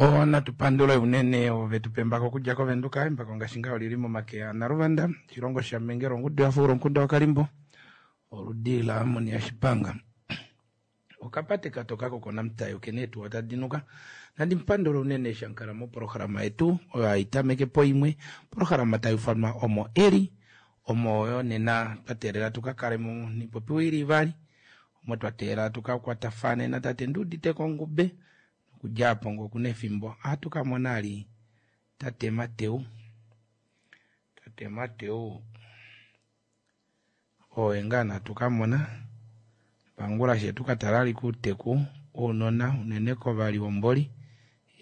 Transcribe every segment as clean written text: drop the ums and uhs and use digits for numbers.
Natu pandule unene ovo vetu pa embako okudja kOvenduka. Embako ngaashi ngaho olili momake aNaluvanda, oshilongo shaMengelo, ongudu yafuula omukunda waKalimbo, oludi laAmoni yaShipanga. Okapate katoka kokoNamutayi okena eetuwa tadi nuka. Nandi mupandule unene eshi amukala mopolohalama yetu oyo hai tameke poimwe, opolohalama tai ufanwa Omo Eli, omo oyo nena twa teelela tuka kale mo niipopiwa ili ivali, omo twa teelela tuka kwatafane natate Nduuditeko Ngube, nokudja apo ngee okuna efimbo ohatu ka mona ali tate Mateu. Tate Mateu oye ngaa natu ka mona pangula she tu ka tala ali kuuteku wounona unene kovalihomboli.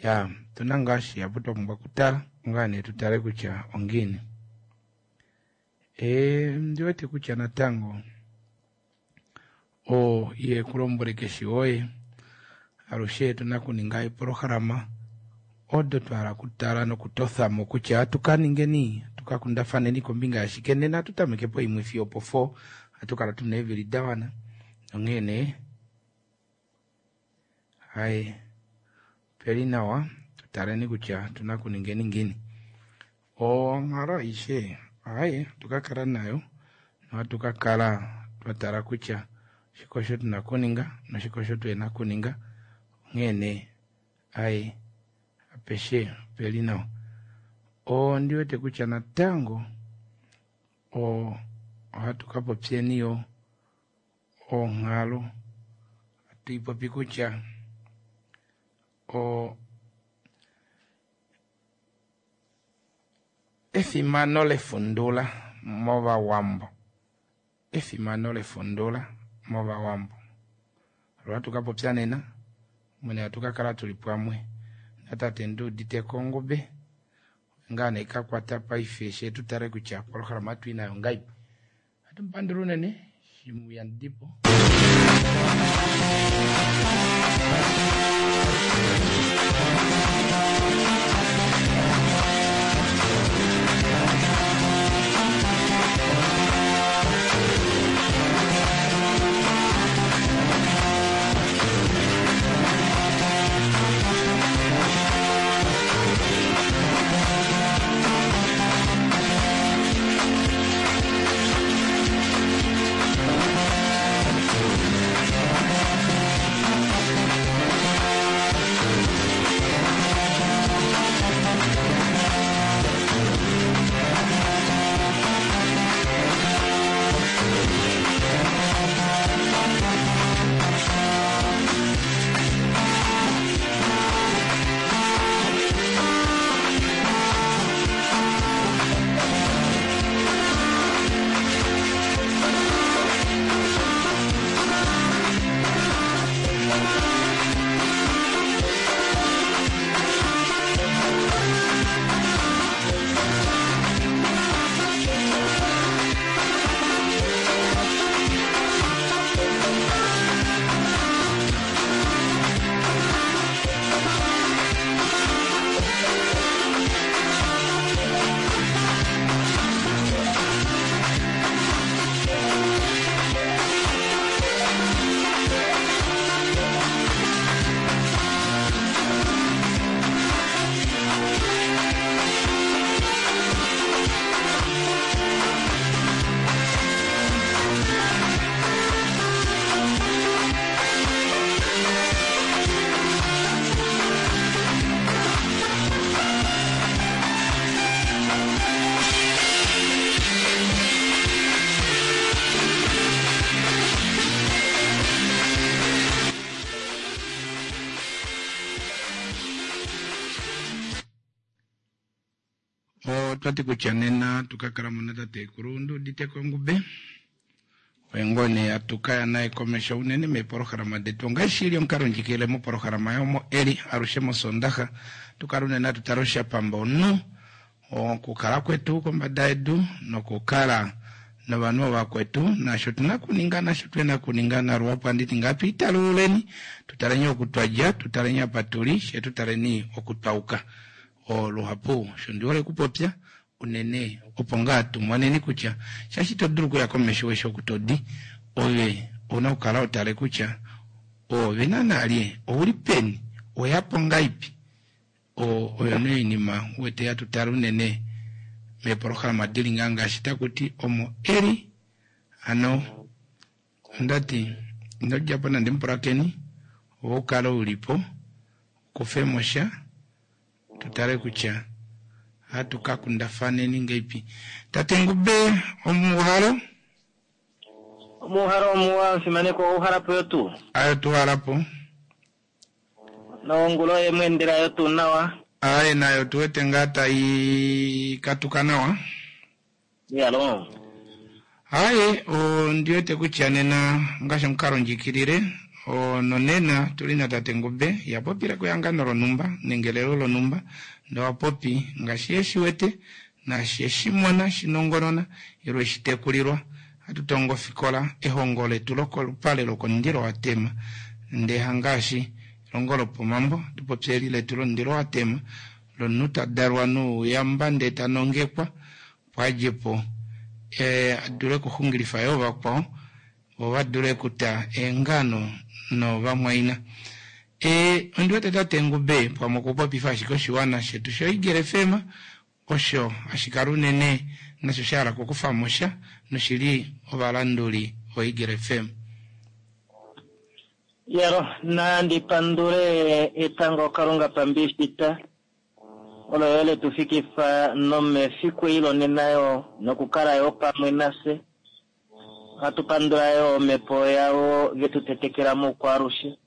Ya otuna ngaa shihapu twa pumbwa okutala ngaa nee tu tale kutya ongiini. Ndi wete kutya natango oo iye kulombwele keshe woye alushe tuna okuninga eepolohalama odo twa hala okutala nokutotha mo kutya ohatu ka ningeni hatu ka kundafaneni kombinga yashike nena ohatu tameke poimwe fiyo opo 4 ohatu kala tuna eevili da wana onghee nee hai opeli nawa tutaleni kutya otuna okuningeni ngiini. Onghalo aishe hai ohatu ka kala nayo nohatu ka kala twa tala kutya oshike osho tuna okuninga noshike osho tuhena okuninga onghee nee hai apeshe opeli nawa. Ondi wete kutya natango ohatu ka popyeni yo onghalo hatu ipopi kutya efimano lefundula mOvawambo, efimano lefundula mOvawambo olo hatu ka popya nena, omwene hatu ka kala tuli pamwe natate Nduuditeko Ngube ngaa nee kakwata paife she tu tale kutya opolohalama ohatu i nayo ngaipi. Ohatu mupandula unene shimuyandipo. Otwati kutya nena tukakala mo natatekulu Nduuditeko Ngube oye ngoo nee hatu kaya naye komesho unene meepolohalama detu ongaashi ili omukalo ndjikilile mopolohalama yomo eli alushe mosondaxa tukala unene hatu tale oshapamba omunhu okukala kwetu kombada yedu nokukala novanhu ovakwetu naasho tuna okuninga naasho tuhena okuninga naluhapu anditi ngaa twiitalululeni tutaleni oku twadja tutaleni apa tuli she tutaleni oku twauka luhapu osho ndi hole okupopya unene opo ngaa tumoneni kutya shaashi ito dulu okuya komesho weshi oku todi ove ouna okukala hotale kutya ove naana lye ouli peni oweyapo ngaipi. Oyo nee oinima u wete hatu tale unene meepolohalama dili ngaa ngaashi taku ti omo eli. Hano ondati ino djapo nande mupulakeni, ove u kale u li po, u kufe mo sha, tu tale kutya ohatu ka kundafaneni ngeipi. Tate Ngube, omuuhalo? Omuuhalo omuwa, omufimanekwa, ouhala po yo tuu? Ayo tuhala po. Nongula oye mu endela yo tuu nawa? Aye, nayo tu wete ngaa tai katuka nawa. Iyalo. Aye, ondi wete kutya nena ngaashi omukalo ndjikilile, nonena tuli na tate Ngube, ya popile kehangano lonhumba nenge elelo lonhumba, ndee owa popi ngaashi ye shi wete, naashi eshi mona, shi nongonona, ile eshi tekulilwa. Ohatu tongo ofikola, ehongo letu lokolupale lokomundilo wa tema, ndee hangaashi elongo lopomambo, ohatu popi eli letu lomundilo wa tema, lomunhu ta dalwa nouyamba ndee ta nongekwa, opo a dje po a dule okuxungilifa yoo vakwao, vo va dule okuta eengano novamwaina. Ondi wete tate Ngube pamwe okupopifa ashike oshiwana shetu shoEagle FM, osho hashi kala unene nasho sha hala okukufa mo sha noshi li ovalanduli voEagle FM. Yalo, nandi pandule etango Kalunga pambishita, olo yo le tu fikifa nomefiku eli lonena yo, nokukala yo pamwe nafye. Ohatu pandula yo omhepo yavo ve tu tetekela moukwaalushe,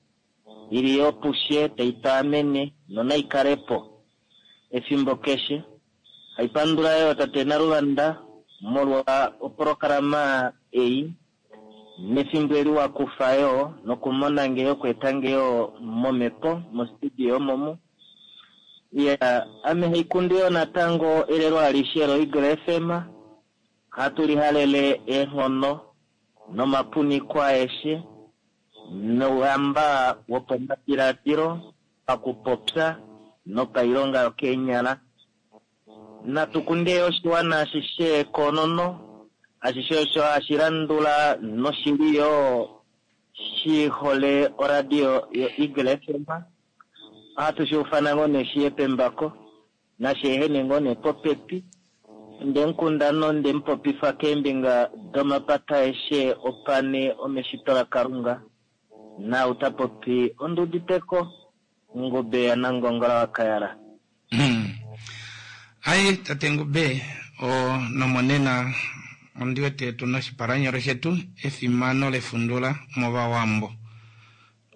i li yo pufye tai tu amene nonai kale po efimbo keshe. Hai pandula yo tate Naluvanda molwa opolohalama ei nefimbo eli wa kufa yo nokumona nge okweeta nge yo momhepo mostudio omomu. Ya, ame haikundu yo natango elelo alishe loEagle FM. Ohatu lihalele eenghono nomapuniko aeshe nouhamba wopomadiladilo, pakupopya nopailonga yokeenyala. Natu kunde oshiwana ashishe koonono, ashishe osho hashi landula noshili yo shi hole oradio yoEagle FM. Ohatu shi ufana ngoo nee shiye pembako, nashi ehene ngoo nee popepi. Onde mu kunda nonde mu popifa keembinga domapata aeshe opane omeshito laKalunga. Naau ta popi ondi uditeko, Ngube yaNangongola waKayala. Ai, tate Ngube, o, nomonena ondi wete tu na oshipalanyole shetu, efimano lefundula mOvawambo.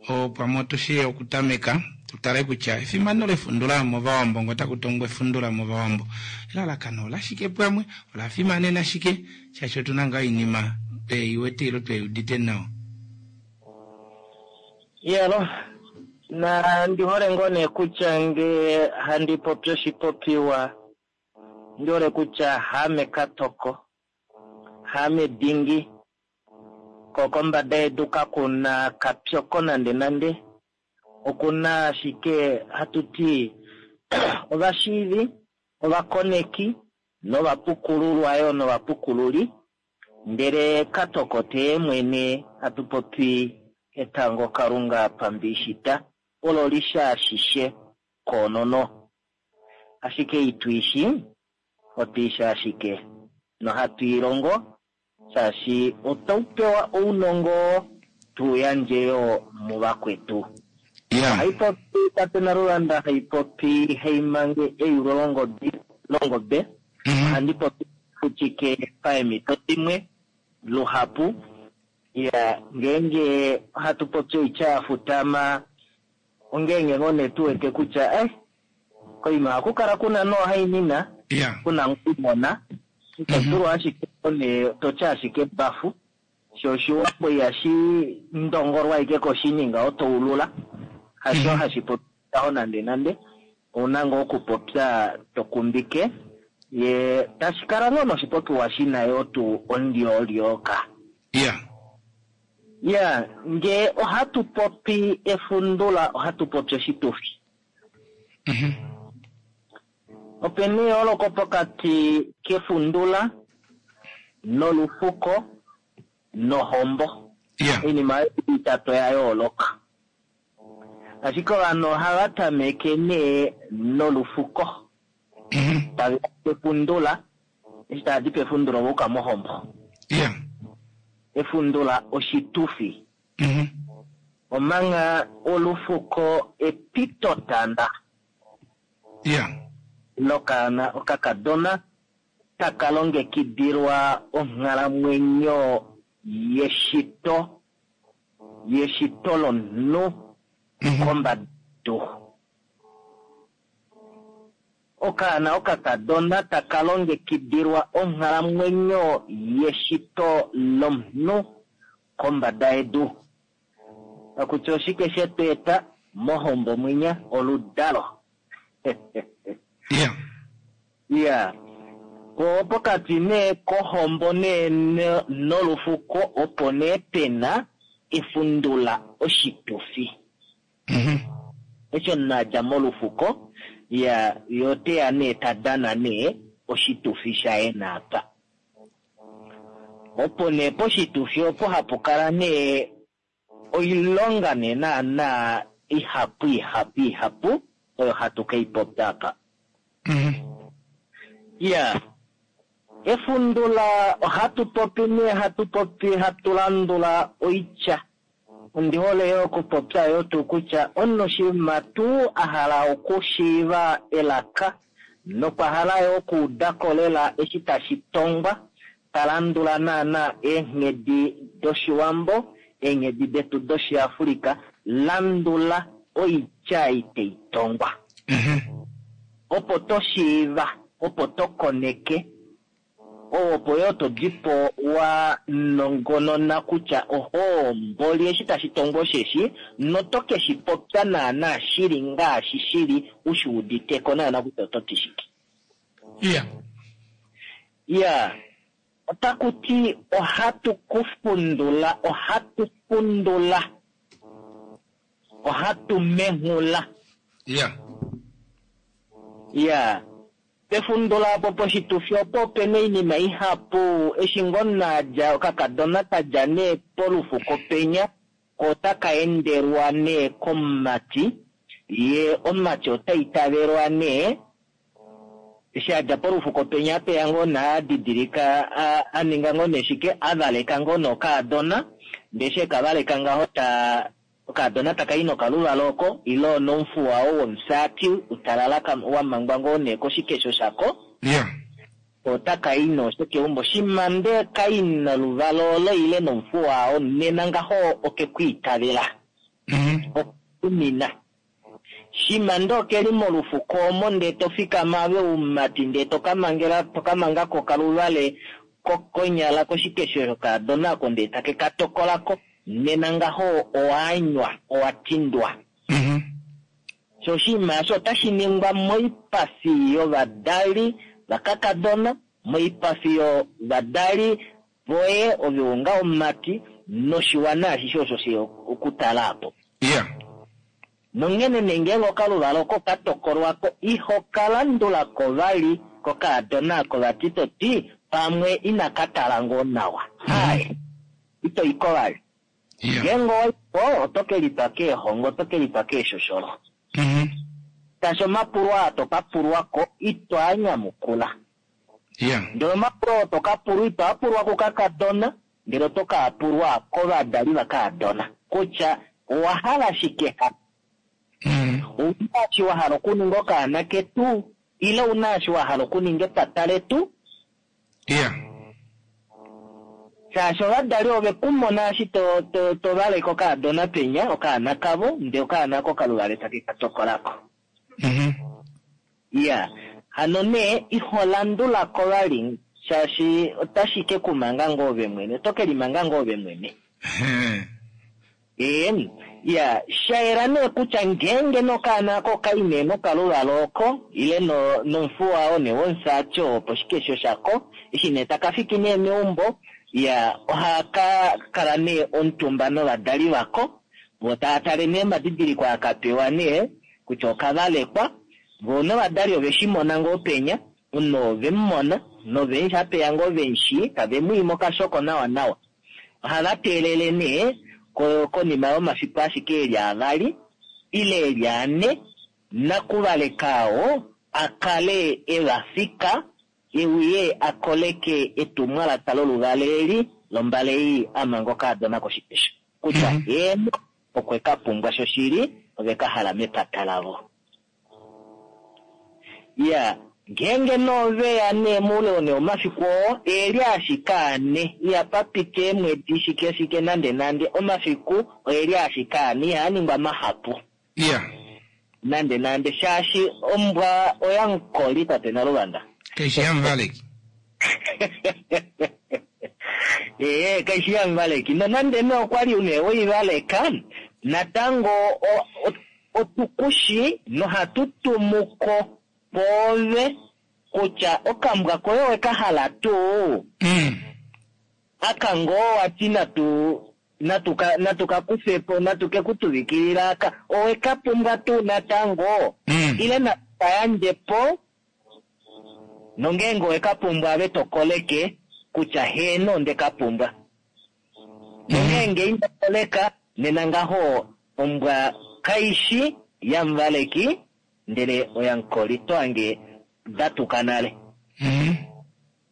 O, pamwe otu shii okutameka, tu tale kutya efimano lefundula mOvawambo, ngee otaku tongwa efundula mOvawambo, elalakano olashike pamwe, ola fimanena shike, shaashi otu na ngaa oinima twe i wete ile twe i udite nawa. Iyalo, na ndi hole ngoo nee kutya nge handi popi oshipopiwa, ndi hole kutya haame katoko, haame dingi, ko kombada yedu kaku na kapyoko nande nande, oku na ashike hatu ti ovashiivi, ovakoneki novapukululwa yo novapukululi, ndele katoko te mwene hatu popi etango Kalunga pambishita olo li shi ashishe koonono. Ashike itu i shi, otu i shi ashike nohatu i longo shaashi otau pewa ounongo oo tu yandje yo muvakwetu. Ohai popi tate Naluvanda, hai popi haimange eyulo longobe. Ohandi popi futike paemhito dimwe luhapu. Ya, ngeenge ohatu popi oitya ya futama, ongeenge ngoo nee tu wete kutya, koima ohaku kala kuna noohainina, kuna ngoo Ito dulu ashike nee to tya ashike bafu, sho oshiwambo ihashi ndongolwa ashike koshininga oto ulula, hasho hashi popi ngaho nande nande, ouna ngoo okupopya to kumbike, ye tashi kala ngoo noshipopiwa shi na yoo tuu ondyoolyoka. Ya, nge ohatu popi efundula ohatu popi oshitufi. Ope na eyooloko pokati kefundula nolufuko nohombo. Oinima oyo itatu oya yooloka. Ashike ovanhu ohava tameke nee nolufuko. Tave ya pefundula, eshi tava di pefundula ova uka mohombo. Efundula oshitufi. Omangha olufuko epitotanda. Lokaana okakadona taka longekidilwa onghalamwenyo yeshito, yeshito lomunhu kombada yedu. Okaana okakadona taka longekidilwa onghalamwenyo yeshito lomunhu kombada yedu. Pakutya oshike shetu eta mohombo mwinya? Oludalo. Iya. Po pokati nee kohombo nee nolufuko opo nee pena efundula oshitufi. Eshi omunhu a dja molufuko, ya, ye ote ya nee ta dana nee oshitufi shaye naapa. Opo nee poshitufi opo hapu kala nee oilonga nee naana ihapu ihapu ihapu oyo hatu ke i popya apa. Iya, efundula ohatu popi nee hatu popi hatu landula oitya. Ondi hole yo okupopya yo tuu kutya omunhu shimha tuu a hala okushiiva elaka nokwa hala yo okuuda ko lela eshi tashi tongwa, ta landula naana eenghedi dOshiwambo, eenghedi detu dOshiafrika, landula oitya ei tai tongwa. Opo to shiiva, opo to koneke, opo yoo to di po wa nongonona kutya ohoo mboli eshi tashi tongwa osheshi, noto ke shi popya naana shili ngaashi shili, u shi udite ko naana kutya oto ti shike. Iya, otaku ti ohatu ku fundula, ohatu fundula, ohatu menghula. Iya, pefundula opo poshitufi opo ope na oinima ihapu, eshi ngoo omunhu a dja, okakadona ka dja nee polufuko penya, ko otaka endelwa nee komumati, ye omumati ota itavelwa nee, eshi a dja polufuko penya apeya ngoo nee a didilika, a ninga ngoo nee shike, a valeka ngoo nee okaadona, ndee eshi eka valeka ngaho ta okaadona taka i nokaluvalo oko, ile onomufuwa oo womufyaati utalala wa mangwa ngoo nee koshikesho shako. Otaka i noosho keumbo. Shimha ndee ka i noluvalo olo ile nomufuwa oo, nena ngaho oke ku itavela. Okutumina. Shimha ndee oke li molufuko omo ndee to fikama ave umati ndee to ka mangela, to ka manga ko okaluvale konyala koshikesho shokaadona oko ndee take ka tokola ko, nena ngaho owa anywa, owa tindwa. Sho oshinima osho otashi ningwa moipafi yovadali vakakadona, moipafi yovadali voye ove onga omumati, noshiwana ashishe osho she okutala apo. Nonghene nee ngeenge okaluvalo oko ka tokolwa ko, iho ka landula ko vali kokaadona oko vati to ti pamwe inaka tala ngoo nawa. Hai, ito i ko vali. Ngeenge owa i ko, oto ke litwa keehongo, oto ke litwa keeshosholo. Shaashi omapulo aa to ka pulwa ko, ito a nyamukula. Ndele omapulo oo to ka pulwa, ito a pulwa kukakadona, ndele oto ka a pulwa kovadali vakaadona. Kutya owa hala shike ha? Ou na eshi wa hala okuninga okaana ketu, ile ou na eshi wa hala okuninga epata letu? Shaashi ovadali ove ku mona eshi to valeke okaadona penya, okaana kavo, ndee okaana ako kaluvale take ka tokola ko. Iya, hano nee iho landula ko vali, shaashi otashi ke ku manga ngoo ove mwene, oto ke limanga ngoo ove mwene. Iya, sha yela nee kutya ngeenge nokaana ako okai nee nokaluvalo oko, ile nomufuwa oo nee womufyaati oo poshikesho shako, eshi nee taka fiki nee meumbo, iya, ohaka kala nee omutumba novadali vako, vo tava tale nee omadidiliko aa ka pewa nee, kutya oka valekwa, vo novadali ove shi mona ngoo penya, omunhu oo ove mu mona, novendji apeya ngoo ve mu shii, tave mu i mokashoko nawa nawa. Ohava teelele nee konima yomafiku ashike e li avali. ile eli ane, nakuvaleka oo a kale e va fika, e uye a koleke etumwalaka loluvale eli lombale ei a manga okaadona koshikesho kutya heeno okwe ka pumbwa shoshili ove ka hala mepata lavo. Iya, ngeenge nee ove ya nee moule nee omafiku oo e li ashike ane, ihapa piti eemwedi shike shike nande nande, omafiku oe li ashike ane, ihaa ningwa mahapu. Nande nande, shaashi ombwa oya mukoli tate Naluvanda. Kaishi yamuvaleki. Ee, kaishi yamuvaleki. Nonande nee okwa li nee weivaleka, natango otukushi nohatu tumuko poove kutya okambwa koye oweka hala tuu. Aka ngoo wati natu ka kufe po, natu ke ku tuvikilila aka, oweka pumbwa tuu natango, ile natu ka yandje po, nongeenge oweka pumbwa ave to koleke kutya heeno onde ka pumbwa. Nongeenge ino koleka, nena ngaho ombwa kaishi yamuvaleki, ndele oya mukoli. To hange da tuka nale.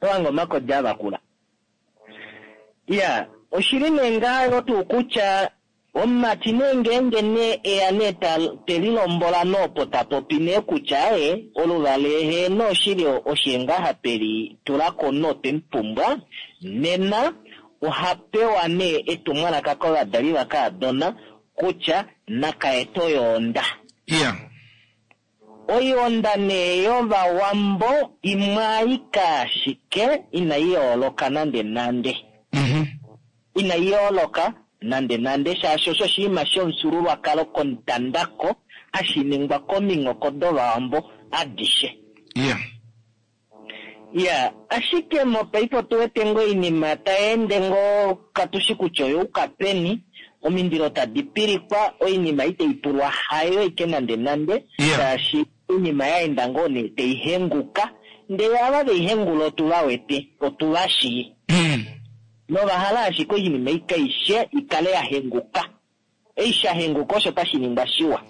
To hange omakodi a vakula. Iya, oshili nee ngaho tuu kutya omumati nee ngeenge nee eya nee te lilombola noopo ta popi nee kutya e oluvale heeno oshili oshe ngaha tweli tulako notwe mu pumbwa, nena oha pewa nee etumwalaka kovadali vakaadona kutya naka ete oyoonda. Oyoonda nee yovawambo imwe aike ashike inai yooloka nande nande. Inai yooloka nande nande, shaashi osho oshinima shomufyuululwakalo komutandako hashi ningwa kominghoko dovawambo adishe. Iya, ashike mopaife otu wete ngoo oinima tai ende ngoo katushi kutya oyouka peni, omindilo tadi pilikwa, oinima itai pulwa hayo ike nande nande, shaashi oinima ya enda ngoo nee tai henguka, ndele ava vei hengula otu va wete, otu va shii. Nova hala ashike oinima ei kaishe ikale ya henguka. Ei sha henguka osho tashi ningwa shiwa.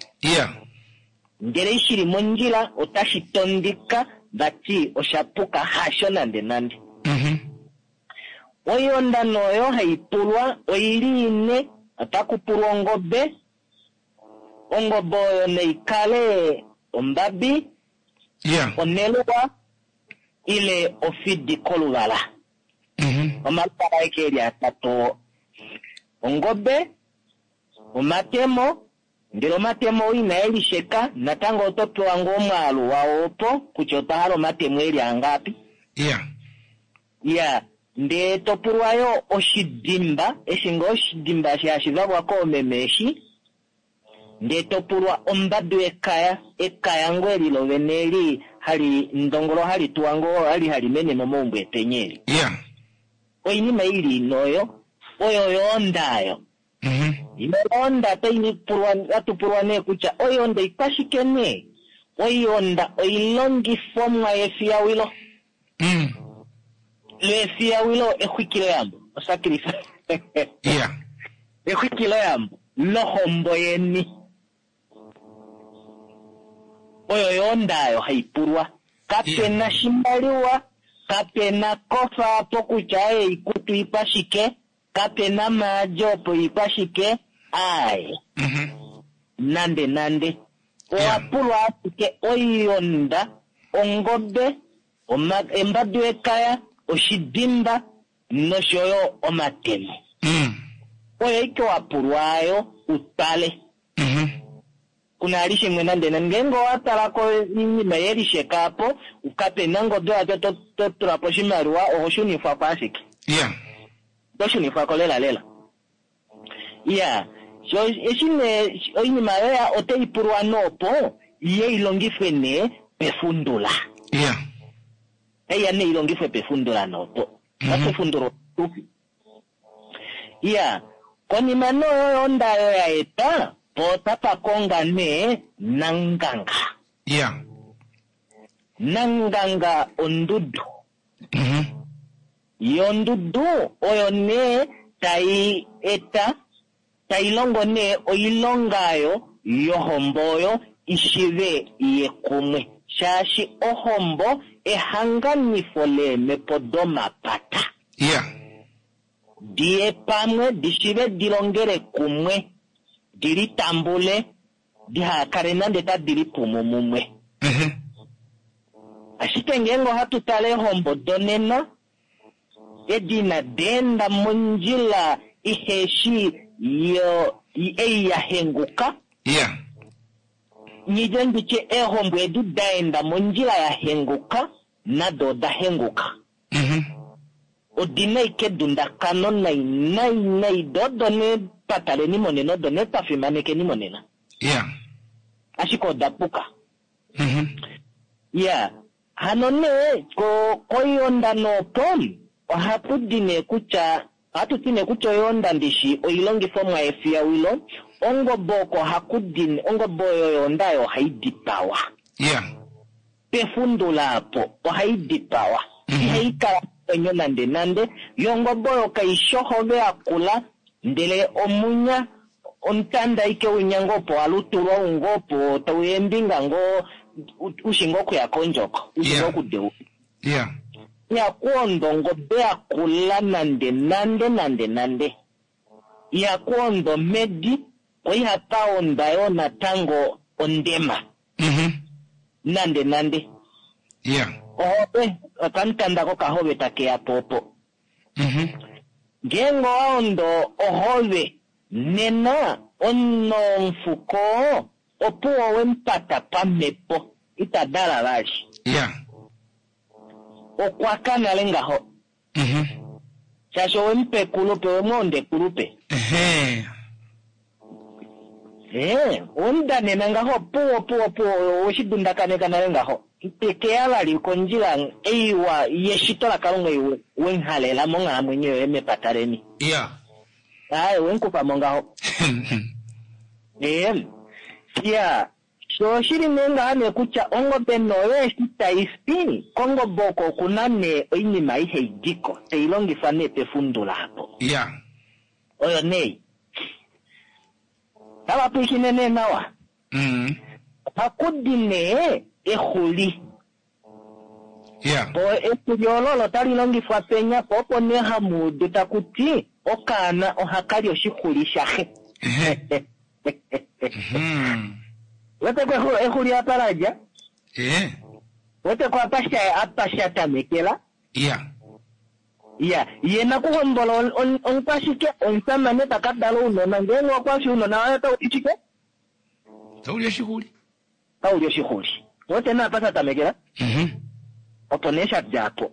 Ndele ei shili mondjila otashi tondika vati osha puka, hasho nande nande. Oionda oyo hai pulwa oili ine, otaku pulwa ongobe. Ongobe oyo naikale ombabi, oneluwa ile ofidi koluvala. Omaluvala aeke eli atatu, ongobe, omatemo, ndele omatemo oo inae lisheka, natango oto pewa ngoo omwaalu wao opo kutya otwa hala omatemo eli angapi. Iya, ndee to pulwa yo oshidimba, eshi ngoo oshidimba eshi hashi valwa koomeme eshi, ndee to pulwa ombadu yekaya, ekaya ngoo eli lovene eli hali ndongolo hali tuwa ngoo hali hali mene momaumbo etenye eli. Oinima ili ine oyo, oyo yoonda ayo. Yoonda hatu pulwa nee kutya oyoonda ikwashike nee? Oyoonda oilongifomwa yefiyawilo. Lefiyawilo exwikiloyambo, osacrifice. Exwikiloyambo lohombo yeni. Oyo yoonda ayo hai pulwa. Kapena shimaliwa, kapena kofa apo kutya oikutu ikwashike, kapena maadi opo ikwashike, aaye. Nande nande. Owa pulwa ashike oionda, ongobe, embadu yekaya, oshidimba nosho yo omatemo. Oyo ike wa pulwa ayo utale. Kuna ali shimwe nande nande. Ngeenge owa tala ko oinima ye lisheka apo, kapena ngobe wacho to tula po oshimaliwa, oho shunifwa ko ashike. To shunifwa ko lela lela. Iya, so eshi nee oinima yoya otai pulwa noopo iye ilongifwe nee pefundula. Eya nee ilongifwe pefundula noopo. Pefundula otufi. Iya, konima noyo yonda yo ya eta, po otapa konga nee nanganga. Nanganga ondudu. Yondudu oyo nee tai eta, tai longo nee oilonga ayo yohombo oyo ishive iye kumwe shaashi ohombo ehanganifo leemhepo domapata. Diye pamwe, dishive dilongele kumwe, dilitambule, dihakale nande tadi lipumu mumwe. Ashike ngeenge ohatu tale eehombo donena, edi inadi enda mondjila iheshi yo ei ya henguka, Nyidje nditye eehombo edi da enda mondjila ya henguka nado oda henguka. Odi na ike edundakano nai nai nai do odo nee twa taleni monena odo nee twa fimanekeni monena. Ashike oda puka. Iya, hano nee ko koionda noopo ohatu di nee kutya ohatu ti nee kutya oyoonda ndishi oilongifomwa yefiyawilo, ongobe oko haku di ongobe oyo yoonda oyo ohai dipawa. Pefundula apo ohai dipawa. Ihai kala nomwenyo nande nande, yo ongobe oyo kai shi ohove yakula ndele omunya omutanda aike winya ngoo opo wa lutulwa ou ngoo opo tau eembinga ngoo ushi ngoo okuya kondjoko, ushi ngoo okudeula. Ihaku ondwa ongobe yakula nande nande nande nande. Ihaku ondwa omhedi, ko ihapa ondwa yoo natango ondema. Nande nande. Ohobe, okamutanda kokahobe take ya po opo. Ngeenge owa ondo ohove, nena omufuko opuwo we mupata pamhepo, ita dala vali. Okwa ka nale ngaho. Shaashi owe mupa ekulupe, owe mu onda ekulupe. Owe mu danena ngaho, opuwo, opuwo, opuwo, owe shi dundakaneka nale ngaho. Itekeya vali kondjila eiwa yeshito laKalunga ei we nghalela monghalamwenyo yoye mepata leni. Aye, we mukufa mo ngaho. Iya, sho oshili nee ngaha nee kutya ongobe noyo eshi tai fi, kongobe oko okuna nee oinima ihe idiko, tai longifwa nee pefundula apo. Oyo nee. Tava pwilikine nee nawa. Ohaku di nee exuli. Po exuli olo olo tali longifwa penya, po opo nee hamu udu taku ti okaana ohaka li oshixuli shaxe. Wete ko exuli apa la dja? Wete ko apa sha apa sha tamekela? Iya, ye nakuhombola omukwashike omusamane ta ka dala ounona, ngeenge okwa fi ounona waye otau li shike? Tau li oshixuli. Tau li oshixuli. Wete nee apa sha tamekela? Opo nee sha dja po.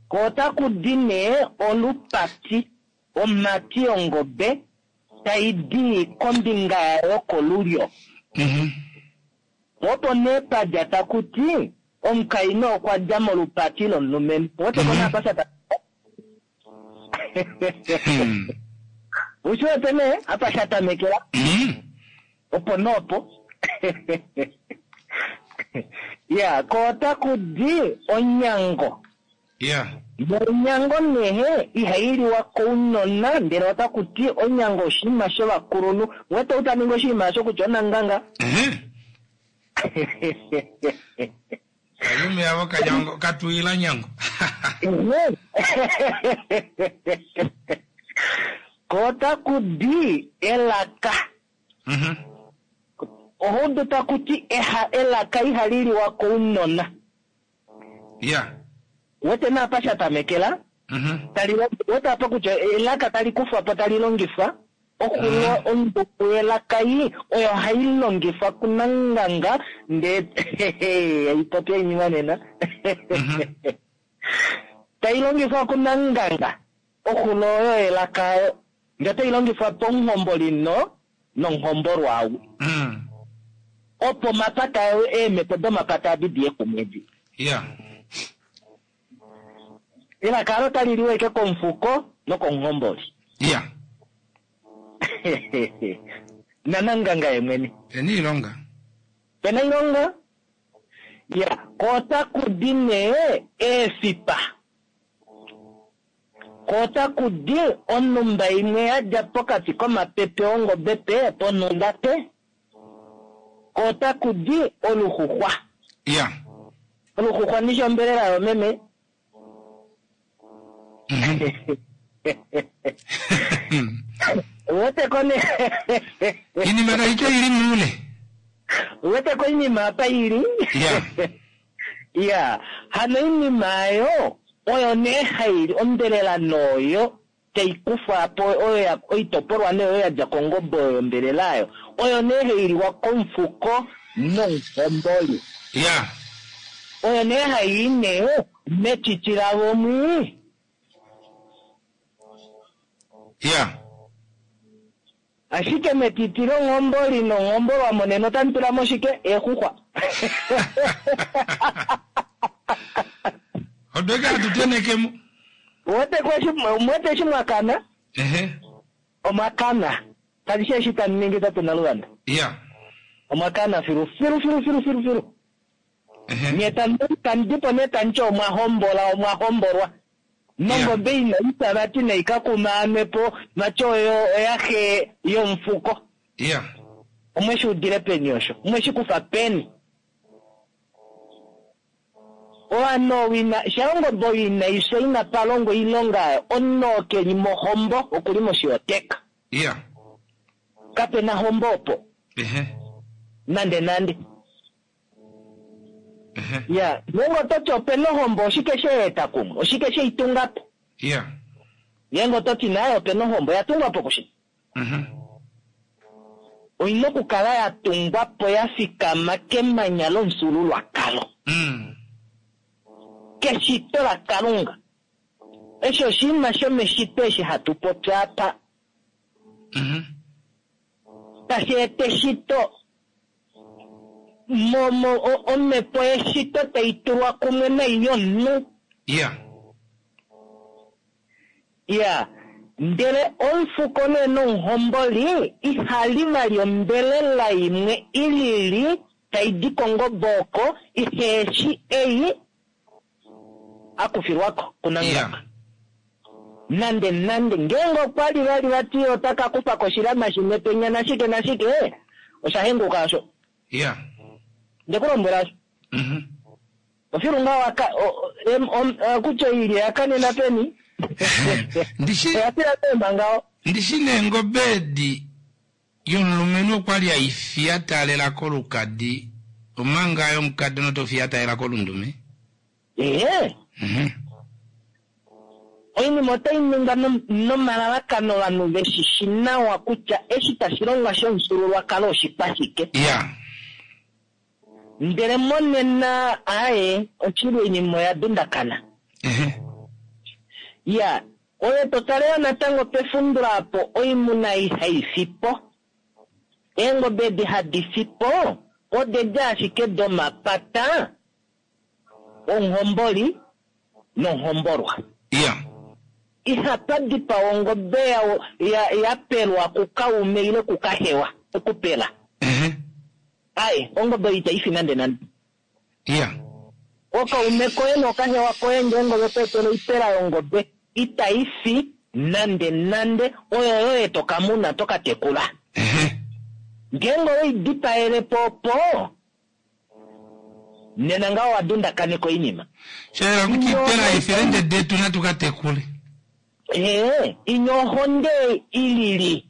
Ko otaku di nee olupati, omhati yongobe tai di kombinga yayo kolulyo. Po opo nee pa dja taku ti omukainhu okwa dja molupati lomulumenhu. Wete ko nee apa sha tamekela? Ushi wete nee apa sha tamekela? Opo noopo. Ya, ko otaku di onyango. Nonyango nee ihai liwa kounona, ndele otaku ti onyango oshinima shovakulunhu. Wete ou ta ningi oshinima osho kutya onanganga. Kalume avo kanyango katuila nyango. Ko otaku di elaka. Ohudu taku ti eha elaka ihali liwa kounona. Wete nee apa sha tamekela? Tali wete apa kutya elaka tali kufwa po tali longifwa oxulo onduku yelaka ei oyo hai longifwa kunanganga ndee haipopya oinima nena. Tai longifwa kunanganga oxulo oyo yelaka oyo ndee otai longifwa pomuhomboli no nomuhombolwa ou. Opo omapata eemhepo domapata adi diye kumwe edi. Elaka alo tali liwa ashike komufuko nokomuhomboli. Nananganga ye mwene. Pena oilonga. Pena oilonga. Ya, ko otaku di nee eefipa. Ko otaku di onhumba imwe ya dja pokati komapepe ongobe pe ponhumba pe. Ko otaku di oluxuxwa. Ya. Oluxuxwa ndishi ombelela yoomeme? Uwete ko nee? Iinima tayi ti oyi li muule. Uwete ko iinima apa i li? Ya. Ya, hano oinima oyo oyo nee hai li ombelela nooyo tai kufwa po oyo ya oitopolwa nee oyo ya dja kongobe oyo yombelela oyo oyo nee hai liwa komufuko nomuhomboli. Ya. Oyo nee hai i nee metiti lavo mwii. Ya. Ashike metiti longhomboli nonghombolwa monena otamu tula mo shike? Eexuxwa. Odo eke hatu teneke mo. Uwete ko eshi, muwete eshi mwa kana? Ehe. Omwa kana. Kali shi eshi tamu ningi tate Naluvanda. Ya. Omwa kana filu filu filu filu filu filu. Ehe. Nye tamu tamu di po nee tamu ti omwa hombola omwa hombolwa. Nongobe ina i fya vati nai ka kumaanwe po vati oyo oyaxe yomufuko. Ya. Omwe shi udile peni osho? Omwe shi kufa peni? Ovanhu ou ina, sha ongobe oyo inai fya inapa longwa oilonga oyo, omunhu oo ke li mohombo oku li moshihoteka. Ya. Kape na hombo opo. Ehe. Nande nande. Ya, ngeenge oto ti ope na ohombo, oshike she i eta kumwe? Oshike she i tunga po? Ya. Ngeenge oto ti naye ope na ohombo, oya tungwa po kushike? Oi na okukala ya tungwa po ya fikama kemanya lomufyuululwakalo. Keshito laKalunga. Eshi oshinima shomeshito eshi hatu popi apa. Tashi eta eshito. Mo, mo, o, omhepo yeshito tai tulwa kumwe nai yomunhu. Iya. Iya. Ndele omufuko nee nomuhomboli iha li vali ombelela imwe i lili tai di kongobe oko, ihe shi ei a kufilwa ko kuNangamba. Iya. Nande nande ngeenge okwa li vali vati ota ka kufa ko oshilama shimwe penya nashike nashike, osha henguka osho. Iya. Nde ku lombwela osho. Ofilu ngaa wa ka, o, em, om, eh, kutya oilya oya kanena peni? Ndishi, Oya fila peemba ngaho. ndishi neengobe edi yomulumenhu okwa li hai fi ya taalela kolukadi, omanga yomukadona oto fi ya taalela kolundume. Ee. Oinima otai ningwa nomalalakano ovanhu ve shi shi nawa kutya eshi tashi longwa shomufyuululwakalo oshikwashike. Ya. Ndele monena, aaye, oshili oinima oya dundakana. Ya, oye to tale yo natango pefundula apo oimuna ei hai fi po. Eengobe edi hadi fi po odedi ashike domapata omuhomboli nomuhombolwa. Iya. Ihapa dipawa ongobe ya, ya, ya pelwa kukaume ile kukahewa, okupela. Ehe. Aye, ongobe oyo itai fi nande nande. Iya. Okaume koye nokahewa koye ngeenge ove ku etele oipela yongobe, itai fi nande nande, oyo yoye to ka muna, to ka tekula. Ehe. Ngeenge owe i dipaele po opo, Nena ngaho owa dundakaneka oinima. Sha yela kutya oipela eefelende detu natu ka tekule. Ee, inya ohonde i lili.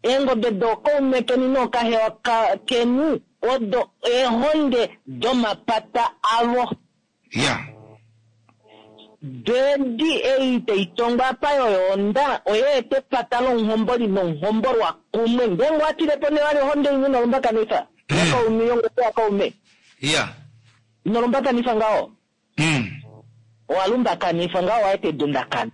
Eengobe dookaume keni nookahewa keni odo eehonde domapata avo. Ya. Doedi ei tai tongwa apa yoyoonda oya eta epata lomuhomboli nomuhombolwa kumwe. Ngeenge owa tile po nee vali ohonde imwe ino lumbakanifa yakaume yongobe yakaume. Ya. Ino lumbakanifa ngaho. Owa lumbakanifa ngaho owa eta edundakano.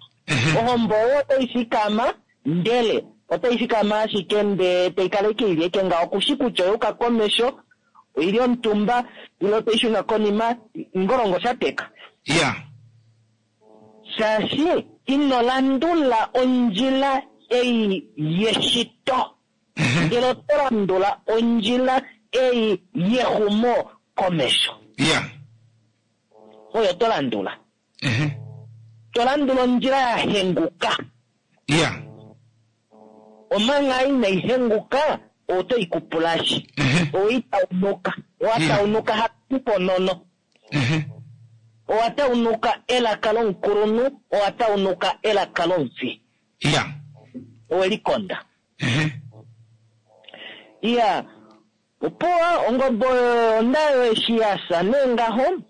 Ohombo oyo otai fikama ndele otai fikama ashike ndee tai kala ike ili eke ngaho kushi kutya oya yuka komesho Oili omutumba ile otai shuna konima, ngolongo sha teka. Ya. Shaashi ino landula ondjila ei yeshito, ndele oto landula ondjila ei yexumo komesho. Ya. Oyo to landula. To landula ondjila ya henguka. Iya. Omanga inai henguka, oto i kupulashi. Owei taunuka. Owa taunuka hatu ponono. Owa taunuka elaka lomukulunhu, owa taunuka elaka lomufi. Iya. Owe likonda. Iya. Opuwo ongobe oyo ondayo eshi ya fya nee ngaho,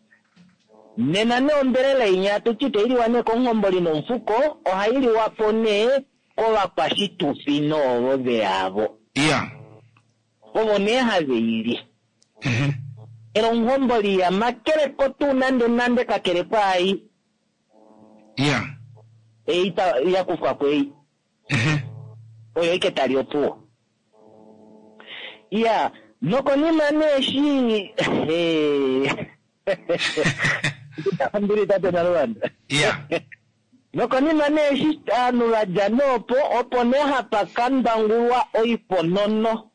nena nee ombelela inya atuti itailiwa nee komuhomboli nomufuko, ohailiwa po nee kovakwashitufi noovo veyavo. Iya. Ovo nee have i li. Ndele omuhomboli iha makeleko tuu nande nande kakele kwaai. Iya. Ei ya kufwa ko ei. Oyo ike tali opuwo. Iya, nokonima nee eshi Ombili tate Naluvanda. Iya. Nokonima nee eshi ovanhu va dja nee opo, opo nee hapa ka ndangulwa oiponono.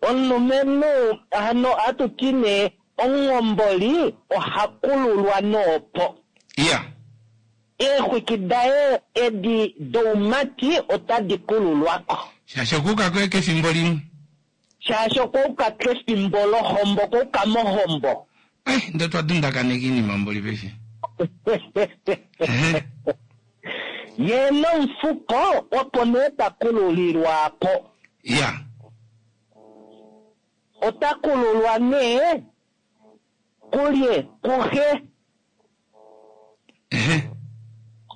Omulumenhu hano ohatu ti nee omuhomboli oha kululwa noopo. Iya. Eexwiki daye edi doumati otadi kululwako. Shaashi okuuka koye kefimbo limwe. Shaashi okwauka kefimbo lohombo, okwauka mohombo. Ndee otwa dundakaneka oinima mboli paife. Ye nomufuko opo nee ta kululilwa po. Iya. Ota kululwa nee kulye kuxe.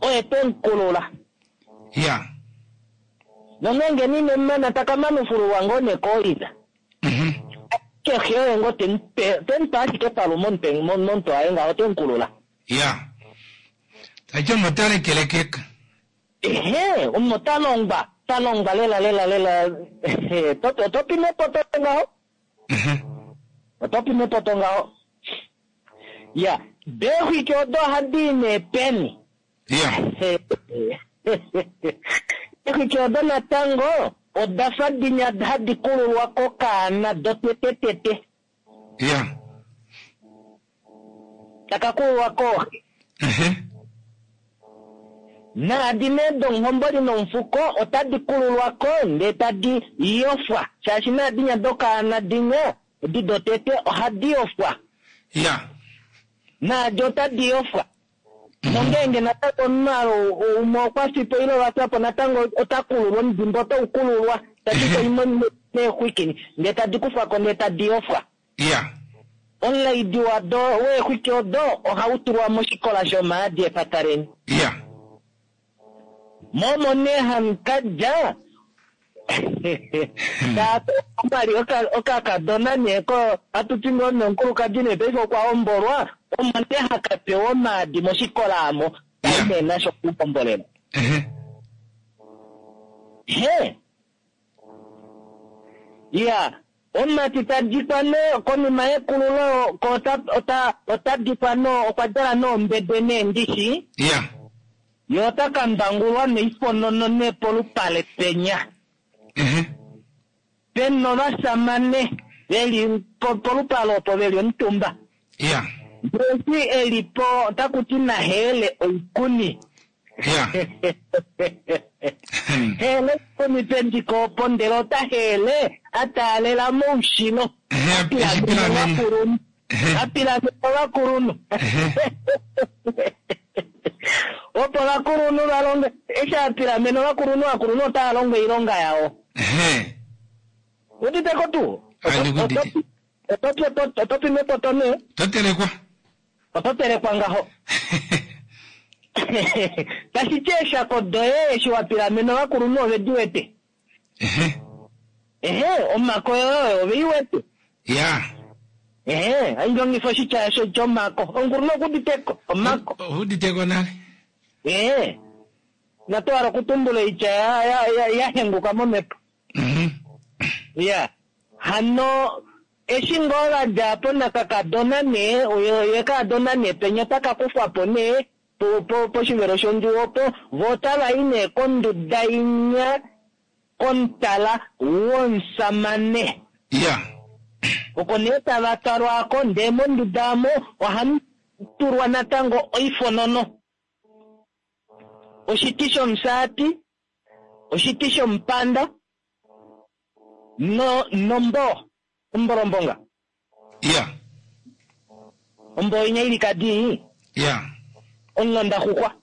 Oye te mu kulula. Iya. Nongeenge nine mana taka manufululwa ngoo nee kooina. Kexe oye ngoo te mu pe, te mu pe ashike palumwe momutwe waye ngaho te mu kulula. Iya. Taiti omunhu ota lekelekeka. Ehe, omunhu ota longwa, ta longwa lela lela lela. Oto pi mepoto ngaho? Oto pi mepoto ngaho? Ya, deexwiki odo ohadi i nee peni? Iya. Eexwiki odo natango oda fa dinya hadi kululwa kokaana dotetetete. Iya. Taka kululwa kooxe. Naadi nee domuhomboli nomufuko otadi kululwa ko ndee tadi yofwa. Shaashi naadinya dokaana dinya edi dotete ohadi yofwa. Iya. Naadi otadi yofwa. Nongeenge natango omunhu umwe okwa fipo ile va fya po natango ota kululwa, omudimba otau kululwa. Tadi koimo neexwiki ndee tadi kufwa ko ndee tadi yofwa. Iya. Omulaidi wado weexwiki odo ohau tulwa moshikola shomaadi epataleni. Iya. Momo nee hamu ka dja omwali okakadona nee ko hatu ti ngoo nomukulukadi nee paife okwa hombolwa, omo nee haka pewa omaadi moshikola amo, tai nee nasho okuhombolela. He. Iya, omumati ta dikwa nee konima yekululo ko ota dikwa no okwa djala noombede neendishi. Iya. Ye ota ka mbangulwa noiponono nee polupale penya. Pena ovasamane veli polupale opo veli omutumba. Iya. Ndele e li po otaku ti naheele oikuni. Iya. Heele oikuni pendiko opo ndele ota heele a taalela moushilo. Eshi pilamene. A pilamene ovakulunhu. Opo ovakulunhu va longe, eshi a pilamene ovakulunhu, ovakulunhu otava longo oilonga yao. Udite ko tuu? Handi kudite. Oto pi mepoto nee? To telekwa. Oto telekwa ngaho. Tashi ti eeshako doye eshi wa pilamene ovakulunhu ove di wete. Ehe, omako yoye ove i wete. Ya. Ehe, hai longifa oshitya osho chomako. Omukulunhu okuditeko, omako. Okuditeko nale. Ehe. Natu hala okutumbula oitya ya henguka momhepo. Ya. Hano eshi ngoo va dja po nakakadona nee, ye kaadona nee penya otaka kufwa po nee poshivelo shondjuwo opo, vo otava i nee konduda inya komutala womusamane. Ya. Oko nee tava twalwa ko, ndee monduda omo ohamu tulwa natango oifonono. Oshiti shomufyaati, oshiti shomupanda no nomboo, ombolombonga. Ya. Omboo inya ili kadi. Ya. Omulondaxuxwa.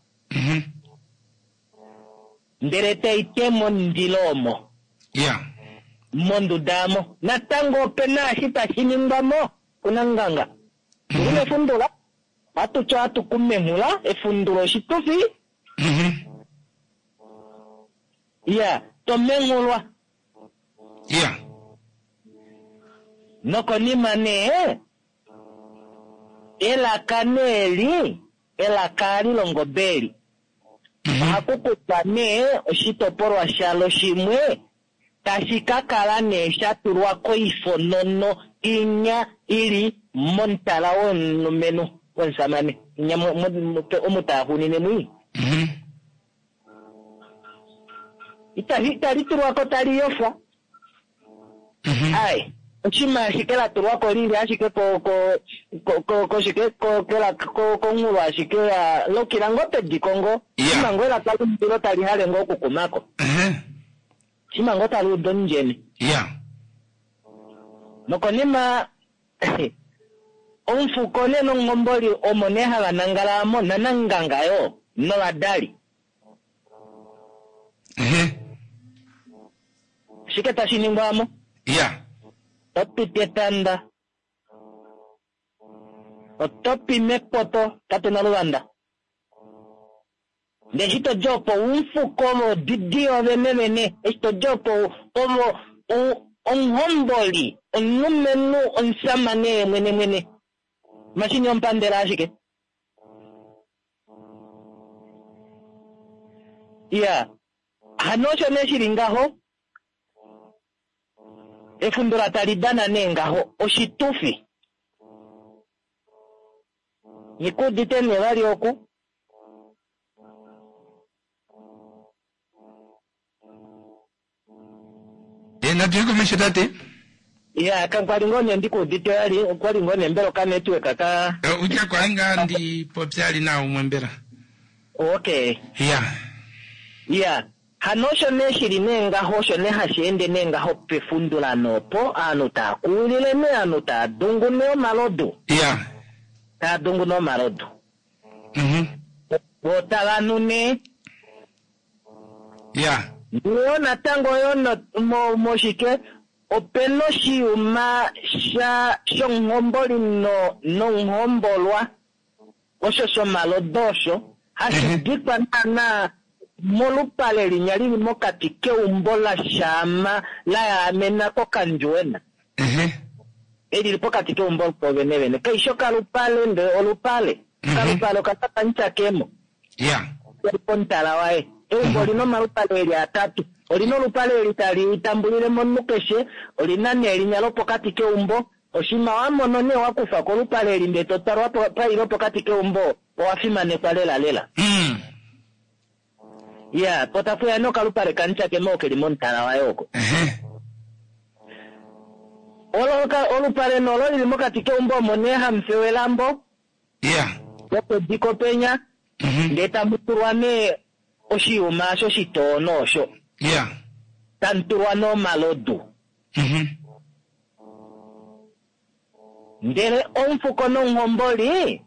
Ndele tai tema omundilo omo. Ya. Monduda omo. Natango ope na eshi tashi ningwa mo kunanganga. Tuli mefundula. Ohatu ti ohatu kumenghula efundulo oshitufi. Ya, to menghulwa. Ya. Nokonima nee, elaka nee li, elaka ali longobe eli. Ohaku kutwa nee oshitopolwa shalo shimwe tashi ka kala nee sha tulwa koifonono inya i li momutala womulumenhu womusamane, inya omu taa xunine mwii. Itali tulwa ko tali yofwa. Ai, oshima ashike la tulwa ko lili ashike ko ko ko ko shike ko kela ko konghulu ashike ya lokila ngo pediko ngo. Shima ngo elaka lomundilo tali hale ngo okukumako. Shima ngo tali udu omundjene. Nokonima omufuko nee nomuhomboli omo nee hava nangala mo nananganga yoo novadali. Oshike tashi ningwa mo? Ya. Oto piti etanda. Oto pi mepoto, tate Naluvanda. Ndele eshi to di opo omufuko vo odidi yo vene vene, eshi to di opo ovo omuhomboli, omulumenhu, omusamane ye mwene mwene. Mashini ompandela ashike. Ya. Hano osho nee shili ngaho. Efundula tali dana nee ngaho oshitufi. Ngikuudite nee vali oku. E, natu ye komesho tate. Ya, ka kwali ngoo nee ndikuudite vali, okwali ngoo nee mbela okanetwork ka... Utya kwali ngaa ndi popya ali na umwe mbela. Okay. Ya. Ya. Hano osho nee shili nee ngaho, osho nee hashi ende nee ngaho pefundulano opo, aanhu taa kuwilile nee, aanhu taa dungu nee omalodu. Ya. Taa dungu nee omalodu. Vo tava nu nee. Ya. Yo natango yo no, mo, moshike, ope noshiyuma sha, shomuhomboli no, nomuhombolwa, osho shomalodo osho, hashi dikwa naana molupale linya lili mokati keumbo la shaama la yaamena kokandjuwena. Eli li pokati keumbo po vene vene. Kaishi okalupale ndele olupale. Okalupale okatapanitya kemo. Ya. Eli pomutala waye. Eumbo olina omalupale eli atatu. Olina olupale eli tali tambulile momunhu keshe, olina nee linya lopokati keumbo. Oshima wa mono nee wa kufa kolupale eli ndele to twalwa pailo pokati keumbo, owa fimanekwa lela lela. Ya, po tapu ya nee okalupale kanitya kemo keli momutala waye oko. Olupale nolo lili mokati keumbo omo nee hamu fewa elambo. Ya. Lopediko penya. Ndele tamu tulwa nee oshiyuma osho shitoono osho. Ya. Tamu tulwa nee omalodu. Ndele omufuko nomuhomboli,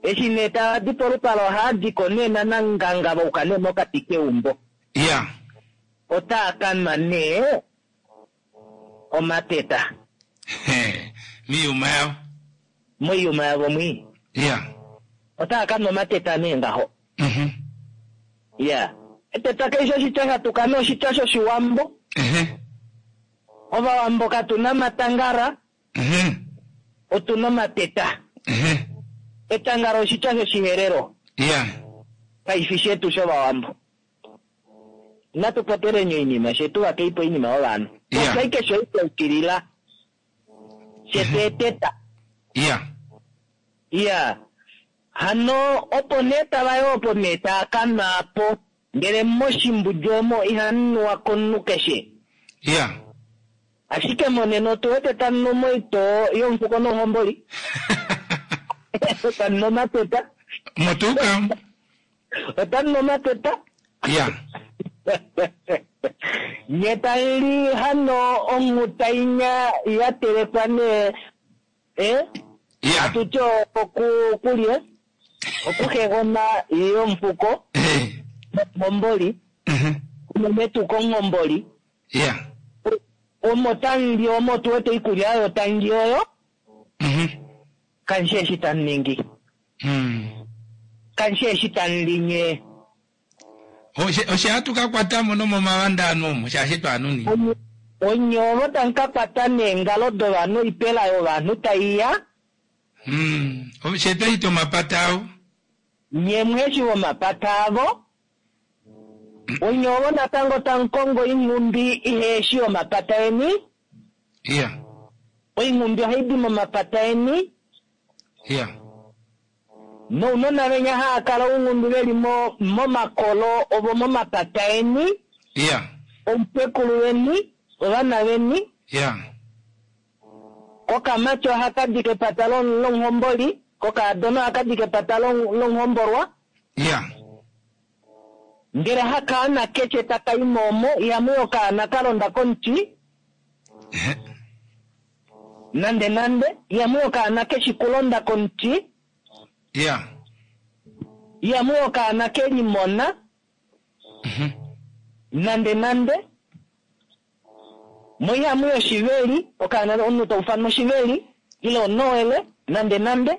eshi nee tava di polupale ohaa di ko nee nananganga va uka nee mokati keumbo. Ya. Otaa ka nwa nee omateta. Miiyuma yavo. Moiyuma yavo mwii. Ya. Otaa ka nwa omateta nee ngaho. Ya. Eteta keshe oshitya sha tuka nee oshitya shoshiwambo. Ovawambo katu na matangara. Otu na omateta. Etangara oshitya shoshiherero. Ya. Kaifi shetu shovawambo. Inatu poteleni oinima shetu vakeipo oinima yovanhu. Ya. Popya keshe oitya ukilila. Shetu eteta. Ya. Ya. Hano opo nee tava yo opo nee taa ka nwa po. Ndele moshimbudju omo ihamu nuwa komunhu keshe. Ya. Ashike monena otu wete tamu nu moitoo yomufuko nomuhomboli. Otamu nu omateta. Motuka. Otamu nu omateta. Ya. Nye tamu li hano onghuta inya ya telekwa nee eh? Ya. Atu ti okulye okuhegona yomufuko Eh. nomuhomboli unene tuu komuhomboli Ya. Omo tamu li omo tu wete oikulya oyo tamu li oyo Kamu shi eshi tamu ningi. Kamu shi eshi tamu li nye. Oshe oshe hatu ka kwata mo nomomavanda anu omo shaashi twaanuni. Onye ovo tamu ka kwata neengalo dovanhu oipela yovanhu tai ya. Oshe twa ita omapata avo. Nye mweshi vomapata avo. Onye ovo natango tamu kongo oinghumbi iheshi yomapata eni. Iya. Oinghumbi ohai di momapata eni. Iya. Nounona venya haa kala ounghumbi ve li mo, momakolo ovo momapata eni. Iya. Outekulu veni, ovana veni. Iya. Kokamati ohaka di kepata lomuhomboli, kokaadona ohaka di kepata lomuhombolwa. Iya. Ndele hakaana keshe taka i mo omo, ihamu i okaana ka londa komuti. Nande nande, ihamu i okaana keshi kulonda komuti. Iya. Ihamu i okaana ke limona. Nande nande. Mo ihamu i oshiveli, okaana omunhu ta ufanwa oshiveli, ile onoele, nande nande.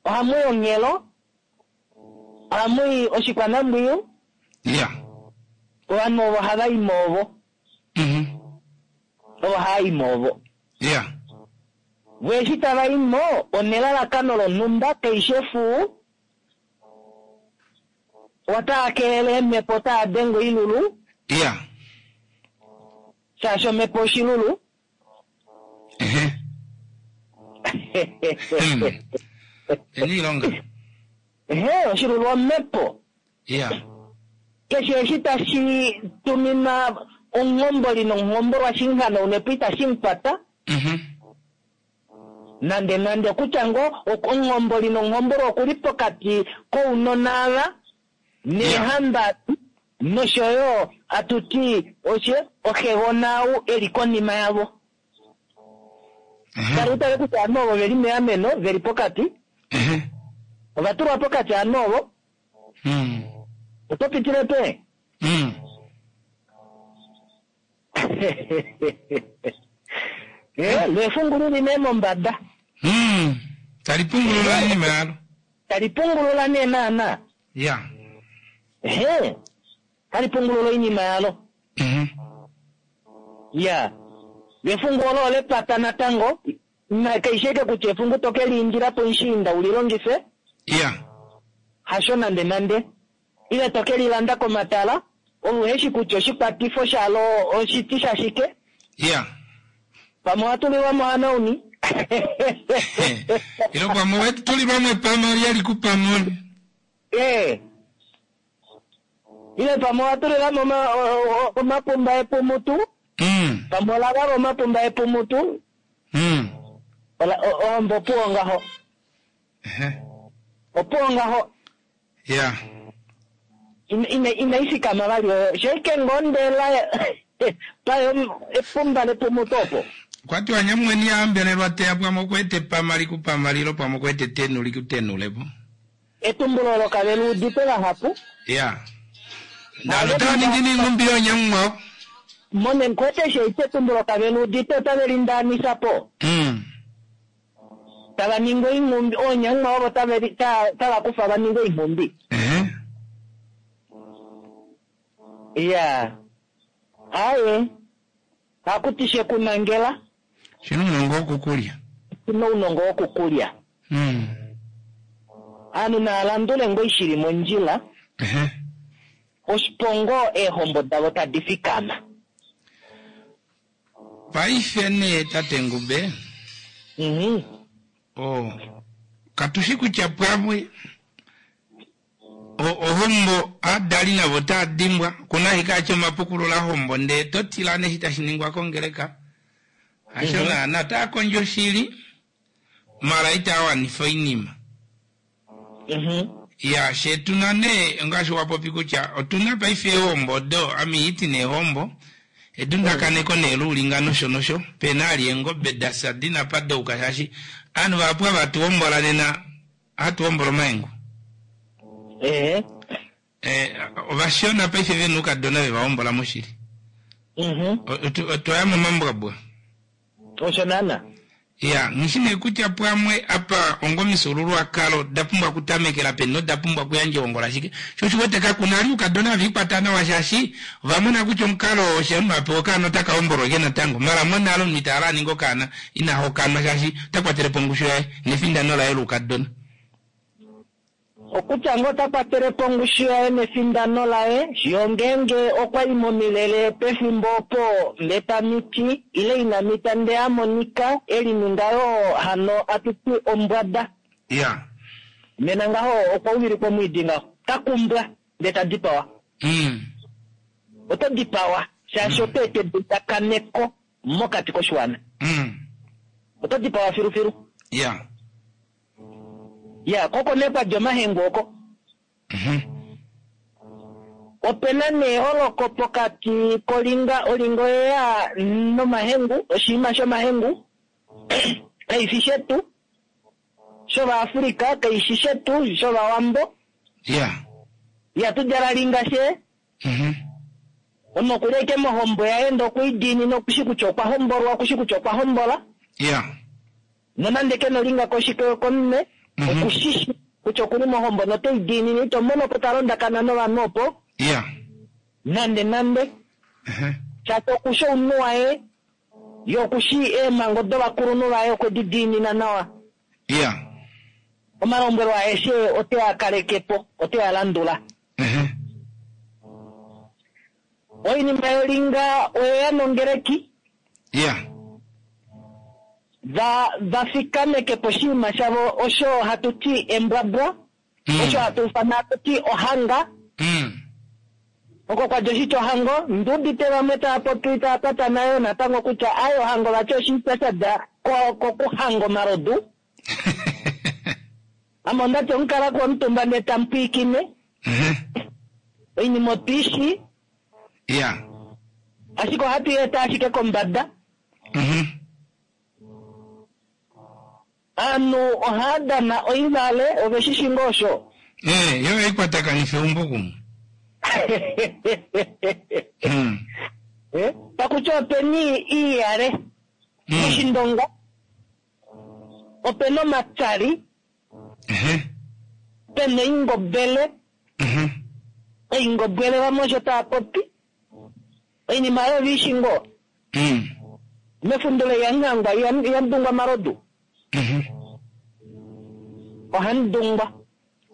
Ohamu i onghelo, ohamu i oshikwanambwiyu. Iya. Ovanhu ovo hava i mo ovo. Ovo hava i mo ovo. Iya. Vo eshi tava i mo, onelalakano lonhumba, kaishe fuu, otaa kelele eemhepo, otaa denge oilulu. Iya. Shaashi omhepo oshilulu. Ehe. Eni ilonga. Ehe, oshilulu omhepo. Iya. Keshe eshi tashi tuminwa omuhomboli nomuhombolwa shinghano unepo itashi mu kwata. Nande nande okutya ngoo omuhomboli nomuhombolwa okuli pokati kounona ava neehamba nosho yo atu ti oshe oxegona ou e li konima yavo. Kala utale kutya ovanhu ovo ve li meameno, ve li pokati. Ova tulwa pokati ovanhu ovo. Oto pitile pe? Lefungu li li nee mombada. Tali pungulula oinima yalo. Tali pungulula nee naana. Ya. Ehe. Tali pungulula oinima yalo. Ya. Lefungu olo olepata natango. Na kaishe eke kutya efungu to ke liindila pomushiinda u li longife. Ya. Hasho nande nande. Ile to ke lilanda komatala, ove uhe shi kutya oshikwatifo shalo oshiti shashike. Ya. Pamwe owa tulilwa mo hanauni. Ile pamwe owe tulilwa mo epama li li kupamoni. Eh. Ile pamwe owa tulilwa mo omapumba epumutu. Pamwe ola valwa omapumba epumutu. Ola, ohombo opuwo ngaho. Opuwo ngaho. Ya. Inai fikama vali oyo. Sheike ngoo ndela payo epumba lepumutu opo. Okwa tiwa nyamweni ya hambelelwa teya pamwe okuete epama likupama lilo pamwe okuete etenu likutenulepo. Etumbulo olo kave li udite vahapu. Ya. Ndalo otava ningi neinghumbi yoonyamunghwao. Mone nkwete sheite etumbulo kave li udite otave li ndaanisa po. Tava ningi oinghumbi, oonyamunghwao ovo tave li, ta, tava kufa va ninge oinghumbi. Ya. Aye. Haku ti she ku nangela. Shi na ounongo wokukulya. Shi na ounongo wokukulya. Aanhu naa landule ngoo shili mondjila. Oshipongo eehombo davo tadi fikama. Paife nee tate Ngube. Oh, katu shi kutya pwamwe ohombo aadali navo otaa dimbwa kuna ashike atya omapukulula hombo ndee to tila neshi tashi ningwa kongeleka. Hasho naana otaa kondjo shili. Mara itaa wanifa oinima. Ya, she tuna nee ngaashi wa popi kutya otuna paife eehombo odo ame iti neehombo edundakaneko nee loulinga nosho nosho pena ali eengobe dafya dina pa douka shaashi ovanhu vahapu ava hatu hombola nena ohatu hombola omahengu. Ee. Eh, ovashona paife vena oukadona veva hombola moshili. Otwa ya momambwabwa. Osho naana. Ya, nghi nee kutya pwamwe apa onga omifyuululwakalo da pumbwa okutamekela peni noda pumbwa okuyandja ehongo lashike. Sho osho wete kaku na ali oukadona have ikwata nawa shaashi ova mona kutya omukalo oo osho omunhu a pewa okaana otaka hombolwa ashike natango. Mara monale omunhu ita hala a ninge okaana ina hokanwa shaashi ota kwatele po ongushu yaye nefindano laye loukadona. Okutya ngoo ota kwatele po ongushu yaye nefindano laye, fiyo ongeenge okwa i momilele pefimbo opo ndee ta miti, ile ina mita ndee a monika e lininga yoo hano atu ti ombwada. Ya. Nena ngaho okwa uvilikwa omwiidi ngaho. Ta kumbwa, ndee ta dipawa. Oto dipawa, shaashi oto eta edundakaneko mokati koshiwana. Oto dipawa filufilu. Ya. Ya, koko nee kwa dja omahengu oko. Ope na nee eholoko pokati kolinga, olinga oyeya nomahengu, oshinima shomahengu, kai fi shetu, shOvaafrika, kai shi shetu, shOvawambo. Ya. Ihatu djala linga she. Omunhu okuli ashike mohombo yaye ndee okwe i diinina, oku shi kutya okwa hombolwa, oku shi kutya okwa hombola. Ya. Nonande ke na olinga komunwe, oku shi shi kutya oku li mohombo note i diinine. Ito mono po ta londakana novanhu opo. Ya. Nande nande. Shaashi oku shi omunhu waye, ye oku shii eemhango dovakulunhu vaye okwe di diinina nawa. Ya. Omalombwelo aeshe ote a kaleke po, ote a landula. Oinima yolinga oye ya nongeleki. Ya. Va, va fikameke po oshinima shavo osho hatu ti embwabwa, osho hatu ufana hatu ti ohanga. Oko kwa dja oshitya ohango, ndi udite vamwe tava popi tava patana yoo natango kutya aye ohango vati oshitya sha dja ko, kokuhanga omalodu. Ame onda ti omukala komutumba ndee tamu pwiikine. Oinima otu i shii. Ya. Ashike ohatu i eta ashike kombada. Ovanhu ohava dana oivale, ove shi shi ngoo osho? Ee, yo ohai kwatakanifa eumbo kumwe. Eh, pakutya openi iiyale moshindonga, opena omatsali, pena oingobele, oingobwele vamwe osho tava popi. Oinima oyo ove i shi ngoo? Mefundula ihamu hangwa, ihamu dungwa omalodu. Ohamu dungwa.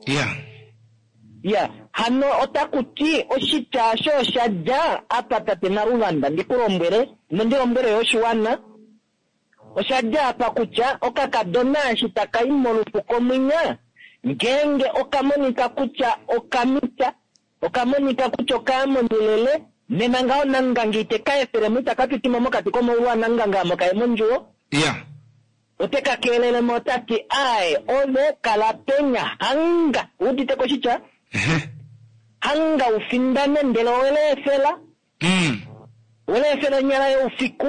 Ya. Ya, hano otaku ti oshitya osho osha dja apa tate Naluvanda, ndi ku lombwele, nondi lombwele yo oshiwana. Osha dja apa kutya okakadona eshi taka i molufuko mwinya, ngeenge oka monika kutya oka mita, oka monika kutya oka ya momilele, nena ngaho Namunganga ite ka efele mo, itaka piti mo mokati komaulu aNamunganga amo ka ye mondjuwo. Ya. Ote ka keelele mo ota ti, Aae, ove kala penya, hanga, u udite ko oshitya? Hanga u findane, ndele owe leefela. Owe leefela onyala youfiku.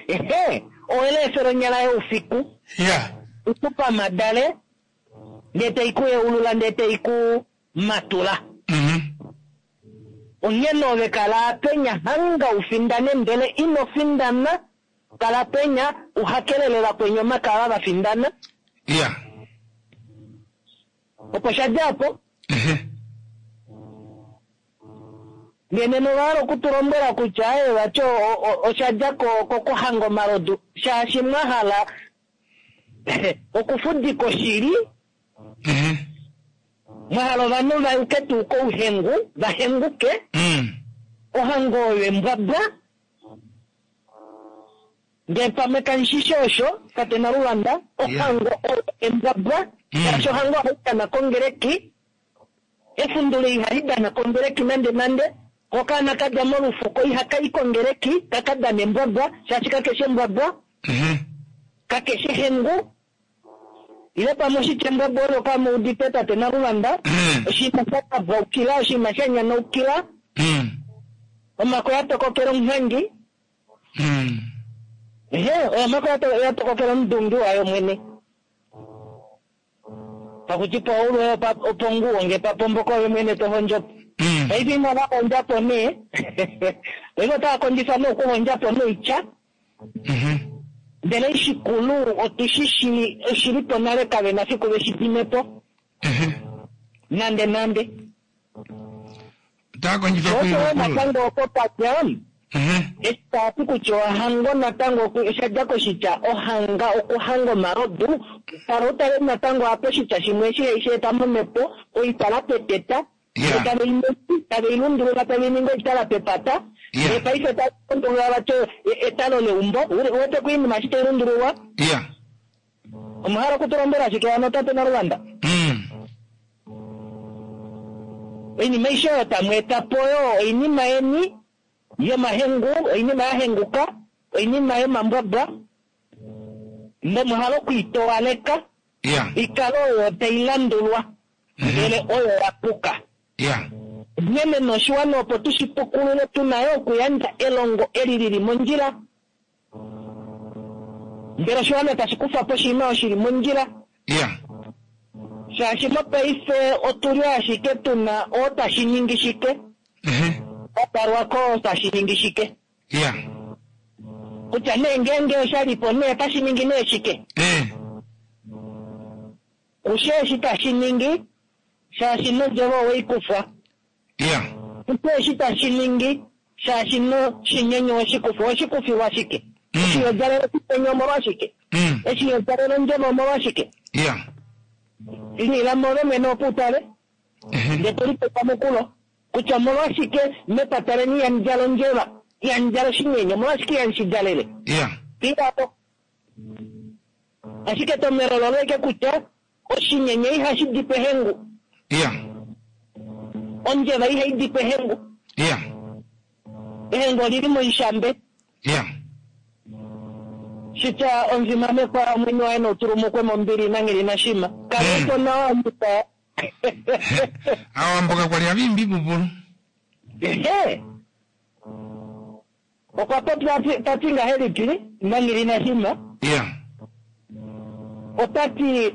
Ehe, owe leefela onyala youfiku. Ya. I ku pamadale, ndee tai ku yeulula, ndee tai ku matula. Onghene ove kala penya hanga u findane, ndele ino findana, kala penya u hakelele vakweni omake ava va findana. Ya. Opo sha dja opo. Ndee nena ova hala oku tu lombwela kutya aye vati osha dja kokuhanga omalodu, shaashi mwa hala okufudika oshili, mwa hala ovanhu va yuke tuu kouhengu, va henguke, ohango oyo embwabwa, ndee pamwe kamushishi osho, tate Naluvanda, ohango oyo embwabwa, shaashi ohango ohai dana kongeleki, efundula ihali dana kongeleki nande nande, ko okaana ka dja molufuko ihaka i kongeleki, kaka dana embwabwa, shaashi kakeshi embwabwa. Kakeshe hengu ile pamwe oshitya mbwabwa olo kamuudite tate Naluvanda, oshinima sha kabwaukila, oshinima sha nyanaukila, omako ya tokokela omunghangi, ehe, omako ya tokokela omudungi wayo mwene. Pakuti paulwe oponguwo nge papomboka oye mwene to hondjo po. Paife inava hondja po nee, paife otava kondjifa nee okuhondja po noitya. Ndele shikulu otushi shi oshili po nale kave na fiku veshi dime po. Nande nande. Otava kondjifa Osho okukulula. natango opo patya, eshi tava ti kutya ohango natango osha dja koshitya ohanga, okuhanga omalodu. Tala utale natango apa oshitya shimwe eshi haishi eta momhepo, oitala peteta. Tave i lundulula, tave i ningi oitala pepata. Ndele paife tave i lundulula vati etalo leumbo. Uwete ko oinima eshi tai lundululwa? Omwa hala okutulombwela shike hano tate Naluvanda? Oinima aishe oyo tamu eta po oyo oinima yeni yomahengu, oinima ya henguka, oinima yomambwabwa, nomwa hala okuitowaleka ikale oyo tai landulwa, ndele oyo ya puka. Nghene noshiwana opo tushi pukulule, tuna yo okuyandja elongo eli lili mondjila. Ndele oshiwana tashi kufa po oshinima osho shili mondjila. Shaashi mopaife otuli ashike tuna oo tashi ningi shike. Otalwa ko tashi ningi shike. Kutya nee ngeenge osha li po nee otashi ningi nee shike. Kushe eshi tashi ningi, shaashi nondjeva oweikufwa. Kushe eshi tashi ningi, shaashi no shinyenye oweshikufwa. Oweshikufilwa shike? Eshi yodjalele oshinyenye omolwashike? Eshi yodjalele ondjeva omolwashike? Lila move mwene opo utale. Ndele to lipe epamukulo kutya omolwashike mepata leni ihamu djala ondjeva, ihamu djala oshinyenye, omolwashike ihamu shi djalele? Filapo. Ashike etomhelo lolo eke kutya oshinyenye ihashi di pehengu. Ondjeva ihai di pehengu. Ehengu olili moishambe. Shitya omufimamekwa omwenyo waye noutulumukwe mombili nanghili nashima. Kale nawa muta. Aawambo kakwali hava imbi ipupulu. Ehe. Okwa popya ta ti ngahelipi nanghili nashima? Ota ti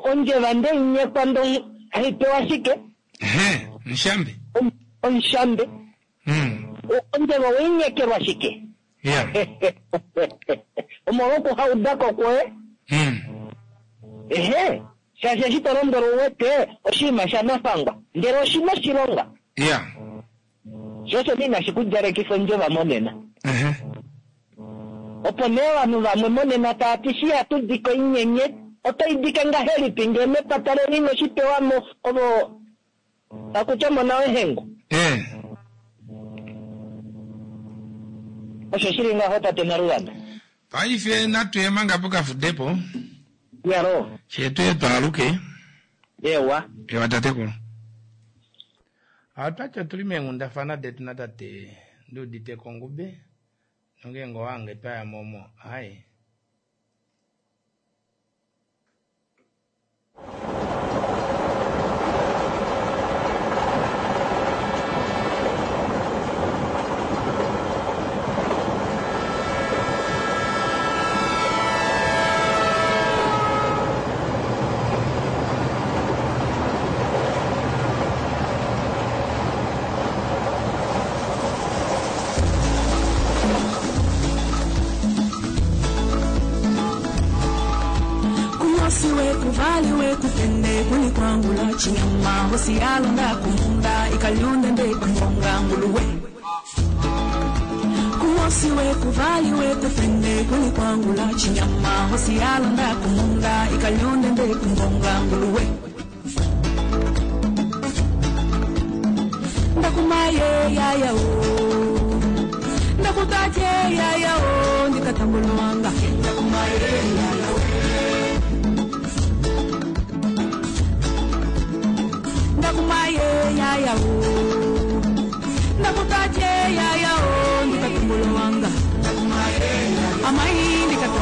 ondjeva nde inyekwa ndo haipewa shike? Ehe, nshambe. Onshambe. Ondjeva owainyekelwa shike? Omolwokuhaudako kwoye. Ehe, shaashi eshi to lombwelwa uwete oshinima shanafangwa, ndele oshina oshilonga. Sho osho inashi ku djalekifa ondjeva monena. Opo nee ovanhu vamwe monena tava ti shi hatu dike oinyenye, otai dike ngahelipi ngee mepata leni ino shi pewa mo ovo takutya omona wehengu. Osho shili ngaho tate Naluvanda. Paife natu ye manga pokafudepo. Yalo. She tuye twaaluke. Ewa. Ewa tatekulu. Otwati otuli meenghundafana detu natate Nduudite Kongube. Nongeenge owange twaya momo. Hai. Kuvaliwe kutende kulikwangula chinyama hosi yalonda kumunda ikalyonde ndekungonga nguluwe. Kuwosiwe kuvaliwe kutende kulikwangula chinyama hosi yalonda kumunda ikalyonde ndekungonga nguluwe. Ndakumaye yaya o, ndakutaje yaya o, ndikatambulwanga. Ndakumaye yaya o. Ndakumaye yaya o, ndakutaje yaya o, ndikatumbulwanga. Amai ndikatumbulwanga.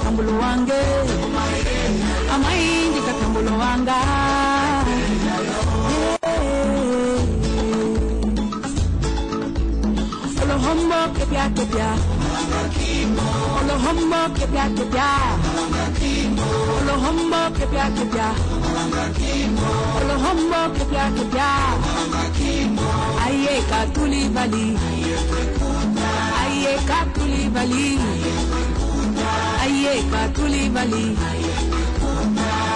Ndikatambulo wange amai ndikatambulo wanga. Olohombo kepya kepya, olohombo kepya kepya, olohombo kepya kepya, olohombo kepya kepya. Aye katuli vali, aye katuli vali, aye katuli vali,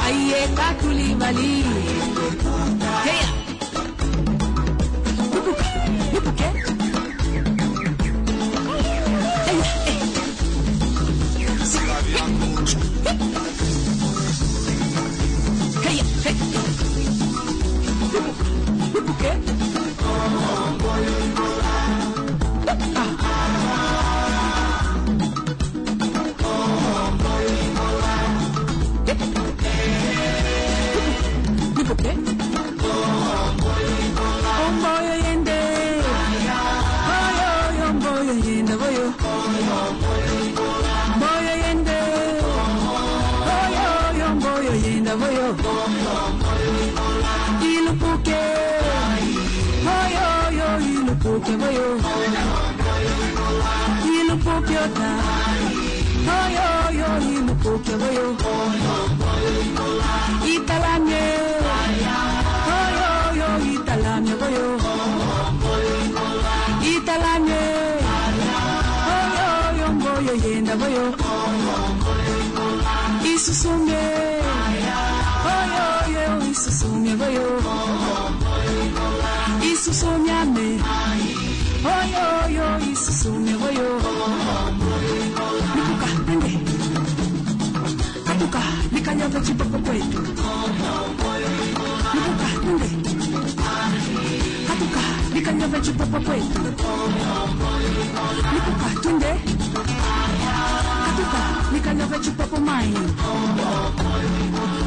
aye katuli vali. Hey, lupuka lupuke. Hey, hey. Hey, hey. Lupuka lupuke. Lupuke. Omboyo yende. Oyo, oyo, omboyo yende, oyo. Mboyo yende. Oyo, oyo, omboyo yende, oyo. Ilupuke. Oyo, oyo, ilupuke, oyo. Ilupuke ota. Oyo, oyo, ilupuke, oyo. Italanye. Oyo, oyo, italanye, oyo. Italanye. Oyo, oyo, mboyo yenda, oyo. Isusume. Oyo, oyo, isusume, oyo. Isusunyame. Oyo, oyo, isusume, oyo. Lipuka, nende. Katuka, likanyaga chipoko kwetu. Lipuka, nende. Katuka, likanyaga chipoko kwetu. Lipuka, twende. Katuka, likanyaga chipoko mai.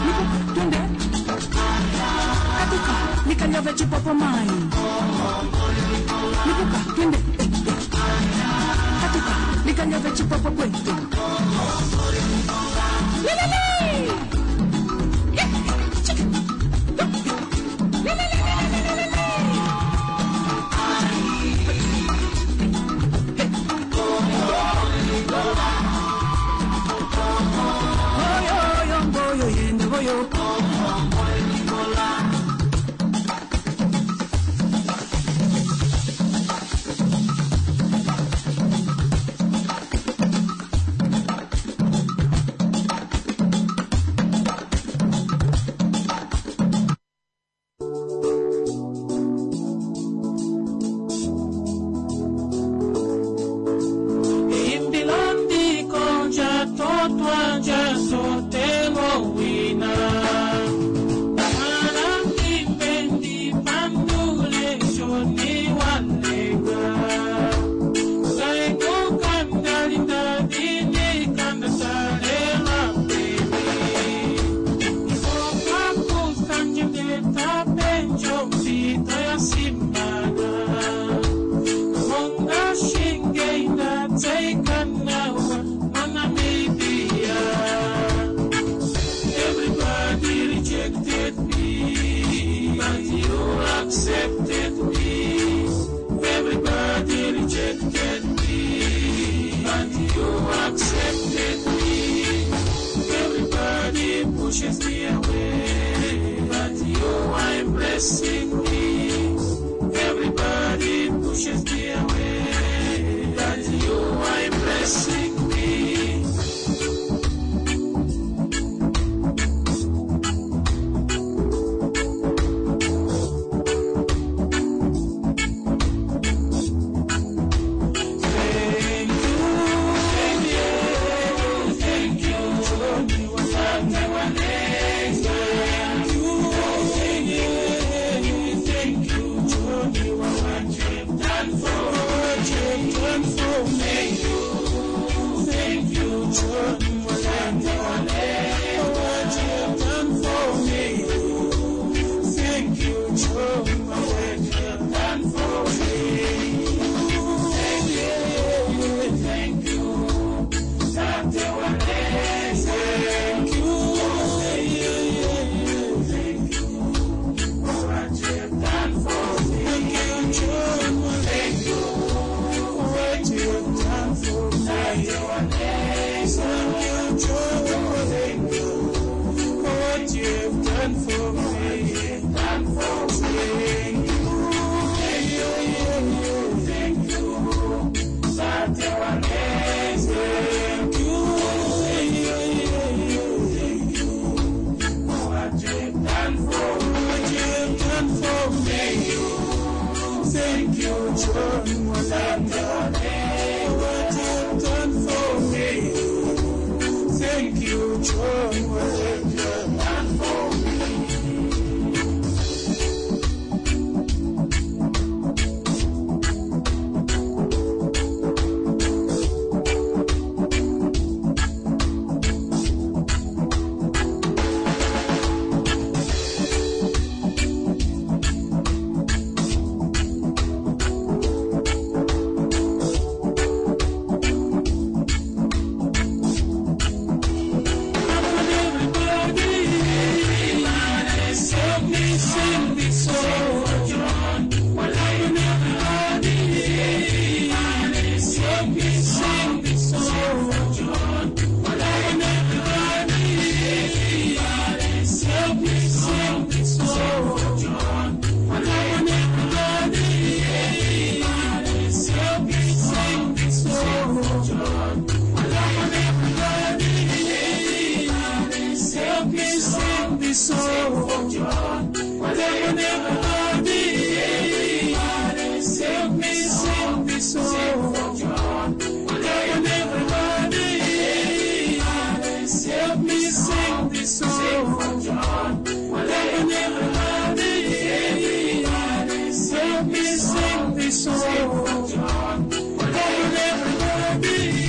Lipuka, twende. Katuka, likanyaga chipoko mai. Lipuka, twende. Katuka, likanyaga chipoko kwetu. Lelele! Oyo, oyo, mboyo yende, oyo. Accepted me. Everybody rejected me, but you accepted me. Everybody pushes me away, but you are embracing me. Everybody pushes me away, but you are embracing me. Thank you. Thank you, John Walenga, for what you have done for me. Thank you, thank you, thank you, thank you, for what you have done for me. Thank you, John Walenga, for what you have done for me. Thank you, John Walenga. Help me sing this song. Everybody, help me sing this song. Everybody, help me sing this song. Everybody, help me sing this song. Everybody, help me sing this song. Everybody, help me sing this song. Everybody, help me sing this song. Everybody,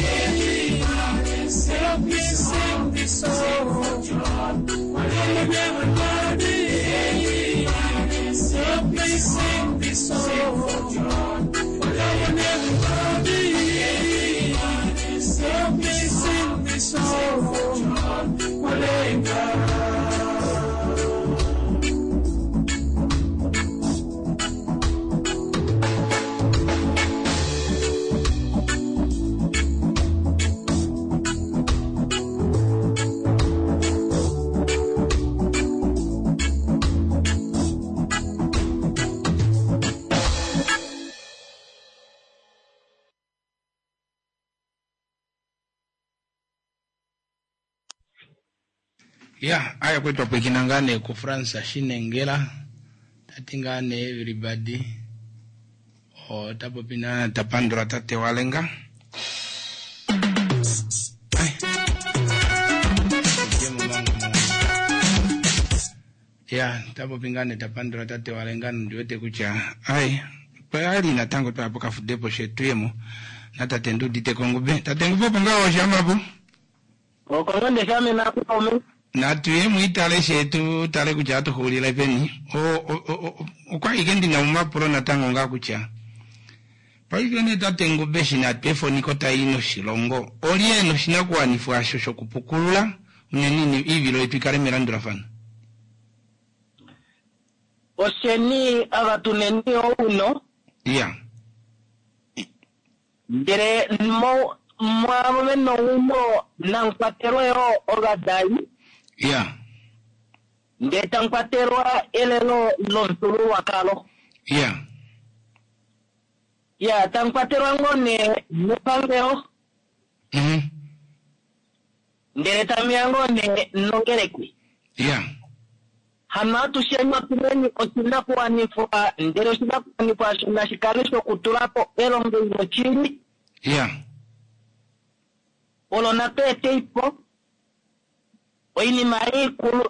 help me sing this song. Everybody, help me sing this song. Everybody, help me sing this song. Everybody, help me sing this song. Walenga. Ya, aya kwetu apwekina ngane ku France shinengela tati ngane everybody o tapopina tapandula tate walenga. Ai. Ya, tapopingane tapandula tate walenga ndiwete kutya ai pali natango twapo kafudepo shetuyemo na tate ndudite kongube tate ngube opo ngawo shamapo Okongo shamena kuome. Natuye mwitale shetu tale kutya atuhulile peni okwa ike ndina mumapulo natango nga kutya paife ne tate ngube shina twefoniko tayi noshilongo olye noshinakuwanifwa asho shokupukulula unene iivilo yetu ikale melandulafano. Osheni ava tuneni ouno. Ya. Ndele mwavo vena owino namukwatelwa yo ovadali. Ya. Ndele tamukwatelwa elelo lomufyuululwakalo. Ya. Ya, tamukwatelwa ngoo nee nepangelo. Ndele tamuya ngoo nee nongeleki. Ya. Hano atusheni otuneni oshinakuwanifwa, ndele oshinakuwanifwa osho nashi kale shokutulapo elongo loshili. Ya. Olo natu eteipo oinima ikulu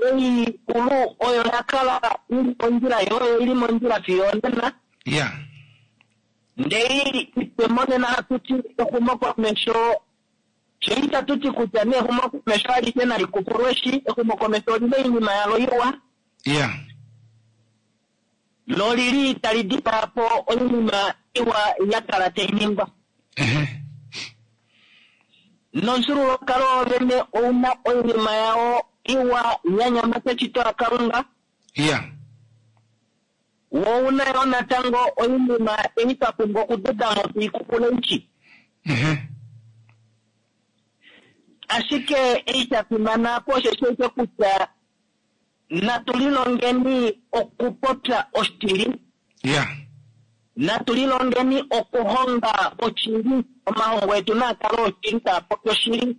ikulu oyo yakala ili mondjila yoyo ili mondjila fiyo onena. Ya. Ndele ipe monena hatuti exumokomesho sho itatuti kutya nee exumokomesho alishe nali kupulweshi, exumokomesho olina oinima yalo iwa. Ya. Lo lili tali dipaapo oinima iwa yakala tai ningwa. Nomufyuululwakalo wovene ouna oinima yao iwa ya nyama keshito laKalunga. Ya. Wo ouna yo natango oinima ei twa pumbwa okududamo tuikukule ishi. Ashike ei sha fimana po osho sheke kutya natu lilongeni okupopya oshili. Natu lilongeni okuhonga oshili. Omahongo etu naa kale oshili, taa popi oshili.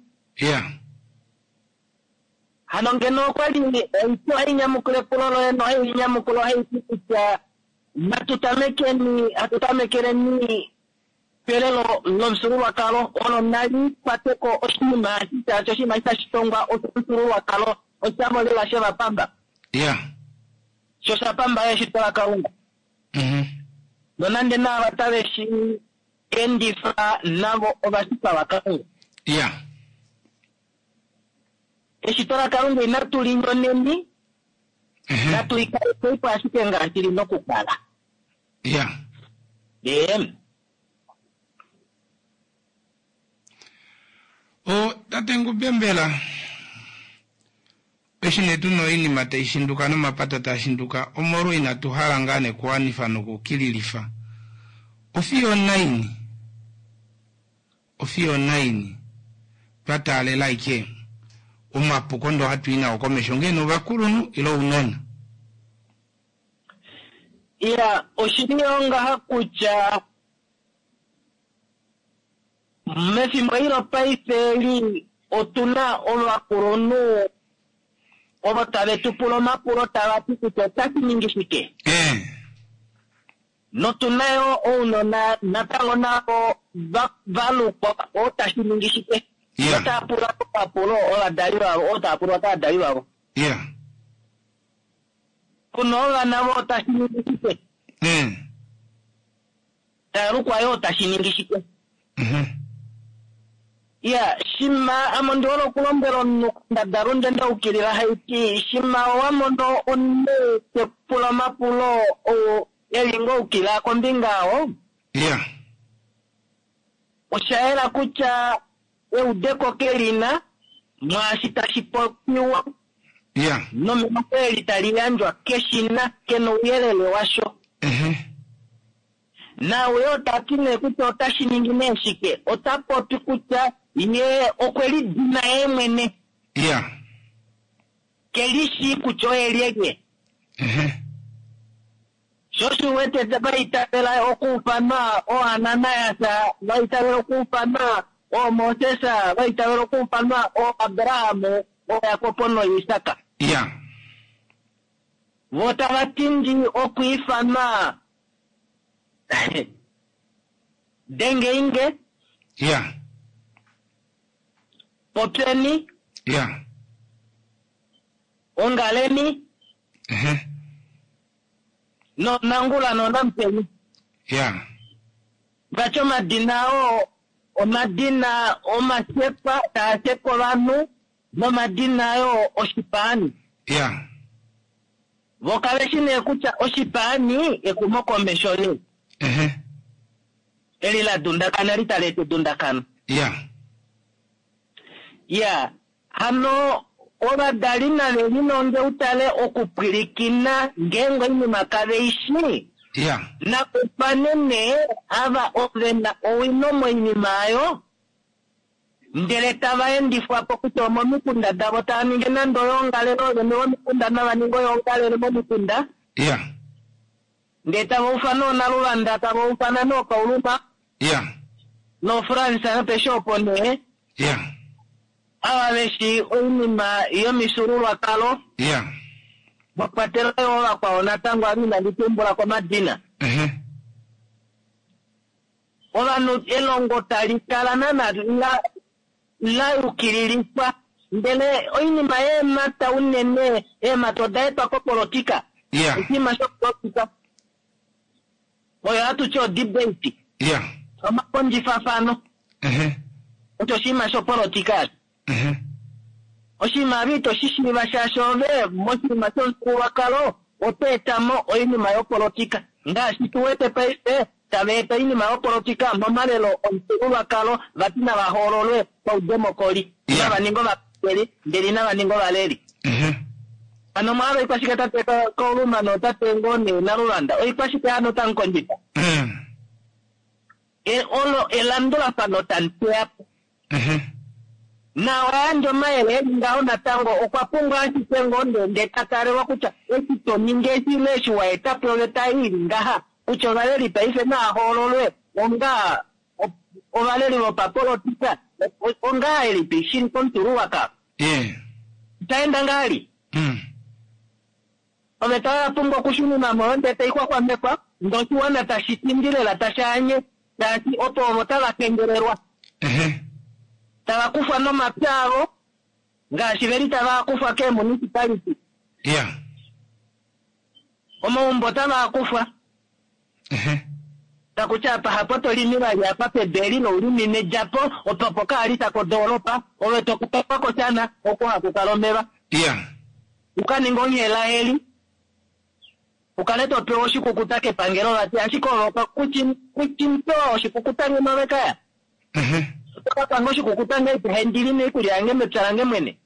Hano ngeno okwa li oito hai nyamukula epulo loye nohai nyamukula ohai ti kutya natu tamekeni, hatu tamekeleni pelelo lomufyuululwakalo olo nali kwate ko oshinima eshi shaashi oshinima eshi tashi tongwa oshomufyuululwakalo oshavo lela shevapamba. Sho sha pamba yo eshito laKalunga. Nonande naava tave shi endifa navo ovashitwa vaKalunga. Eshito laKalunga inatu li nyoneni, natu li kalekei po ashike ngaashi li na okukala. O, tate Ngube mbela eshi nee tu na oinima tai shinduka nomapata taa shinduka omolwo inatu hala ngaa nee kuwanifa nokukililifa ofiyo onaini? Ofiyo onaini twa taalela aike omapuko ndoo hatu i nao komesho ongee nee ovakulunhu ile ounona? Iya, oshili yoo ngaha kutya mefimbo eli lopaife eli otu na ovakulunhu ovo tave tu pula omapulo tava ti kutya otashi ningi shike. Notu na yo ounona natango navo va lukwa otashi ningi shike. Otava pula omapulo ovadali vavo, oo tava pulwa kovadali vavo. Kuna ovana vo otashi ningi shike. Tava lukwa yo otashi ningi shike. Iya, shima ame ondi hole okulombwela omunhu kondadalunde nda ukilila haiti, shima owa mono omunhu te ku pula omapulo oo e li ngoo ukila kombinga oo, osha yela kutya eudeko ke li na mwaashi tashi popiwa nomelongo eli tali yandjwa ke shi na, ke na ouyelele washo. Naau yoo ta ti nee kutya otashi ningi nee shike, ota popi kutya ye okwe lidina yee mwene. Ke li shii kutya oye lyelye. Sho osho u wete va itavela okuufanwa ooAnanias, va itavela okuufanwa ooMoses, va itavela okuufanwa ooAbraham, ooJakob nooIsak. Vo tava tindi okwiifanwa Dengeinge. Popyeni. Ongaleni. NooNangula nooNamupeni. Vati omadina oo omadina omashekwa taa shekwa ovanhu nomadina yoo oshipaani. Vo kave shi nee kutya oshipaani exumokomesho le eli la dundakana li tali eta edundakano. Iya, hano ovadali nave lilonge utale okupwilikina ngeenge oinima kave i shii. Nakufane nee ava ove na owino moinima oyo, ndele tava endifwa po kutya omomikunda davo tava ningi nande oyoongalele, oovene vomikunda nava ninge oyoongalele momikunda. Ndele tava ufana oonaluvanda, tava ufana nookauluma. NooFrance nopeshe opo nee. Ava ve shii oinima yomifyuululwakalo. Mwa kwatelwa yo ovakwao natango ava inandi tumbula komadina. Ovanhu elongo tali kala naana la la yukililifwa, ndele oinima yeemhata unene, eemhata oda etwa kopolotika. Oshinima shopolotika oyo hatu ti odebate. Omakondjifafano. Osho oshinima shopolotika osho. Oshinima ava ito shi shiiva shaashi ove moshinima shomufyuululwakalo oto eta mo oinima yopolotika. Ngaashi tu wete paife tava eta oinima yopolotika momalelo omufyuululwakalo vati nava hoololwe paudemokoli. Inava ninga ovapangeli ndele inava ninga ovaleli. Hano omwa hala oikwashike tate Kauluma nootate ngoo nee Naluvanda? Oikwashike hano tamu kondjifa? Olo elandulafano tamu teya po. Na owa yandja omayele eli ngaho natango okwa pumbwa ashike ngoo ndee ta talelwa kutya eshi to ningi eshi ile eshi wa eta po oveta ei ili ngaha kutya ovaleli paife naa hoololwe onga ovaleli vopapolotika ongahelipi shili komufyuululwakalo. Osha enda ngahelipi? Oveta oya pumbwa okushununwa mo ndee tai xwaxwamekwa ndee oshiwana tashi tindi lela tashi anye shaashi opo ovo tava kengelelwa. Tava kufwa nomapya avo ngaashi veli tava kufwa keemunicipality. Omaumbo otava kufwa. Taku ti apa hapo to limi vali apa pedu eli loulimine djapo opo pokaalita kodoolopa ove to kutwa koshana oko haku kala omeva. U ka ninge onghela eli u kale to pewa oshikukuta kepangelo vati ashike ove kuchipewa oshikukuta ngeno ove kaya. Oto ka panga oshikukuta ngahelipi handi lime oikulya yange mepya lange mwene.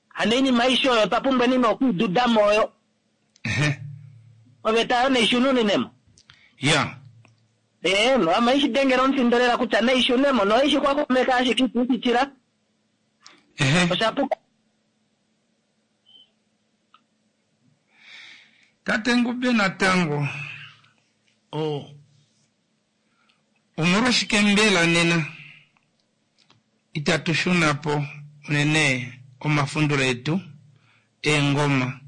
Hano oinima aishe oyo otwa pumbwa nina okuidudamo oyo. Oveta oyo naishunununemo. Ame ishi dengela omufindo lela kutya naishunemo noishi xwaxwameka ashike itiishitila. Osha puka. Tate Ngube natango omolwashike mbela nena itatu shuna po unene omafundulo etu eengoma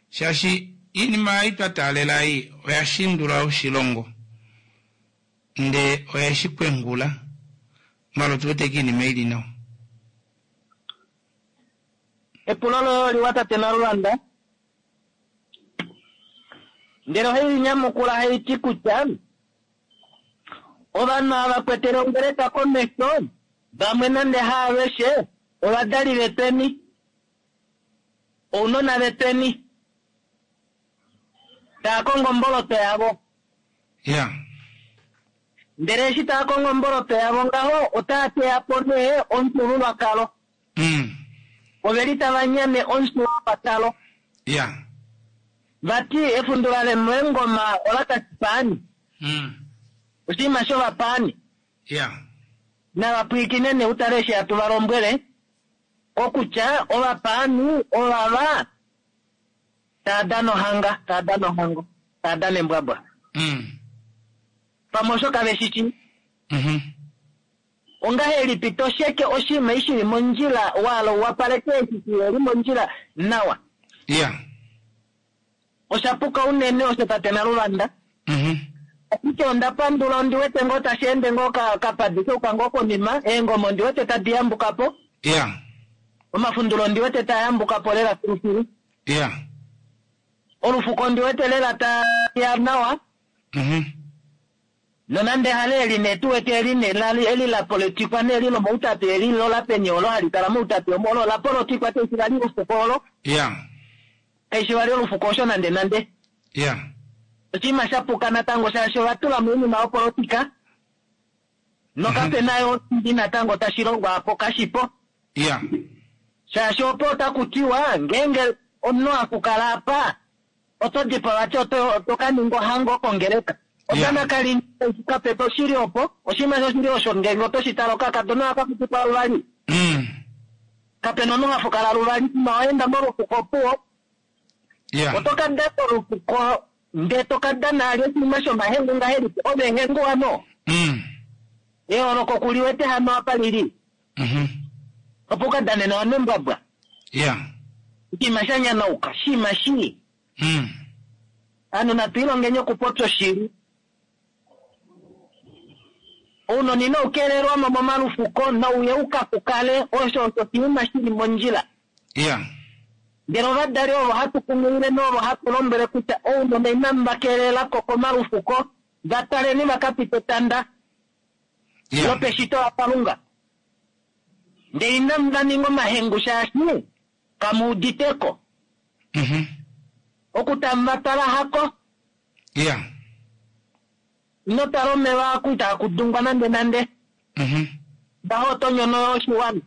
shaashi iinima ei twa taalela ei oya shindula oshilongo ndee oye shi kwengula malo tu wete kiinima ili nawa. Epulo loye oliwa tate Nalulanda. Ndele ohai nyamukula hai ti kutya ovanhu ava kwetele ongeleka komesho vamwe nande haaveshe ovadali vetweni ounona vetweni taa kongo omboloto yavo. Ndele eshi taa kongo omboloto yavo ngaho otaa teya po nee omufyuululwakalo. Oveli tava nyane omufyuululwakalo. Vati efundula lemoengoma ola kashipaani. Oshinima shovapaani. Navapwiikine nee utale eshi hatu va lombwele kokutya ovapaani ovava taa dana ohanga, taa dana ohango, taa dana embwabwa. Pamwe osho kave shi shii. Ongahelipi to sheke oshinima eshi shili mondjila waala u wapaleke eshi shiheli mondjila nawa? Osha puka unene osho tate Naluvanda. Ashike onda pandula ondi wete ngoo tashi ende ngoo kapadi keuka ngoo konima, eengoma ondi wete tadi yambuka po. Omafundulo ondi wete taa yambuka po lela filufilu. Olufuko ondi wete lela ta ya nawa. Nonande hale eli nee tu wete eli nee lali eli la polotikwa nee eli lomoutapi eli lo la peni olo hali kala moutapi omo olo la polotikwa kaishi vali olufuko olo. Kaishi vali olufuko osho nande nande. Oshinima sha puka natango shaashi ova tula moinima yopolotika nokape na yo oshili natango tashi longwa apo kashipo. Shaashi opo otaku tiwa ngeenge omunhu akukala apa oto dipawa vati oto ka ninga ohango kongeleka. Odana kali kapepe oshili opo oshinima shoshili osho ngeenge oto shi tala okakadona aka kutikwa luvali. Kapena omunhu hafukala luvali ma oenda molufuko opuwo. Oto ka dana olufuko ndee to ka dana ali oshinima shomahengu ngahelipi ove ehengu hano. Eholoko kuliwete hano apa lili. Opo uka dane nawa nembwabwa. Oshinima sha nyanauka, oshinima shii. Ovanhu natu ilongeni okupopya oshili. Ounona inau kelelwa mo momalufuko nauye u ka kukale osho osho oshinima shili mondjila. Ndele ovadali ovo hatu kunghilile novo hatu lombwele kutya ounona inamu va kelela ko komalufuko, va taleni va ka pite etanda lopeshito laKalunga. Ndele inamu va ninga omahengu shaashi kamu udite ko. Oku tamu va twala hako. Ino tala omeva aku itaa kudungwa nande nande. Ngaho oto nyono oshiwana.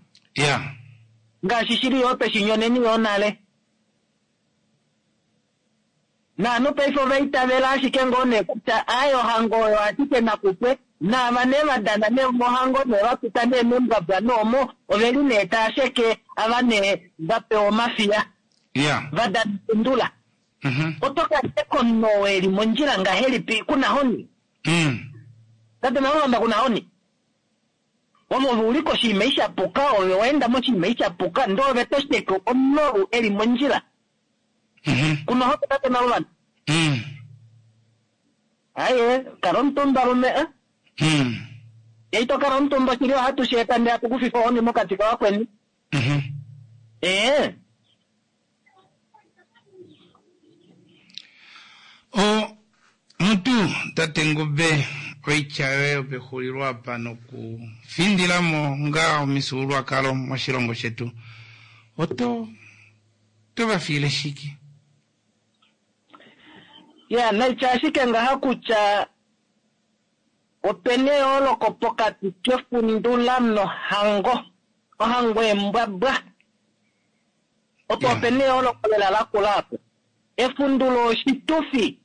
Ngaashi shili yo tweshi nyoneni yo nale. Naanhu paife ova itavela ashike ngoo nee kutya aaye ohango oyo ashike nakupwe, naava nee va dana nee mohango nee va pita nee membwabwa noomo oveli nee taa sheke ava nee va pewa omafiya va dana efundula. Oto ka sheka omunhu oo eli mondjila ngahelipi kuna honi? Tate Malulamba kuna honi? Ove ove uli koshinima eshi sha puka, ove wa enda moshinima eshi sha puka, ndee ove to sheke omunhu ou eli mondjila. Kuna honi tate Malulamba? Aye, kala omutumba lume a. Ye ito kala omutumba oshili ohatu shi eta ndee hatu ku fifa ohoni mokati kavakweni. Ee. O, mutu, tate Ngube, oitya yoye yopexulilo apa nokufindila mo ngaa omifyuululwakalo moshilongo shetu, oto to va fiile shike? Ya, naitya ashike ngaha kutya opena eyooloko pokati kefundula nohango, ohango embwabwa. Opo opena eyooloko lela lakula apo. Efundulo oshitufi.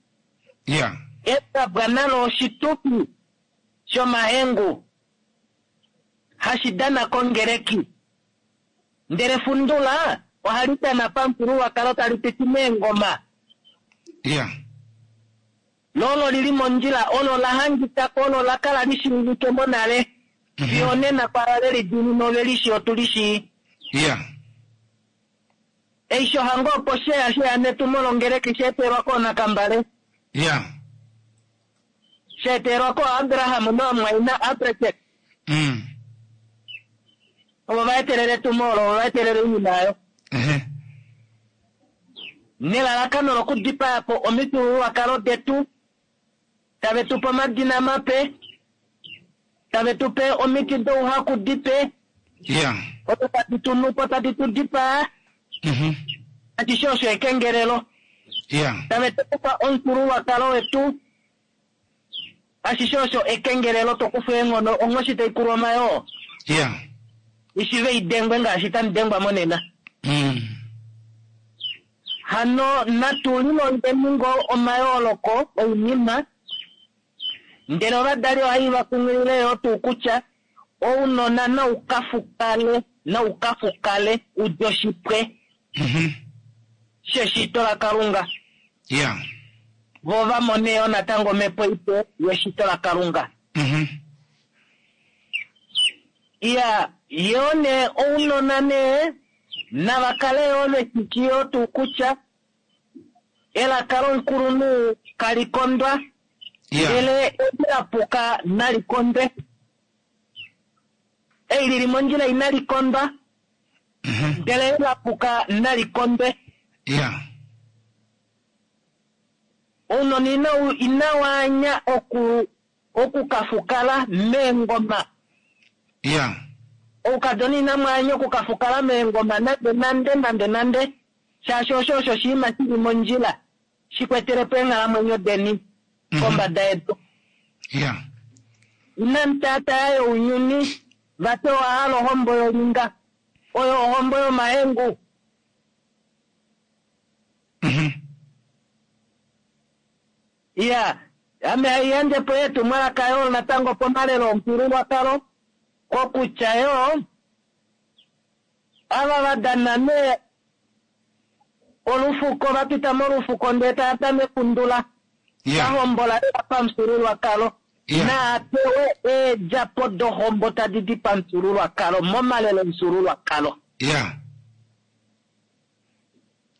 Embwabwa nalo oshitufi shomahengu hashi dana kongeleki. Ndele efundula ohali dana pamufyuululwakalo tali piti meengoma. Lo olo li li mondjila, olo la hangika ko, olo la kala li shiivike monale. Fiyo onena kwaava ve li diinina ove li shii, otu li shii. Eisho hango opo sheya sheya netumo longeleki sha etelwa koonakambale. Sha etelwa kooAbraham noomwaina Abresek. Ovo va etelele etumo olo, ovo va etelele oinima oyo. Nelalakano lokudipaya po omifyuululwakalo detu, tave tu pe omadina mape, tave tu pe omiti douhaku dipe, odo tadi tu nu po, tadi tu dipaa. Ashishe osho ekengelelo. Tave tu kufa omufyuululwakalo wetu, ashishe osho ekengelelo, to kufa eenghono, onghoshi tai kulwa omayoo. Ishive i dengwe ngaashi tamu dengwa monena. Hano natu lilongeni ngoo omayooloko oinima, ndele ovadali ohai va kunghilile yoo tuu kutya ounona nau ka fukale, nau ka fukale u dje oshipwe sheshito laKalunga. Vo va mone yoo natango omhepo ipe yeshito laKalunga. Iya, yoo nee ounona nee nava kale yoo ve shi yoo tuu kutya elaka lomukulunhu kali kondwa, ndele eli la puka nali kondwe. Ei li li mondjila inali kondwa, ndele eli la puka nali kondwe. Ounona inau inawa anya oku oku ka fukala meengoma. Oukadona inamu anya oku ka fukala meengoma nande nande nande nande, shaashi osho osho oshinima shi li mondjila shi kwetele po eenghalamwenyo deni kombada yedu. Inamu taataya younyuni, vati owa hala ohombo yolinga, oyo ohombo yomahengu. Iya, ame hai yandje po etumwalaka yoo natango pomalelo omufyuululwakalo, kokutya yoo ava va dana nee olufuko, va pita molufuko ndee tava dana efundula, va hombola lela pamufyuululwakalo, naa pewe eedjapo dohombo tadi di pamufyuululwakalo momalelo omufyuululwakalo.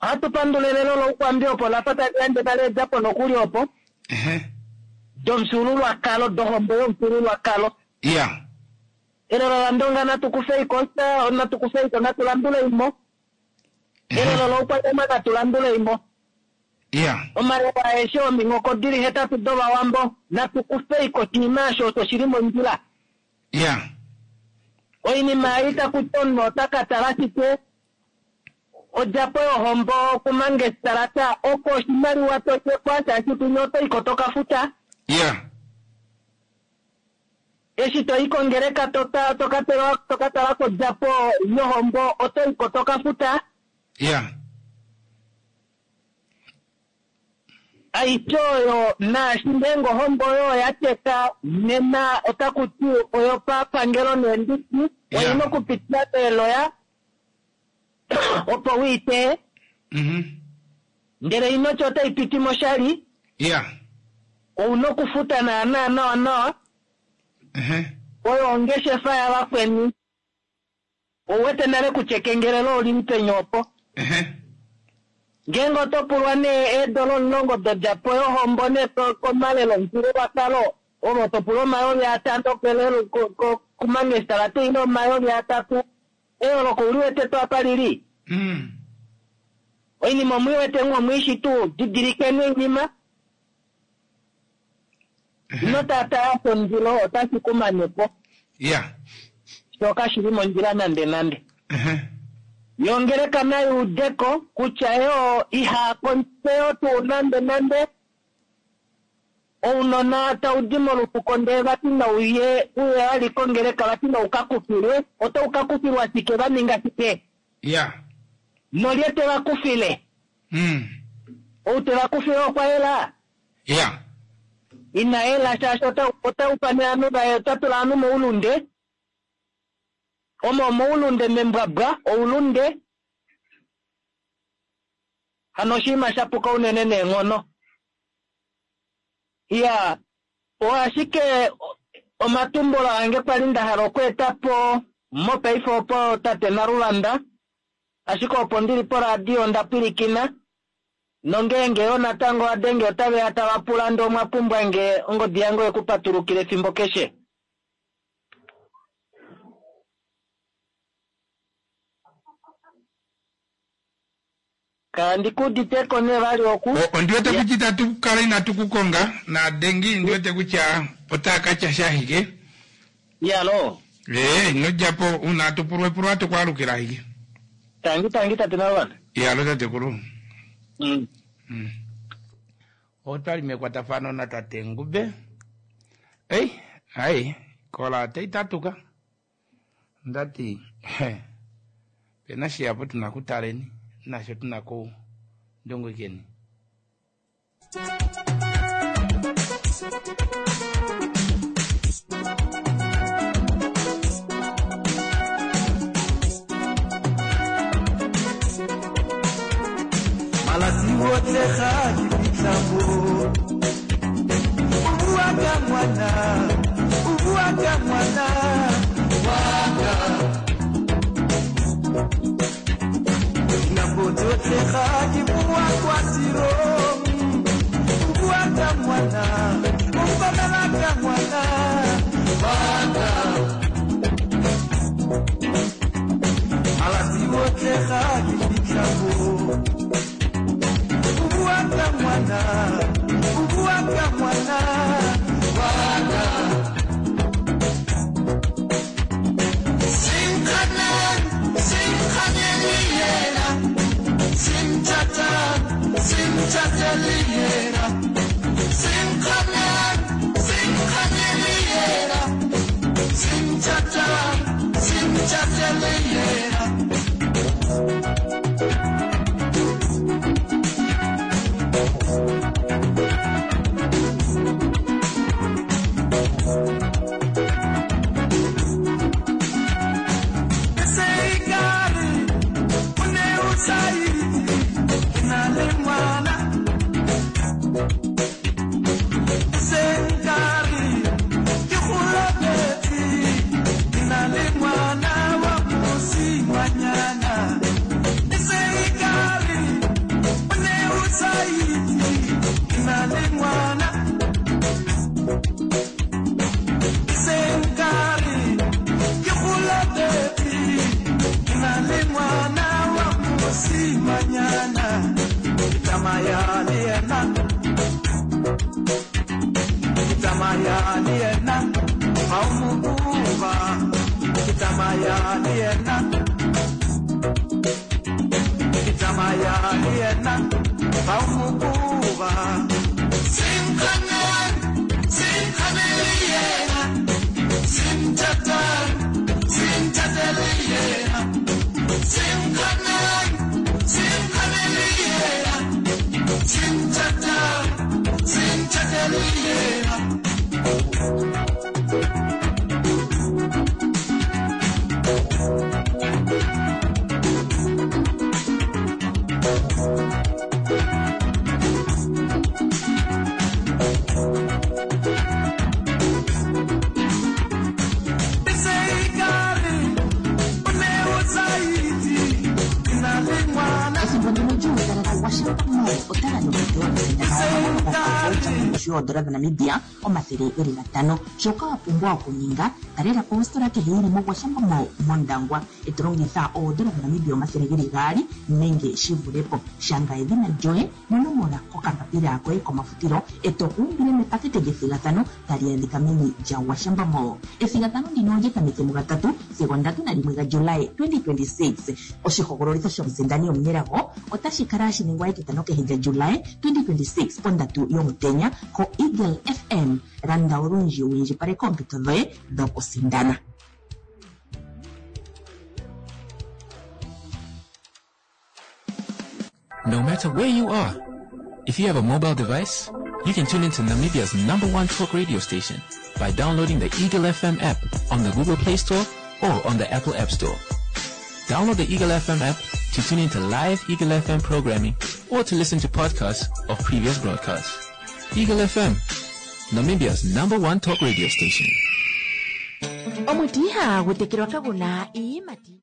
Ohatu pandula elelo lOukwambi opo la fa tali yandje tali edjapo nokuli opo domufyuululwakalo, dohombo yomufyuululwakalo. Elelo laNdonga natu kufeiko osha, natu kufeiko, natu landuleimo. Elelo lOukwanyama natu landuleimo. Omalelo aeshe ominghoko dili hetatu dOvawambo natu kufeiko oshinima osho osho shili mondjila. Oinima ei taku ti omunhu ota ka tala shike Odjapo yohombo kumangestalata oko oshimaliwa to shekwa shaashi kwinya oto iko to ka futa. Eshi to i kongeleka to to ka pewa to ka tala kodjapo yohombo oto iko to ka futa. Aishe oyo naashi ngeenge ohombo oyo oya teka nena otaku ti oyopapangelo neendiki oina okupitila meeloya opo u i teye. Ndele inoti otai piti moshali. Ou na okufuta naanaa nawa nawa. Oyo ongeshefa yavakweni. Ou wete nale kutya ekengelelo oli li peni opo. Ngeenge oto pulwa nee eedola 10 dodjapo yohombo nee komalelo omufyuululwakalo, ove oto pulwa 5000 kelelo kumangestalata ile 3000. Eyooloko ou li wete tuu apa li li? Oinima omu i wete ngoo omu i shi tuu? Didilikeni oinima. Ino taataya shomundilo, otashi ku mane po. Sho kashi li mondjila nandenande. Yo ongeleka nai ude ko kutya yo iha kontseyo tuu nandenande. Ounona tau di molufuko ndee vati nau ye uye vali kongeleka vati nau ka kufilwe. Otau ka kufilwa shike? Va ninga shike? Nolye te va kufile? Ou te va kufile okwa yela? Ina yela shaashi ota ufane ovanhu vaye, ota tula ovanhu moulunde. Omo omoulunde membwabwa, oulunde. Hano oshinima sha puka unene neenghono. Iya, oo ashike omatumbulo ange kwali nda hala okweeta po mopaife opo tate Naluvanda, ashike opo ndili poradio onda pwilikina, nongeenge yoo natango wa denge otave ya tava pula ndee omwa pumbwa nge, ongodi yange oye ku patulukila efimbo keshe. Kandi ku udite ko nee vali oku. Ondi wete kutya itatu kala inatu ku konga naadengi ndi wete kutya otaa ka tya sha ashike. Iyaloo. Ee, ino dja po, uuna atu pulwa epulo ohatu ku alukila ashike. Tangi tangi tate Naluvanda. Iyalo tatekulu. Otwali mekwatafano natate Ngube. Ei, ai, kola otai tatuka. Onda ti, Pe na shihapu tu na kutaleni, nasho tu na kundungikeni. Malatsi otlhe ga ke fitlha mo. O bua ka ngwana, o bua ka ngwana wa ka. Dinako tsotlhe ga ke boa kwa tirong. O bua ka ngwana, o mpamela ka ngwana wa ka. Malatsi otlhe ga ke fitlha mo. O bua ka ngwana, o bua ka ngwana wa ka. Sinkhaneng, sinkhaneng le yena. Sinthatang, sinthateng le yena. Sinkhaneng, sinkhaneng le yena. Sinthatang, sinthateng le yena. Mall ota gandja ompito yokusindana omagano gokavoucher kongushu yoodola dhaNamibia 500. Shoka wa pumbwa okuninga, talela po ositola kehe yi li moGwashambo Mall mOndangwa, e to longitha oodola dhaNamibia 200 nenge shi vule po. Shanga edhina lyoye nonomola kokambapila koye komafutilo e to ku umbile mepakete lyethigathano tali adhika meni lyaGwashambo Mall. Ethigathano ndino olya tameke mugatatu sigo 31 gaJuly 2026. Oshihogololitho shomusindani omunelago otashi kala hashi ningwa etitano kehe lyaJuly 2026 pondatu yomutenya koEagle FM. Landa olundji wu indjipaleke oompito dhoye dhokusindana. No matter where you are, if you have a mobile device, you can tune into Namibia's number one talk radio station by downloading the Eagle FM app on the Google Play Store or on the Apple App Store. Download the Eagle FM app to tune into live Eagle FM programming or to listen to podcasts of previous broadcasts. Eagle FM, Namibia's number one talk radio station. Omuti ihagu tekelwa kagu na iiyimati.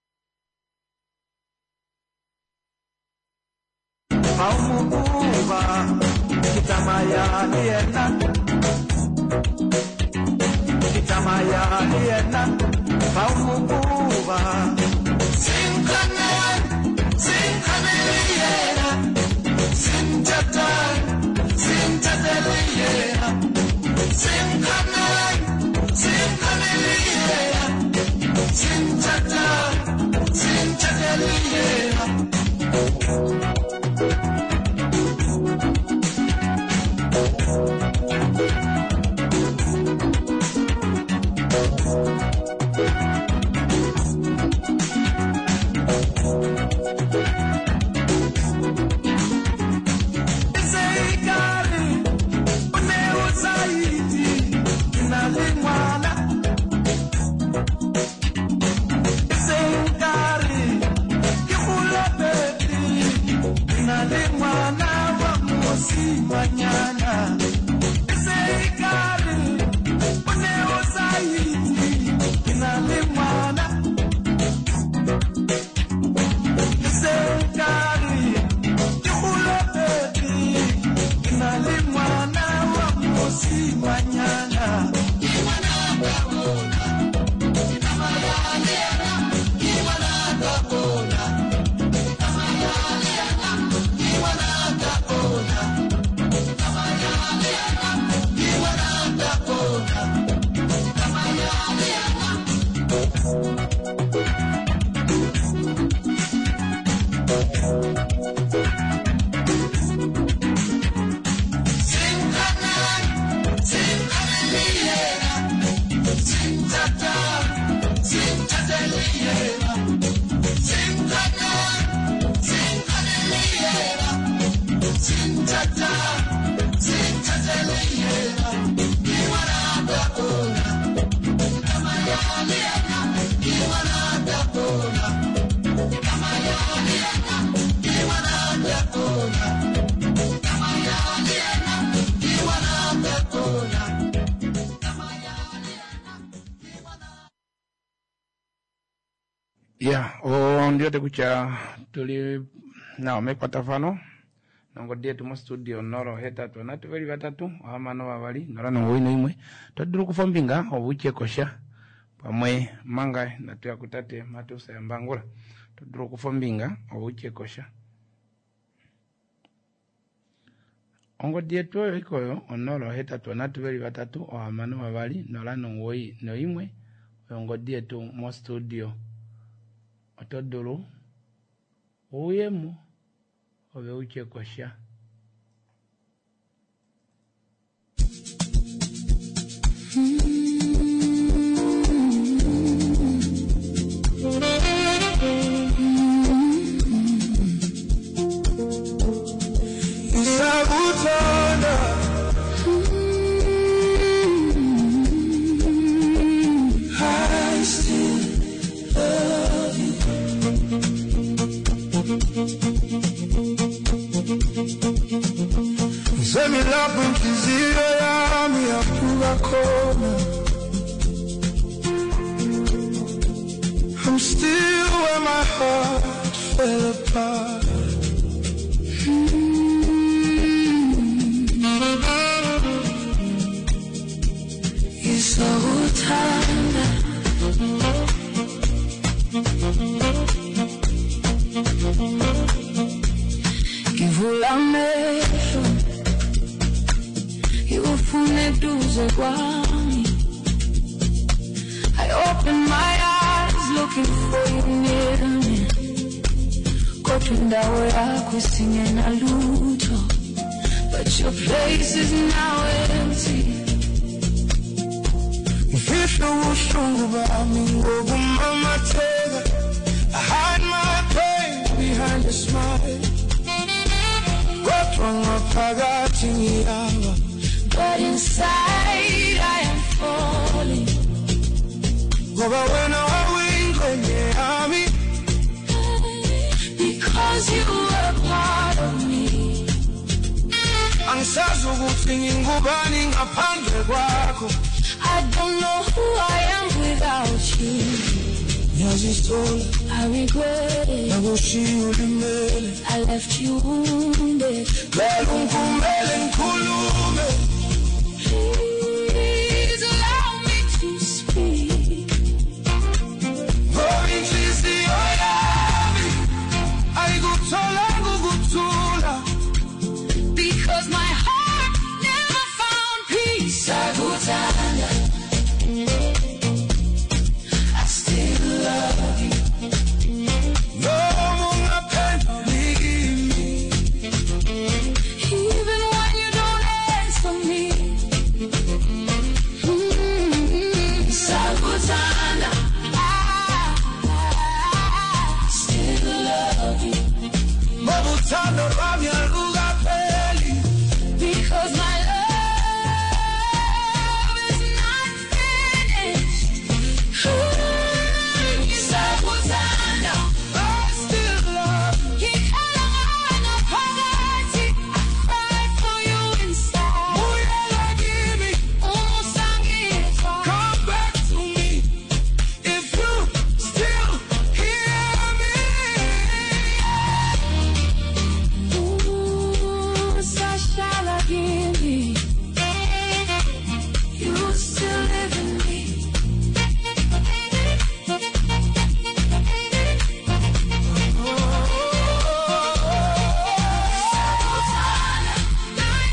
Ya, ondi wete kutya tuli nawa mekwatafano nongodi yetu mostudio 083 3 6 2 091. To dulu okufa ombinga ove utye kosha pamwe manga inatu ya kutate Mateus Yambangula. To dulu okufa ombinga ove utye kosha. Ongodi yetu oyo ikoyo 083 3 6 2 091 oyo ongodi yetu mostudio. Oto dulu uyemo ove utye kosha. Ngisakuthanda I still love you. Ngisemilapho inhliziyo yami yaphuka khona. I'm still where my heart fell apart. eduze kwami. I open my eyes looking for you near me. Kodwa indawo yakho isingenalutho. But your place is now empty. Ngifihla ubuhlungu bami ngokumamatheka. I hide my pain behind a smile. Kodwa ngaphakathi ngiyawa. But inside I am falling. Ngoba wena wawuyingxenye yami. Because you were part of me. Angisazi ukuthi ngingubani ngaphandle kwakho. I don't know who I am without you. Ngiyazisola I regret it. ngakushiya ulimele. I left you wounded. Cela ungivumele ngikhulume. Please allow me to speak. Ngoba inhliziyo yami ayikutholanga ukuthula. Because my heart never found peace. Sakuthanda. I still love you. Noma ungaphenduli kimi. Even when you don't answer me. Sakuthanda. I still love you. Ngoba uthando lwami alukapheli. Because my love is not finished. Sakuthanda. I still love you. Ngikhala ngaphakathi. I cried for you inside. Buyela kimi. Uma usangizwa. Come back to me if you still hear me. Usahlala kimi. You still live in me. I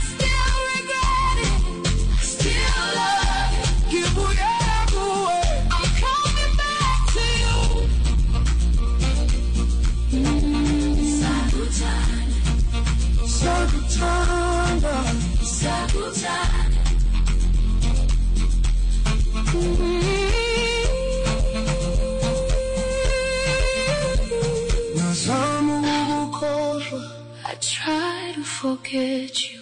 still regret it. I still love you. Ngibuyela kuwe. I'm coming back to you. Sakuthanda, Sakuthanda. sakuthanda. Ngazama ukukukhohlwa I try to forget you,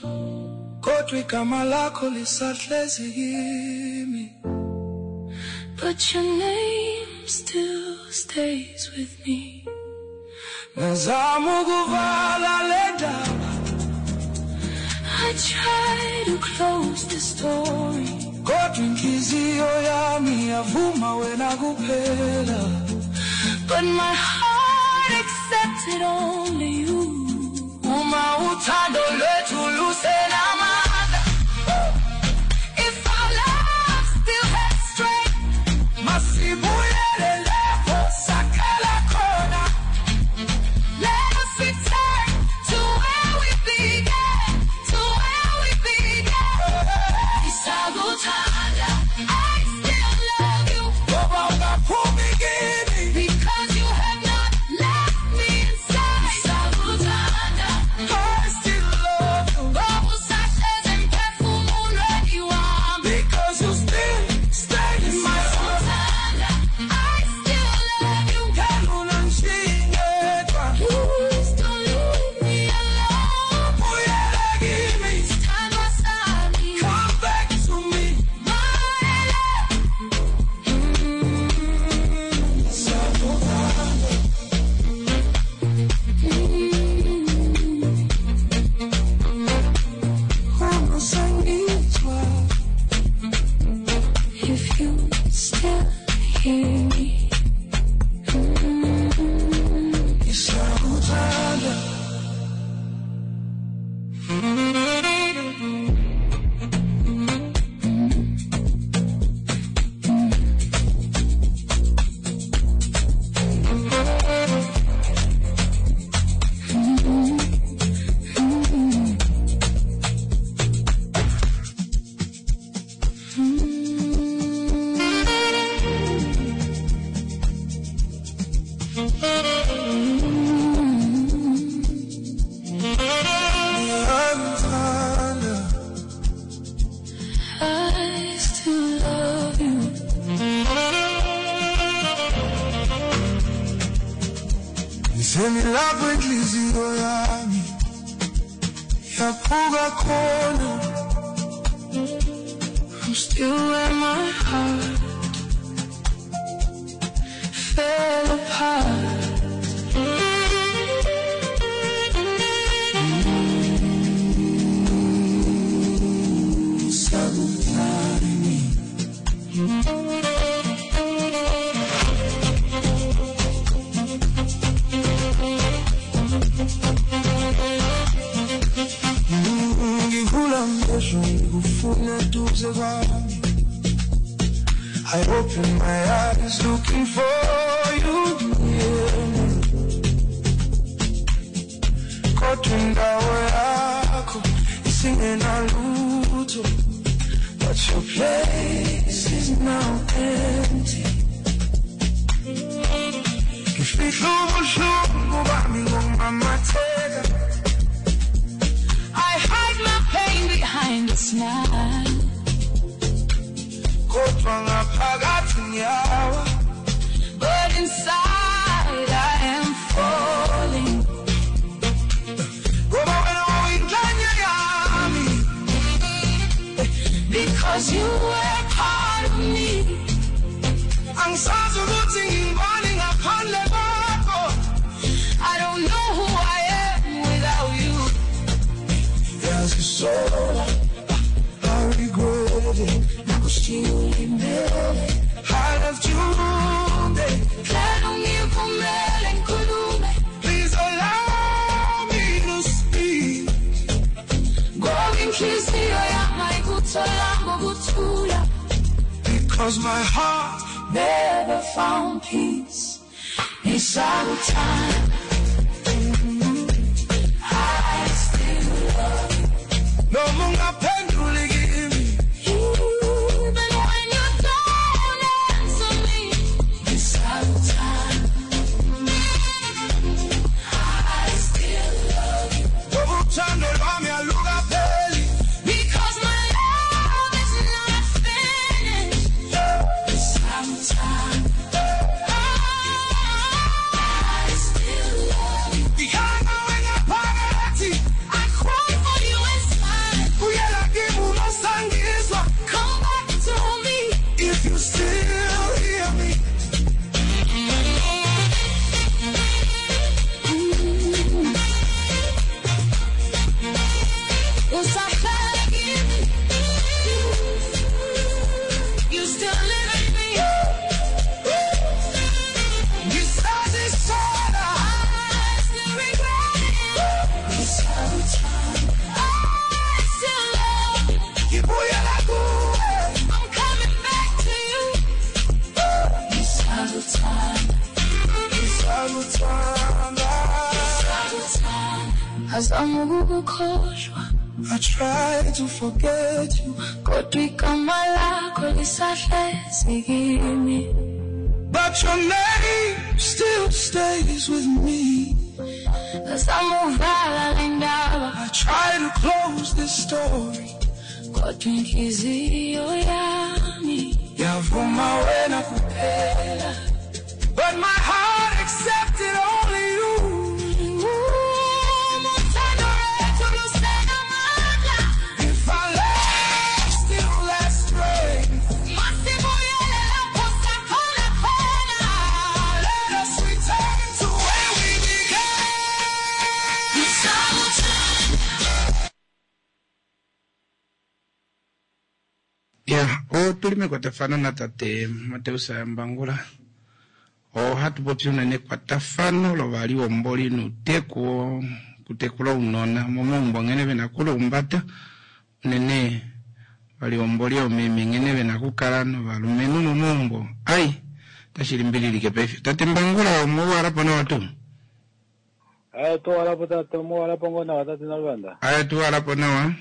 kodwa igama lakho lisahlezi kimi. but your name still stays with me. Ngazama ukuvala le ndaba I try to close the story, kodwa inhliziyo yami yavuma wena kuphela. but my heart accepted only you. Uma uthando lwethu lusenamandla, If our love still has strength, masibuyele lapho saqala khona. let us return to where we began, to where we began. Sakuthanda, I still love you Ngoba ungaphumi kimi. because you have not left me inside. Sakuthanda, I still love you ngoba usahlezi emphefumulweni wami. because you still stay in my heart. Sakuthanda, I still love you. Ngeke ungishiye ngedwa. Please don't leave me alone. Buyela kimi. Sithandwa sami, Come back to me. my love. Sakuthanda. Uma usangizwa. If you still hear me, Ngisakuthanda. Ngisemilapho inhliziyo yami yaphuka khona. I'm still where my heart fell apart. Saluthani. Ngivula amehlo ngikufuna eduze kwami. I open my eyes looking for you near me. Kodwa indawo yakho isingenalutho. But your place is now empty. Ngifihla ubuhlungu bami ngokumamatheka. I hide my pain behind a smile. Kodwa ngaphakathi ngiyawa. But inside I am falling. Ngoba wena wawuyingxenye yami. Because you were part of me. Angisazi ukuthi ngingubani ngaphandle kwakho. I don't know who I am without you. Ngiyazisola, I regret it. Nakushiya ulimele. I left you wounded. Cela ungivumele ngikhulume. Please allow me to speak. Ngoba inhliziyo yami ayikutholanga ukuthula. Because my heart Never found peace. Ngisakuthanda. I still love you. noma ungaphenduli kimi. Even when you don't answer me. Ngisakuthanda. I still love you. Ngoba uthando lwami alukapheli. Because my love is not finished. Ngisakuthanda. I still love you. Ngikhala ngaphakathi. I cry for you inside. Buyela kimi uma usangizwa. Come back to me. If you still hear me. Usahlala kimi. You still live in me. Ngisazisola. I still regret it. I still love you. Ngibuyela kuwe. I'm coming back to you. Ngisakuthanda. Ngisakuthanda. Ngizama ukukukhohlwa I try to forget you, kodwa igama lakho lisahlezi kimi. but your name still stays with me. Ngizama ukuvala le ndaba I try to close this story. kodwa inhliziyo yami Yavuma wena kuphela. But my heart accepted only you. Uthando lwethu lusenamandla. If our love still has strength, Masibuyele lapho saqala khona. let us return to where we began. Ngisakuthanda. Ya, otuli mekwatafano natate Mateus Mbangula. Ohatu popi unene ekwatafano lovaliwomboli nuuteku kutekula ounona momaumbo nghene vena okulumbata unene valiwomboli oomeme nghene vena okukala novalumenhu momaumbo. Ai, otashi limbililike paife. Tate Mbangula omouwalapo nawa tuu? Aye, tuwalapo tate, omuwalapo ngoo nawa tate Naluvanda. Aye, tuwalapo nawa.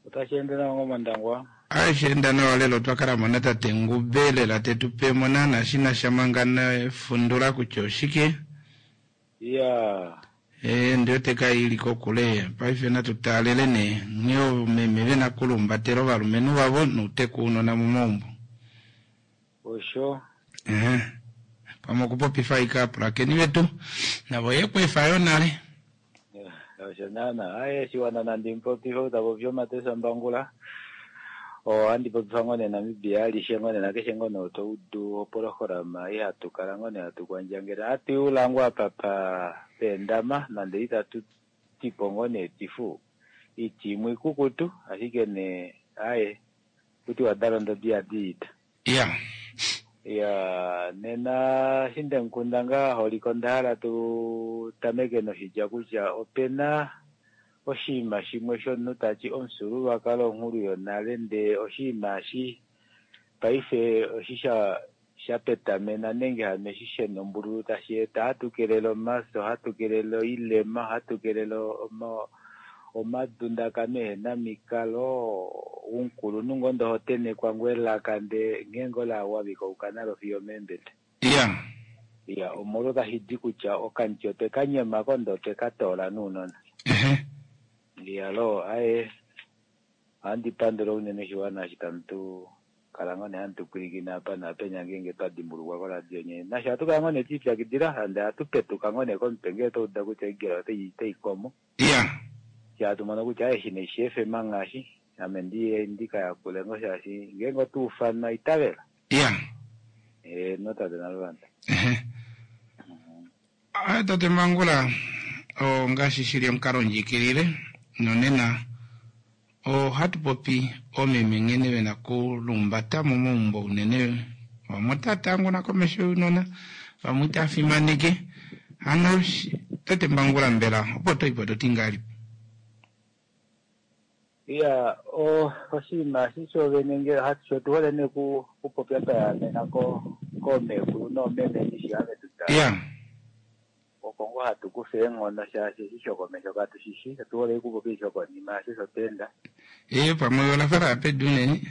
Otashi ende nawa ngoo Mondangwa. Aye, sheenda nawa lelo otwa mo natate Ngube lela tetu pe mo naana shi na sha manga nefundula kutya oshike. Iya. Ee, ndi wete kai ili kokule. Paife natu taalele nee nghee oomeme vena okulumbatela ovalumenhu vavo nouteku ounona momaumbo. Osho. Ehe. Pamwe okupopifa ashike aapulakeni vetu navo ye ku efa yo nale. Osho naana. Aye shiwana nandi mupopife ou ta popi oMateus Mbangula. Ohandi popifa ngoo nee Namibia alishe ngoo nee nakeshe ngoo nee to udu opolohalama ei hatu kala ngoo nee hatu kwandjangele. Ohatu iula ngoo apa peendama nande itatu tipo ngoo nee tifu. Oiti imwe ikukutu ashike nee aye kutiwa dalondo diyadi iita. Ya. Ya, nena eshi ndemukunda ngaa holiko onda hala tu tameke noshitya kutya opena oshinima shimwe shomunhu tati omufyuululwakalo onghulu yonale ndee oshinima eshi paife oshi sha sha petamena nenge hano eshi shenombululu tashi eta ohatu kelele omafyo, ohatu kelele oilema, ohatu kelele omadundakano ehena mikalo, omukulunhu ngoo ndee oho tenhekwa ngoo elaka ndee nghee ngoo la wavika ouka nalo fiyo omeembete. Ya. Ya, omolwo tashi di kutya okamuti otwe ka nyemako ndee otwe ka toola nounona. Ehe. Iyaloo, aaye ohandi pandula unene oshiwana eshi tamu tu kala ngoo nee hamu tu pwilikine apa naapenya ngeenge twa dimbulukwa koradio nye. Nasho ohatu kala ngoo nee twe lipyakidila hande ohatu petuka ngoo nee komutwe ngee twa uda kutya oigela otai komo. Ya. Eshi hatu mono kutya aye eshi naishi FM ngaashi ame ndiye ndi ka yakule ngoo shaashi ngeenge otwa ufanwa itavela. Ya. Heeno tate Naluvanda. Ehe. Tate Mbangula, ongaashi shili omukalondjikilile nonena ohatu popi oomeme nghene vena kulumbata momaumbo unene vamwe otava tanguna komesho younona vamwe itava fimaneke. Hano tate Mbangula mbela opo to ipo to ti ngahelipi? Iya, oshinima eshi shoovene nge sho tu hole nee kupopya twa yaamena koomekulu noomeme ndishi have tu tala. Iya. Oko ngoo hatu kufa eenghono shaashi eshi shokomesho katu shi shi, otu hole okupopya eshi shokonima shaashi osho twa enda. Ee, pamwe ola fa la ya pedu unene.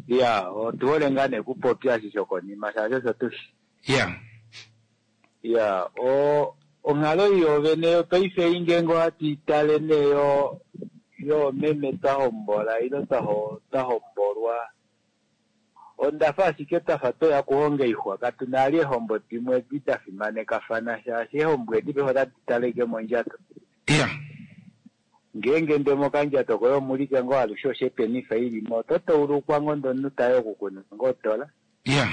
Iya, otu hole ngaa nee kupopya eshi shokonima shaashi osho tu shi. Iya. Iya, onghalo ei yoovene yopaife ei ngeenge ohatu i tale nee yoomeme twa hombola ile twa hombolwa, onda fa ashike twa fa tweya okuhonga oixwa. Katu na vali eehombo dimwe edi da fimanekafana shaashi eehombo edi paife otadi tale ashike mondjato. Iya. Ngeenge ndee mokandjato koye omulike ngoo alushe oshepenifa ili mo, oto taulukwa ngoo ndee omunhu taye okukuna ngoo odola. Iya.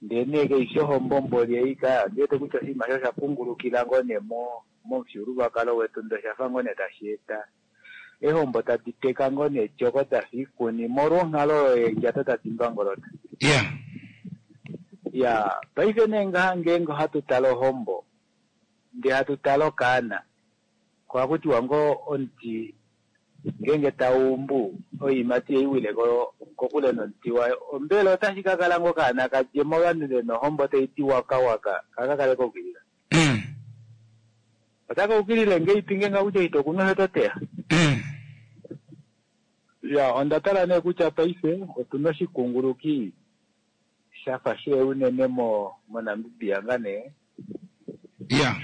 Ndee nee kaifi ohombo mboli ei ka, ondi wete kutya oshinima osho osha pungulukila ngoo nee momufyuululwakalo wetu ndee osha fa ngoo nee tashi eta eehombo tadi teka ngoo nee tyoko dafa oikuni molwa onghalo oyo yeendjato tadi mbangolota. Iya. Iya, paife nee ngaha ngeenge ohatu tale ohombo ndee hatu tale okaana, ko ohaku tiwa ngoo omuti ngeenge tau umbu oiimati ei wile kokule nomuti wayo, ombela otashi ka kala ngoo okaana ka dje movanhu ve na ohombo tai ti waka waka, kaka kale ka ukilila. Otaka ukilile ngeipi ngeenge kutya ito kunu osho to teya? Ya, onda tala nee kutya paife otu na oshikunguluki sha fa she unene moNamibia ngaa nee. Ya.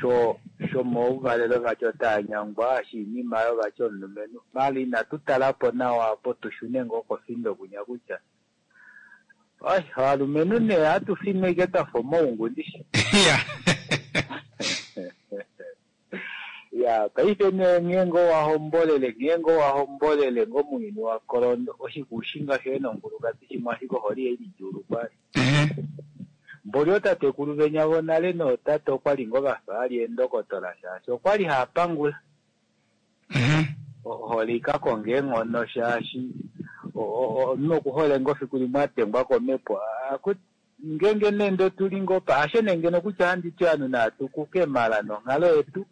Shomouvalelo vati otaa nyangwa, shiinima oyo vati omulumenhu. Maala inatu tala po nawa opo tu shune ngoo kofindo kunya kutya ai, ovalumenhu nee ohatu finwa ashike twa fa omaungu ndishi. Ya. Ya, paife nee nghee ngoo wa hombolele, nghee ngoo wa hombolele ngoo mounyuni wa kolondo, oshikushinga shoye nonkulukadi shimwe ashike ohole ihai lidjuulukwa. Ehe. Mboli ootatekulu venya vonale nootate okwali ngoo vafa ali eendokotola shaashi okwali haa pangula. Ehe. Ohole ika konga eenghono shaashi omunhu okuhole ngoo fiku limwe a dengwa komhepo. Ngeenge nee ndee otuli ngoo pa, hasho nee ngeno kutya ohandi ti ovanhu natu kuke mala nonghalo yetu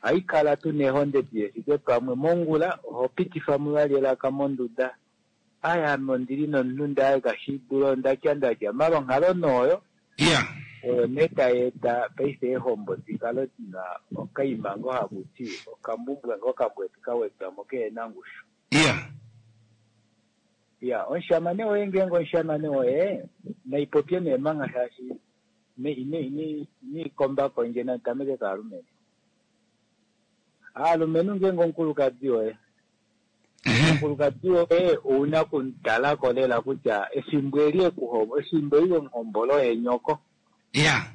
ohai kala tuna eehonde di hefike pamwe. Mongula oho pitifa mo vali elaka monduda, ai ame ondili nomunhu ndee aye kashi dula ondatya ndatya mala onghalo nee oyo Iya. oyo nee tai eta paife eehombo di kale dina okaima ngoo haku ti okambumbwa ngoo kambwedi ka wedwa mo kehena ongushu. Iya. Iya, omushamane woye ngeenge omushamane woye naipopye nee manga shaashi inai komba kondje nandi tameke kaalumenhu. Aalumenhu ngeenge omukulukadi woye, omukulukadi woye ouna okumutala ko lela kutya efimbo eli ekuhombo, efimbo eli wemuhombola oye nyoko. Ya.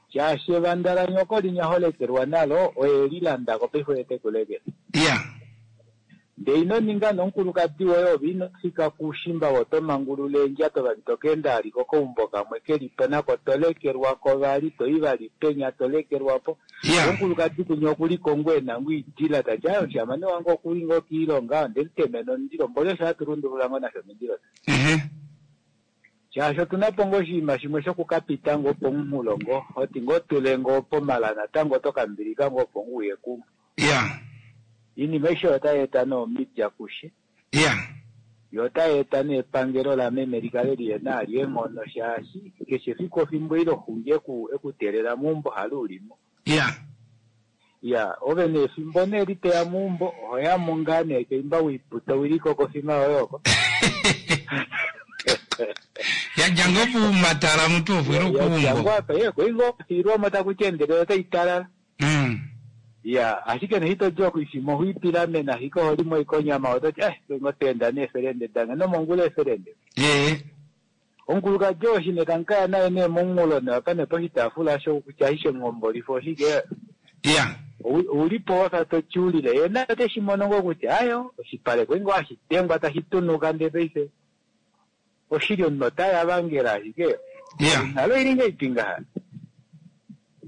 Shaashi evanda lanyoko linya ho lekelwa nalo, oye li landa ko paife oye te ku lekele. Ya. Ndee ino ninga nomukulukadi woye ove ino fika kuushimba ove oto mangulula eendjato vali to ka enda vali kokaumbo kamwe ke li po nako to lekelwa ko vali, to i vali penya to lekelwa po. Ya. Omukulukadi kunya oku li ko ngoo e na ngoo oidila ta ti, aaye omushamane wange oku li ngoo kiilonga, onde mu temena omundilo, mboli osho hatu lundulula ngoo nasho omindilo. Ehe. Shaashi otu na po ngoo oshinima shimwe shoku ka pita ngoo pomunghulo ngoo, hoti ngoo tule ngoo pomala natango oto ka mbilika ngoo opo ngoo uye kumwe. Ya. Iinima aishe oyo otai eta nee omidja kushe. Ya. Yo otai eta nee epangelo lameme li kale lihe na vali eenghono shaashi keshe efiku ofimbo ile oxungi eku eku teelela meumbo halo u li mo. Ya. Ya, ove nee efimbo nee li toya meumbo oho ya mo ngaa nee keimba wiiputa owili kokofima yoye oko. Ya dja ngoo pumatala mutu ofwila Ya dja okuumbo. ngoo apa, ye koi ngoo fiilwa mo taku ti endelela otai talala. Ya, ashike nee ito di okuifima oho ipilamene ashike oho li mo ashike onyama oto ti eh ngo teenda neefelende dange nomongula eefelende. Ee. Omukulukadi oo eshi nee tamu kaya naye nee momunghulo nee apa nee poshitaafula osho kutya ashishe muhombolifo oshike. Ya. Ouli po wafa to tyuulile ye naye ote shi mono ngoo kutya ayo oshipale koi ngoo hashi dengwa tashi tunuka ndee paife oshili omunhu ota yavangela ashike Ya. onghalo oili ngahelipi ngaha.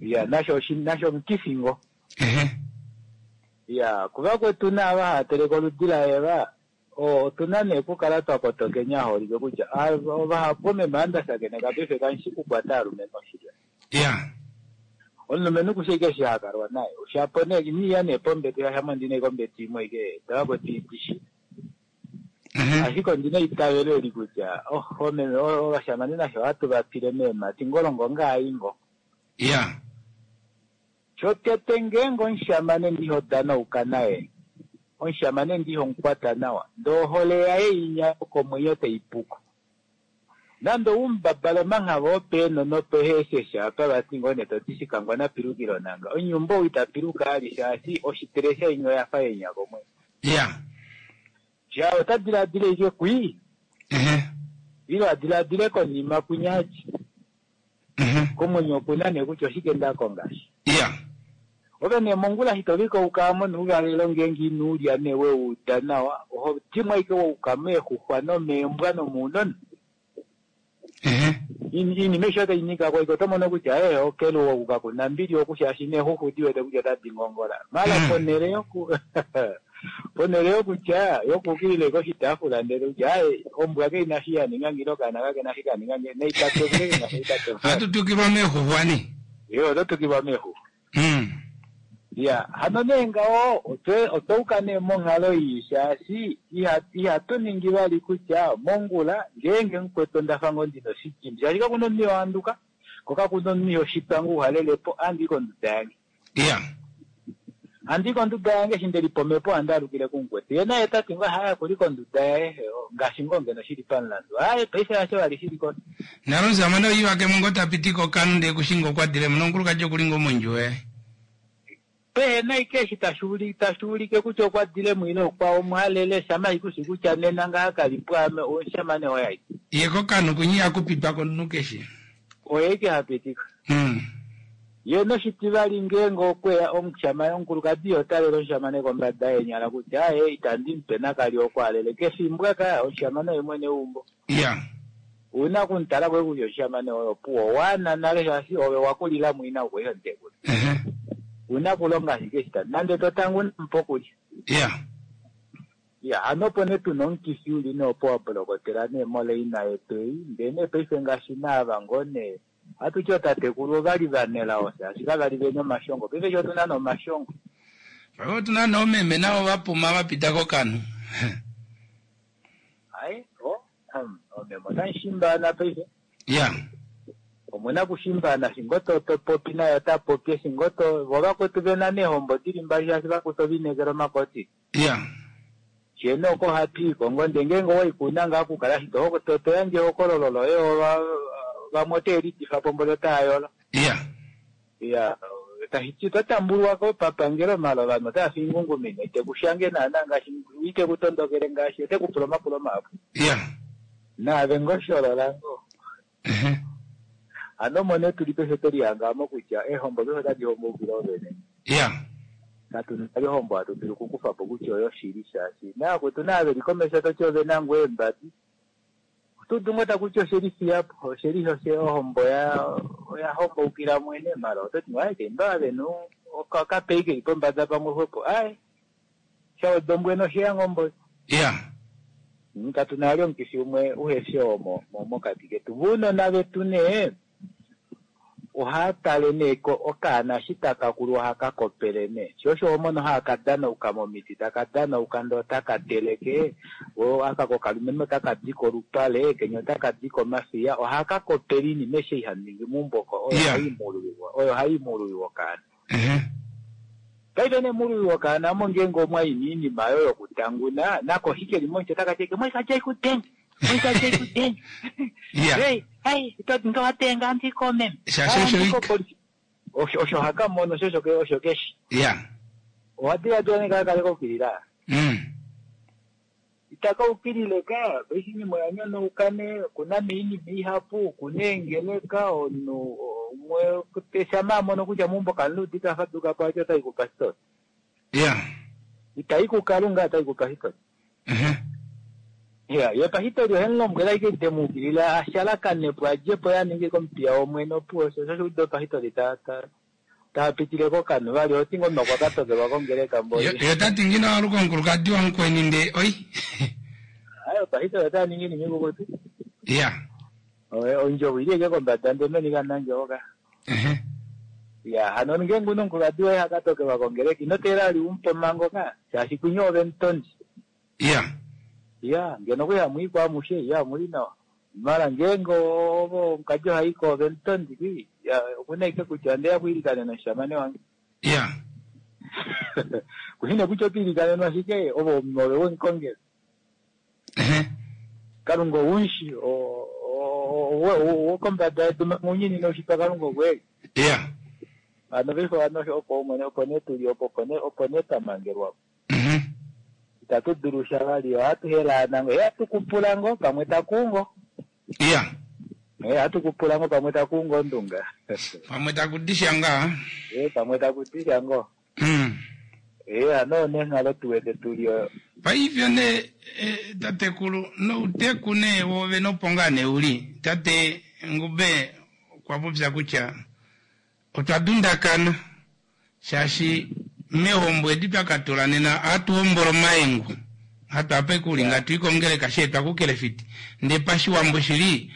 Ya, nasho oshi nasho omukifi ngoo. Ehe. Ya, kuvakwetu naava hava teleke oludi laEva, otu na nee okukala twa kotokeni aholike kutya vahapu omeme ava nda shakeneka paife kamu shi kukwata aalumenhu oshili. Ya. Omulumenhu kushi ashike eshi ha kalwa naye. Shapo nee ina iya nee pombete shaashi ame ondi na ashike ombete imwe ashike davakwetu idi shi. Ashike ondi na eitavelo eli kutya oh, omeme ovashamane nasho ohatu va pile meemhati ngolongo ngaa ngo. Ya. Shotete ngeenge omushamane ndi ho danauka naye, omushamane ndi ho mukwata nawa, ndee ohole yaye inya yokomwenyo tai puko. Nande ou mubabala omanghava opeeno nopeheesheshe apa vati ngoo nee toti shikangwa na pilukile onanga, onyumba ou ita piluka ali shaashi oshitelesha inya oya fa yenya komwenyo. Ya. Sha ota diladila ashike kwii, Ehe. ile a diladile konima kwinya ati. Komwenyo oku na nee kutya oshike nda konga eshi. Ya. Ove nee mongula eshi to likouka mo nouvalelo ngeenge ino u lya nee we u uda nawa, oho dimwa ashike wa uka meexuxwa nomeembwa nomounona. Iinima aishe otai nyika ko ashike oto mono kutya ee okeluwo oku kaku na mbili oku shaashi neexuxwa odi wete kutya otadi ngongola. Mala ponhele yoku ponhele yokutya yokuukilila ashike oshitaafula ndele kutya aaye ombwa kai na shi ya ninga nge ile okaana kake na shi ka ninga nge naitatevule ke na shi itatevule. Ohatu tukilwa meexuxwa nee. Ee oto tukilwa meexuxwa. Ya, hano nee ngaho otwe otwa uka nee monghalo ii shaashi iha ihatu ningi vali kutya mongula ngeenge mukwetu onda fa ngoo ndina oshidimbi shaashi kakuna omunhu iho handuka ko kakuna omunhu iho shitwa ngoo uhalele po ohandi i konduda yange. Ya. Ohandi i konduda yange eshi nde lipa omhepo ohandi alukile kumukwetu ye naye ta ti ngoo aaye okuli konduda yaye ngaashi ngoo ngeno shili pamulandu aaye paife hasho vali shili ko. Nale omushamane ohi vakemo ngoo ta piti kokanu ndee kushi ngoo okwa dilemo nomukulukadi okuli ngoo mondjuwo yaye. Pehe na ashike eshi tashi tashi ulike kutya okwa dilemo ile okwa omuhalele shama ashike ushi kutya nena ngaha kali pwaame omushamane oye ashike. Ye kokanu kunye ihaku pitwa komunhu keshe. Oye ashike ha pitika. Ye noshitivali ngeenge okwe ya omushamane omukulukadi iho talele omushamane kombada yeenyala kutya aaye itandi mu pe nakali oku alele kefimbo aka omushamane oye mwene weumbo. Ya. Ouna oku mu tala ko kutya omushamane oye opuwo owaana nale shaashi ove wa kulila mu ina okwe iho mutekula. Ouna okulonga ashike eshi ta nande to tanguna mupe okulya. Ya. Ya, hano opo nee tuna omukifi uli nee opo wa bolokotela nee moleina yetu ei, ndee nee paife ngaashi naava ngoo nee ohatu ti ootatekulu ova li vanelao shaashi kava li vena omashongo, paife eshi otuna nee omashongo. Paife otuna nee oomeme navo va puma va pita kokanhu. Ai, o, oomeme otamu shimbaana paife. Ya. Omuna okushimbana, eshi ngoo to to popi naye ota popi, eshi ngoo to, vo vakwetu vena neehombo dili mbali shaashi vakwetu ova inekela omakoti. Ya. Shee nee oko ohatu i ko ngoo, ndee ngeenge owa i ko ouna ngaa okukala shi to to to yandje ehokololo loye ova vamwe otave lidifa po mboli otava yolo. Ya. Ya, tashi ti oto tambulwa ko papangelo maala ovanhu otava fi ingungumine, ite ku shange naana ngaashi, ite ku tondokele ngaashi, ote ku pula omapulo mahapu. Ya. Naave ngoo sholola ngoo. Hano mone tuli paife twe lihanga kutya eehombo paife otadi homboukile ovene. Ya. Katu na ohombo hatu dulu okukufa po kutya oyo shili shaashi navakwetu naa veli komesho toti ove na ngoo eembadi. Oto dulu ngoo takuti osheli fiyapo osheli ohombo oya homboukila mwene mala ototi ngoo aye keimba venu okapei keli pombada pamwe xwepo aye shaweda ombwena osheya ngoo mboli. Ya. Katu na vali omukifi umwe uhefi oo mokati ketu. Vounona vetu nee ohaa tale nee okaana eshi taka kulu ohaka kopele nee. Sho osho ho mono haka danauka momiti, taka danauka ndee otaka teleke, aka kokalumenhu otaka di kolupale, kenya otaka di komafiya, ohaka kopele oinima eshi haningi meumbo oko, oyo hai muululiwa okaana. Paife nee muululiwa okaana omo ngeenge omwa i noinima oyo yokutanguna, nako eshi keli momuti otaka ti moikadja ikudenga, moikadja ikudenga. Ya. Hey, ndowatenga andiko meme. Shaashi osho ika. Osho haka mono osho keshi. Ya. Owa diladila nee kaka kale kaukilila. Itaka ukilile ka, paife oinima oya nyonauka nee, okuna nee oinima ihapu, okuna eengeleka, omunhu umwe shamha a mono kutya meumbo kamu udite a faduka po ati otai kupasitori. Ya. Itai kuKalunga, otai kupasitori. Ya, ye pasitori ohe mu lombwele ashike te mu ukilile a shalakane po a dje po ye a ninge komupiya wOmwene opuwo osho osho ude pasitori ta pitile kokanhu vali oti ngoo okwa ka tokelwa kongeleka mboli. Yo tati ngino aluka omukulukadi wamukweni ndee oi. Ayo pasitori ota ningi iinima ikukutu. Ya. Ondjovo ili eke kombada ndee meni kamuna ndjovo ka. Ya, hano ngeenge una omukulukadi woye haka tokelwa kongeleka ino teelela vali umupe omhango ka shaashi kunye ove mutondi. Ya. Ya, ngeno okwali hamu i ko amushe, ya omuli nawa. Mala ngeenge ovo omukadi oha i ko ove mutondi kwi, ya okuna ashike kutya ondeya okwiilikanena omushamane wange. Ya. Kushi nee kutya oto ilikanenwa ashike ove omunhu ove wemukongela. Kalunga oumushi, wokombada yedu mounyuni noushitwa Kalunga okweli. Ya. Hano paife hano opo omwene opo nee tuli opo opo nee twa mangelwa. Itatu dulu sha vali, ohatu helaana ngo, ohatu kupula ngo pamwe takuungo. Ya. Ohatu kupula ngo pamwe takuungo ondunga. Pamwe takudisha ngaa. Pamwe takudisha ngo. Hano neenghalo tuwete tuli oyo. Paife nee tatekulu nouteku nee woove nopo ngaa nee uli. Tate Ngube okwa popya kutya otwa dundakana shaashi mehombo edi twa katula nena ohatu hombola omaengu. Hatu ape kulinga tuikongeleka sheetwa kukelefiti. Ndee pashiwambo shili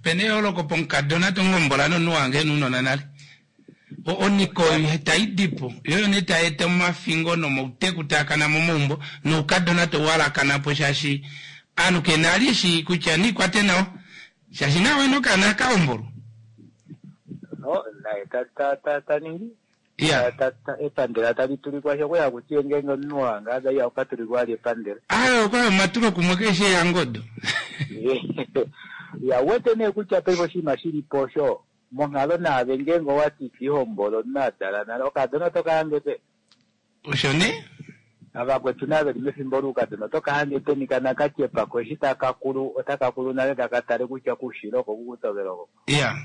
pena eyooloko pomukadona tongombola nomunhu wange nounona nale. Oniko tai dipo yoyo nee tai eta omafingo nomauteku taakana momaumbo noukadona touhalakana po shaashi aanhu kena ali eshi kutya niikwate nawa shaashi nawe nokaana kahombolwa. Naye ta ningi Ya. Epandela tali tulikwa sho kuya kutiye ngeenge omunhu wange ada iya okatulikwa ali epandela. Ayo okwa omatulo kumwe keshe yangodo. Ya wete nee kutya paife oshinima shili po osho monghalo naave ngeenge owati tihombolo omunhu a dala nale okadona oto kahange pe. Osho nee? Avakwetu nave li mefimbo loukadona oto kahange peni kana katyepako eshi taka kulu otaka kulu nale taka tale kutya kuushilo oko kukutokela oko. Ya.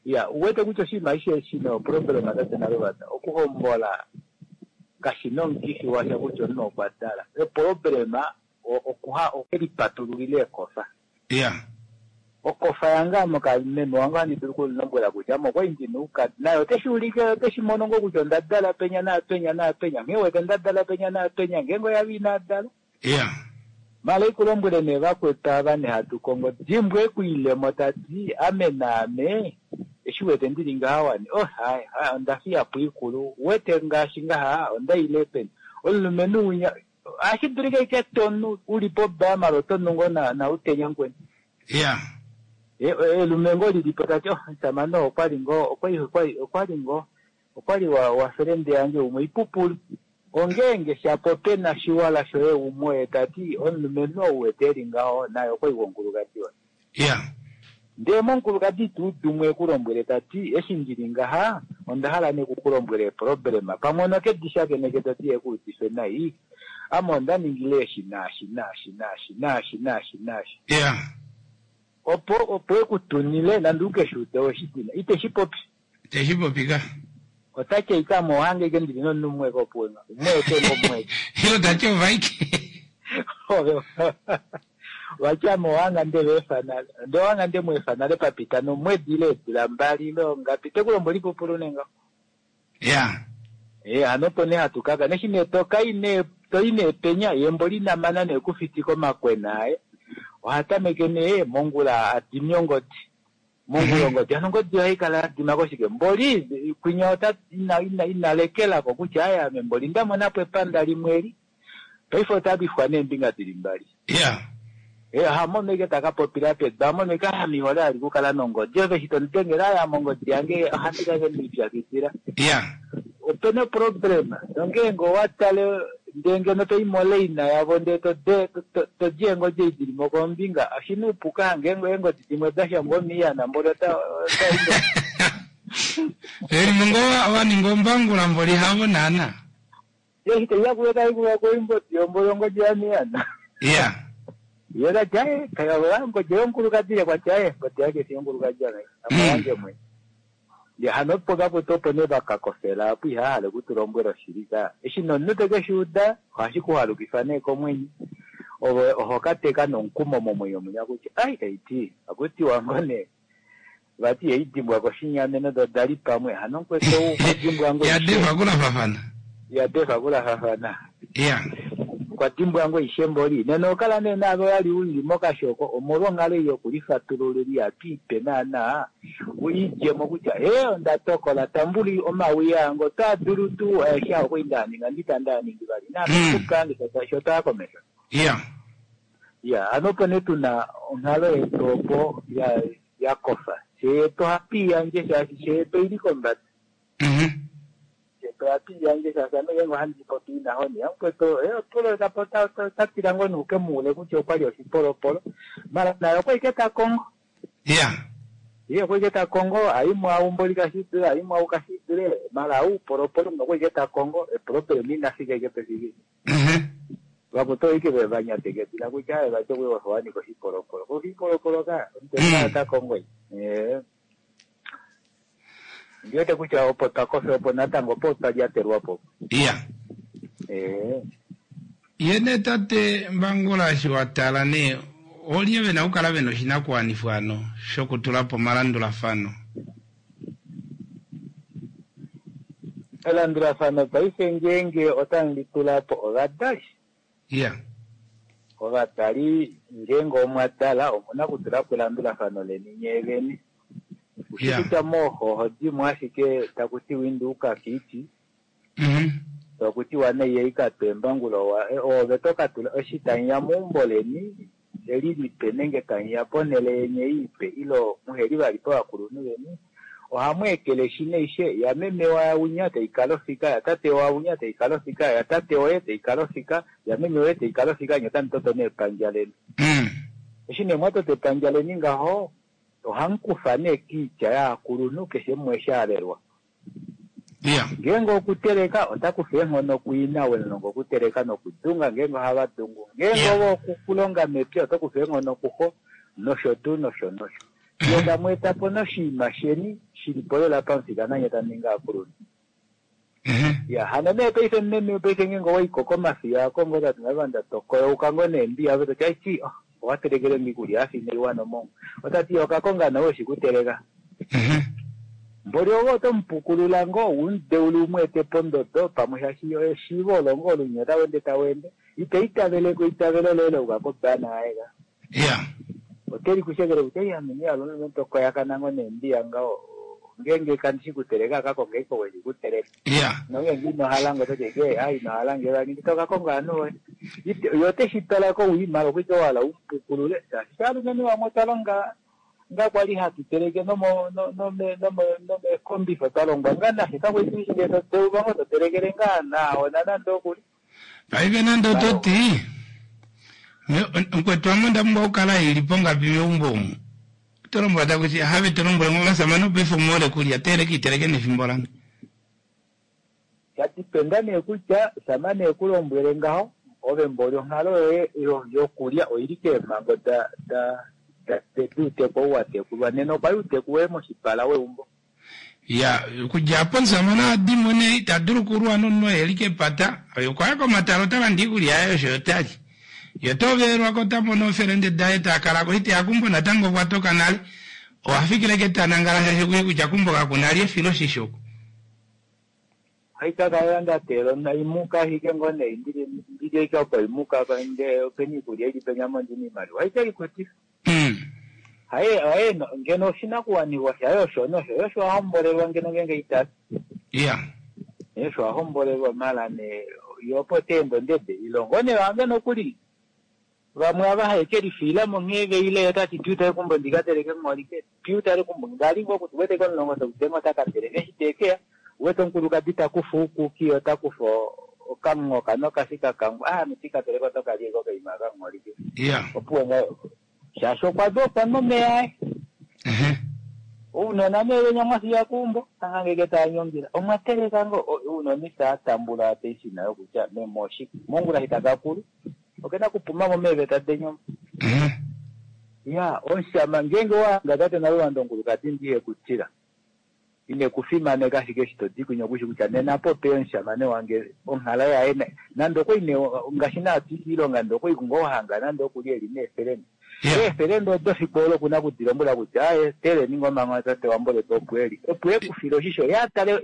Ya, uwete kutya oshinima eshi shina oproblema tate Naluvanda okuhombola kashina omukifi washa kutya omunhu okwa dala. Eproblema okuha okelipatululile eekofa. Ya. Okofa yange ame meme wange ohandi dulu okulombwela kutya ame okwali ndina oukadi naye oteshi ulike oteshi mono ngoo kutya onda dala penya naapenya naapenya nghee wete nda dala penya naapenya ngeenge oyali ina dala. Ya. Mala ikulombwele nee vakwetu ava nee hatu kongo dimbwe ekuilemo tati ame naame eshi wete ndili ngaha wani oh hai hai onda fiya po ikulu wete ngaashi ngaha onda ile peni omulumenhu winya ohashi dulika ike tonu uli po mala oto nu ngoo na utenya mukweni. Ya. Elume ngoo lilipo tati oh omushamane oo okwali ngoo okwali ngoo okwali wa felende yange umwe ipupulu. Ongeenge shapo pena shiwala shoye umwe tati omulumenhu ou wete eli ngaho naye okwali womukulukadi waye. Ya. Ndee momukulukadi tuu dumwe ekulombwele tati eshi ndili ngaha onda hala nee kukulombwela eproblema pamwe onoke di shakeneke tati ye kuudife nai ame onda ningile eshi naashi naashi naashi naashi naashi naashi. Ya. Opo opo e ku tunile nande u ke shi ude we shi dina. Ite shi popi. Ite shi popi ka. Ota ti aike ame ohange ike ndili nomunhu umwe ko opuwo nga. Umwe eke ngo umwe eke. Ile ta ti ovaike. Ove vati ame ohanga nde va efa nale. Nde ohanga nde mu efa nale pa pita nomwedi ile eedula mbali ile ongapi. Te ku lombwele oipupulu nee ngaho. Ya. Ee, hano opo nee hatu kaka. Neshi nee to kai nee, to i nee penya, ye mboli ina mana nee okufitika omakwena aye. Oha tameke nee mongula a dimi ongodi. Mongula ongodi. Hano ongodi ohai kala ya dima koshike? Mboli kwinya ota, ina, ina, ina lekela ko kutya aye ame mboli nda mona po epanda limwe eli. Paife ota lwifwa neembinga dili mbali. Ya. Ee, oha mono ike ta ka popila pedu, a mono ike ame ihole vali okukala nongodi. Ove eshi to mu dengele, aye ame ongodi yange ohandi kala ike ndelipyakidila. Ya. Ope na oproblema. Nongeenge owa tale ndee ngeno to i moleina yavo ndee to de, to, to, to di eengodi ei dili mo kombinga, oshi na oupu ka hange eengodi dimwe da shangwa omiyana mboli ota, ota i ngo. Veli mo ngoo va ninga ombangula mboli havo naana. Eshi tai ya kuye tai kuya koimbodi yomboli ongodi yamiyana. Ya. Ye ta ti, Aye, kaya ongodi yomukulukadi ye kwa ti, Aye, ongodi yange fi yomukulukadi ame, ame oyange mwene. Ndee hano opo vakwetu opo nee va ka kofela apo ihava hala oku tu lombwela oshili ka. Eshi nee omunhu te ke shi uda, ohashi ku halukifa nee komwenyo. Ove oho ka teka nomukumo momwenyo munya kutya, ai, tai ti, ohaku tiwa ngoo nee vati ihai dimbwa koshinyameno do da li pamwe hano mukwetu ou okwa dimbwa ngoo Ya defa kulafafana. Ya defa kulafafana. Ya. Okwa dimbwa ngoo ishe mboli. Nena oho kala nee naave wa li u li mokashoko omolwa onghalo ei yokulifatululila ihatu i pe naanaa u i dje mo kutya hee onda tokola tambuli omawi ange otaa dulu tuu aeshe aa okwali ndaa ninga ndi itandi a ningi vali naame mm. ange sho taa komesho. Ya. Ya, hano opo nee tu na onghalo yetu opo ya ya kofa. Fye yetu ohatu i yandje shaashi fye yetu oi li kombada. Fye yetu ohatu i yandje shaashi ame ngeenge ohandi popi ina honi, yamukwetu eh, opulo ota ota ota tila ngoo nee uke mu ule kutya okwa li oshipolopolo. Mara naye okwa ike ta kongo. Ya. Ye okwa ike ta kongo, a i mwaau mboli kashi dule, a i mwaau kashi dule, mara au polopolo okwa ike ta kongo, eproblem ina fika ike pefiki. Vakutu oike ve va nyatekedila kutya aye vati okwe wafa wa nika oshipolopolo. Ko oshipolopolo ka, omutenya mm. ota kongo i. Eh. Ndi wete kutya opo twa kofe opo natango opo twa lyatelwa po. Iya. Eh. Ye nee tate Mbangula eshi wa tala nee olye ve na okukala ve na oshinakuwanifwa ano shokutula po omalandulafano? Elandulafano paife ngeenge otamu li tula po ovadali. Iya. Ovadali ngeenge omwa dala omu na okutula po elandulafano leni nyee vene. Ushi kutya mooxo oho di mo ashike taku tiwa inda u ka kiiti, taku tiwa nai ei ka twe embangula oove to ka tula eshi tamu ya meumbo leni eli lipe nenge tamu ya ponhele yeni ei ipe ile muheli vali povakulunhu veni, ohamu ekeleshi naishe yameme wawinya tai kala ofika, yatate wawinya tai kala ofika, yatate woye tai kala ofika, yameme woye tai kala ofika, nye otamu toto nee epandja leni. Eshi nee mwa tota epandja leni ngaho, ohamu kufa nee kiitya yaakulunhu keshe umwe eshi a lelwa. Iya. Ngeenge okuteleka, ota kufa eenghono kuina ou e mu longa okuteleka nokudunga ngeenge ohava dungu. Ngeenge ove okulonga mepya, oto kufa eenghono kuxo, nosho tuu nosho nosho. Fiyo tamu eta po noshinima sheni shi li po lela pamufika nanye tamu ningi aakulunhu. Iya, hano nee paife meme paife ngeenge owa i ko komafiya ako ngoo tati ngavanda to koyouka ngoo neembiya ove to ti aiti oh, owa telekele nge iikulya ya fa inai wana omongwa. Ota ti oka konga nawe weshi kuteleka. Mboli ove oto mu pukulula ngoo u mu deule u mu ete pondodo pamwe shaashi eshiivo olo ngoo olunya otau ende tau ende. Ita itavele ko eitavelo loye la yuka kobana yaye ka. Iya. Ote li ku shekele kutya iya ame nee omulumenhu to koyakana ngoo neembiya ngaho ngeenge kandi shi kuteleka ka konge iko weshi kuteleka. Iya. Nongeenge ino hala nge oto ti eke a ino hala nge vali to ka konga ovanhu voye. Ye ote shi tala kowii mara okwa ike wa hala u mu pukulule shaashi shaalumenhu vamwe otwa longa nga kwali hatu teleke nomo nome nome nomeekombifa twa longwa nga nashe kakwali tushi ngee to deulwa ngo to telekele ngaa naawona nande okuli. Paife nande oto ti mukwetu ame onda pumbwa okukala i li pongapi meumbo omu oto lombwela taku ti have to lombwele ngo ovasamane paife omu hole kulya teeleka iteleke nefimbo lange. Sha dipenda nee kutya shama nee ku lombwele ngaho ove mboli onghalo yoye yokulya oili keemhango da da. Duuteku ou wa tekulwa nena okwa li uuteku woye moshipala weumbo. Ya, okudja apo omusamane ohadimo nee ita dulu okulwa nomunhu oo eli kepata. Oye okwa ya komatala ota landa iikulya yaye osho yo tali. Ye ota ovelelwa ko ota mono eefelende daye ta kala ko iteya keumbo natango okwa toka nale. Oha fikile ke ta nangala shaashi okushi kutya keumbo kaku na li efiloshisho oku. Ohai ka kala nda teelela onaimuka ashike ngoo nee ndili ndili ashike opo imuka ndee opena iikulya ili penya mo ndina iimaliwa ohai ke likutifa. Haye haye ngeno oshinakuwanifwa shaye osho nosho yo osho a hombolelwa ngeno ngeenge ita fi. Ya. Ye osho a hombolelwa mala nee ye opo ta ende ondede ilongo nee wange nokuli vamwe ava haye ke lifiila mo nghee veile ye ota ti piu tale kumbo ndi ka teleke ngholike piu tale kumbo ngali ngoo kuti wete komulongo tokudenga ota ka teleka eshi te keya wete omukulukadi ta kufa uukuki ye ota kufa okamunghoka nokashi ka kangwa ah ame tika teleka oto ka lya okaima aka ngholike Ya. opuwo ngaho shaashi okwa dopwa nomeya aye Ehe. Ounona nee venya mwa fiya keumbo, hangangeke taa nyongila. Omwa teleka ngoo? Ounona itaa tambula ateshina yokutya meme oshike. Mongula eshi taka kulu, oke na kupuma mo meeveta deni omo. Ya, omushama, ngeenge owa hanga tate Naluvanda omukulukadi ndi ihe ku tila, ine ku fimaneka ashike eshi to di kwinya oku shi kutya nena po opeya omushamane wange, onghalo yaye nande okwali nee ngaashi naa to i kiilonga ndee okwali ngoo hanga nande oku li eli neefelende. Eefelende odo fiku olo oku na oku di lombwela kutya aaye, teleni ngoo manga tate waMbolete opo e li, opo e ku file oshisho, ye a tale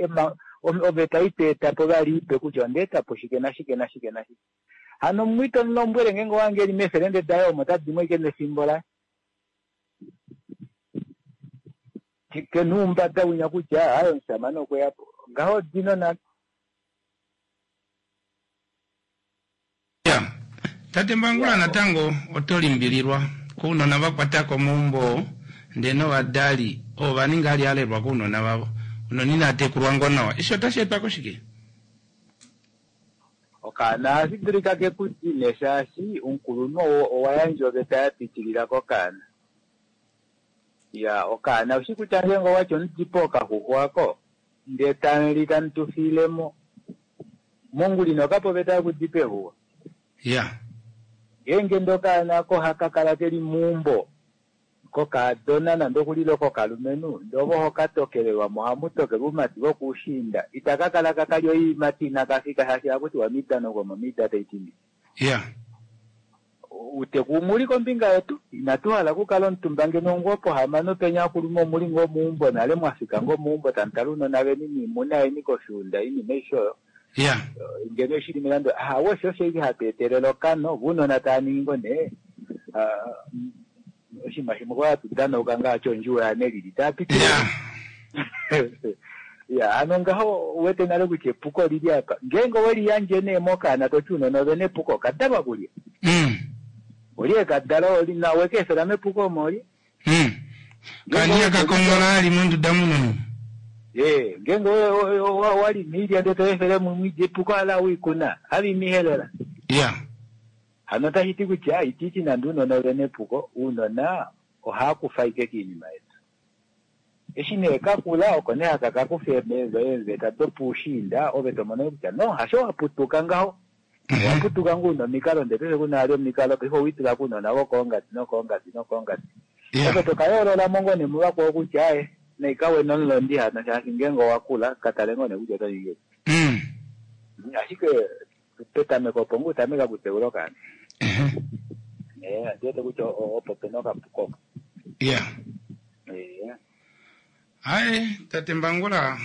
oveta ei to eta po vali ipe kutya onda eta po shike nashike nashike nashike. Hano mumwe ito mu lombwele ngeenge owa hange e li meefelende daye omo ota di mo ashike nefimbo laye. Ke na oumbada winya kutya aaye omushamane okwe ya po. Ngaho dino nale. Ya, tate Mbangula natango oto limbililwa kounona va kwatako omaumbo oo ndee novadali ovo va ninga ali alelwa kounona vavo. Ounona inaa tekulwa ngoo nawa. Eshi otashi etwa koshike? Okaana ohashi dulika ke ku dine shaashi omukulunhu owa yandja oveta ya pitilila kokaana. Ya, okaana oushi kutya ngeenge owati omudipo okaxuxwa ako ndee tamu li tamu tu fiile mo. Mongula ino ka pa oveta yokudipa exuxwa. Ya. Ngeenge ndee okaana ako ohaka kala ke li meumbo kokaadona nande okuli ile kokalumenhu, ndee ove oho ka tokelelwa mo, ohamu tokelwa oumati vokuushiinda. Itaka kala ka kalya oiimati inaka fika shaashi ohaku tiwa midano gomomida tai ti ndi. Ya. Uuteku umwe uli kombinga yetu, inatu hala okukala omutumba ngeno ngoo pohamano penya akulume omuli ngoo meumbo nale mwa fika ngoo meumbo tamu tale ounona veni niimuna yeni koshuunda oinima aishe oyo. Ya. Ngeno eshi li melandula ahawe osho osho ashike hatu etelele okano, vo ounona tava ningi ngoo nee oshinima shimwe kwa hatu danauka ngaashi ondjuwo yanelili tava pitile. Ya. Ya, hano ngaho uwete nale kutya epuko olili apa. Ngeenge owe liyandje nee mokaana toti ounona ove na epuko, okadalwa kulye? Olye ekadala oli na we ka efela mepuko omo olye? Kani akakonghola ali monduda muno. Ee, ngeenge owa lima iilya ndele to efele mumwe iilya epuko ala wiikuna, have imihelela. Ya. Hano otashi ti kutya ititi nande ounona ove na epuko, ounona ohaa kufa ashike kiinima yetu. Eshi nee ka kula, oko nee haka ka kufa eemveta dopuushiinda, ove to mono kutya no, hasho wa putuka ngaho. Owa putuka ngoo una omikalo ndele paife kuna vali omikalo, paife owe itula kounona vokoongadi nokoongadi nokoongadi. Ove to ka yoolola mo ngoo nee muvakwao kutya aaye, naikawe nomulondi hano shaashi ngeenge owa kula, ka tale ngoo nee kutya oto ningi ngahelipi. Ashike petameko opo ngoo utameka okuteula okaana. Ondi wete kutya opo pena okapuko opo. Ya. Ee. Aye, tate Mbangula,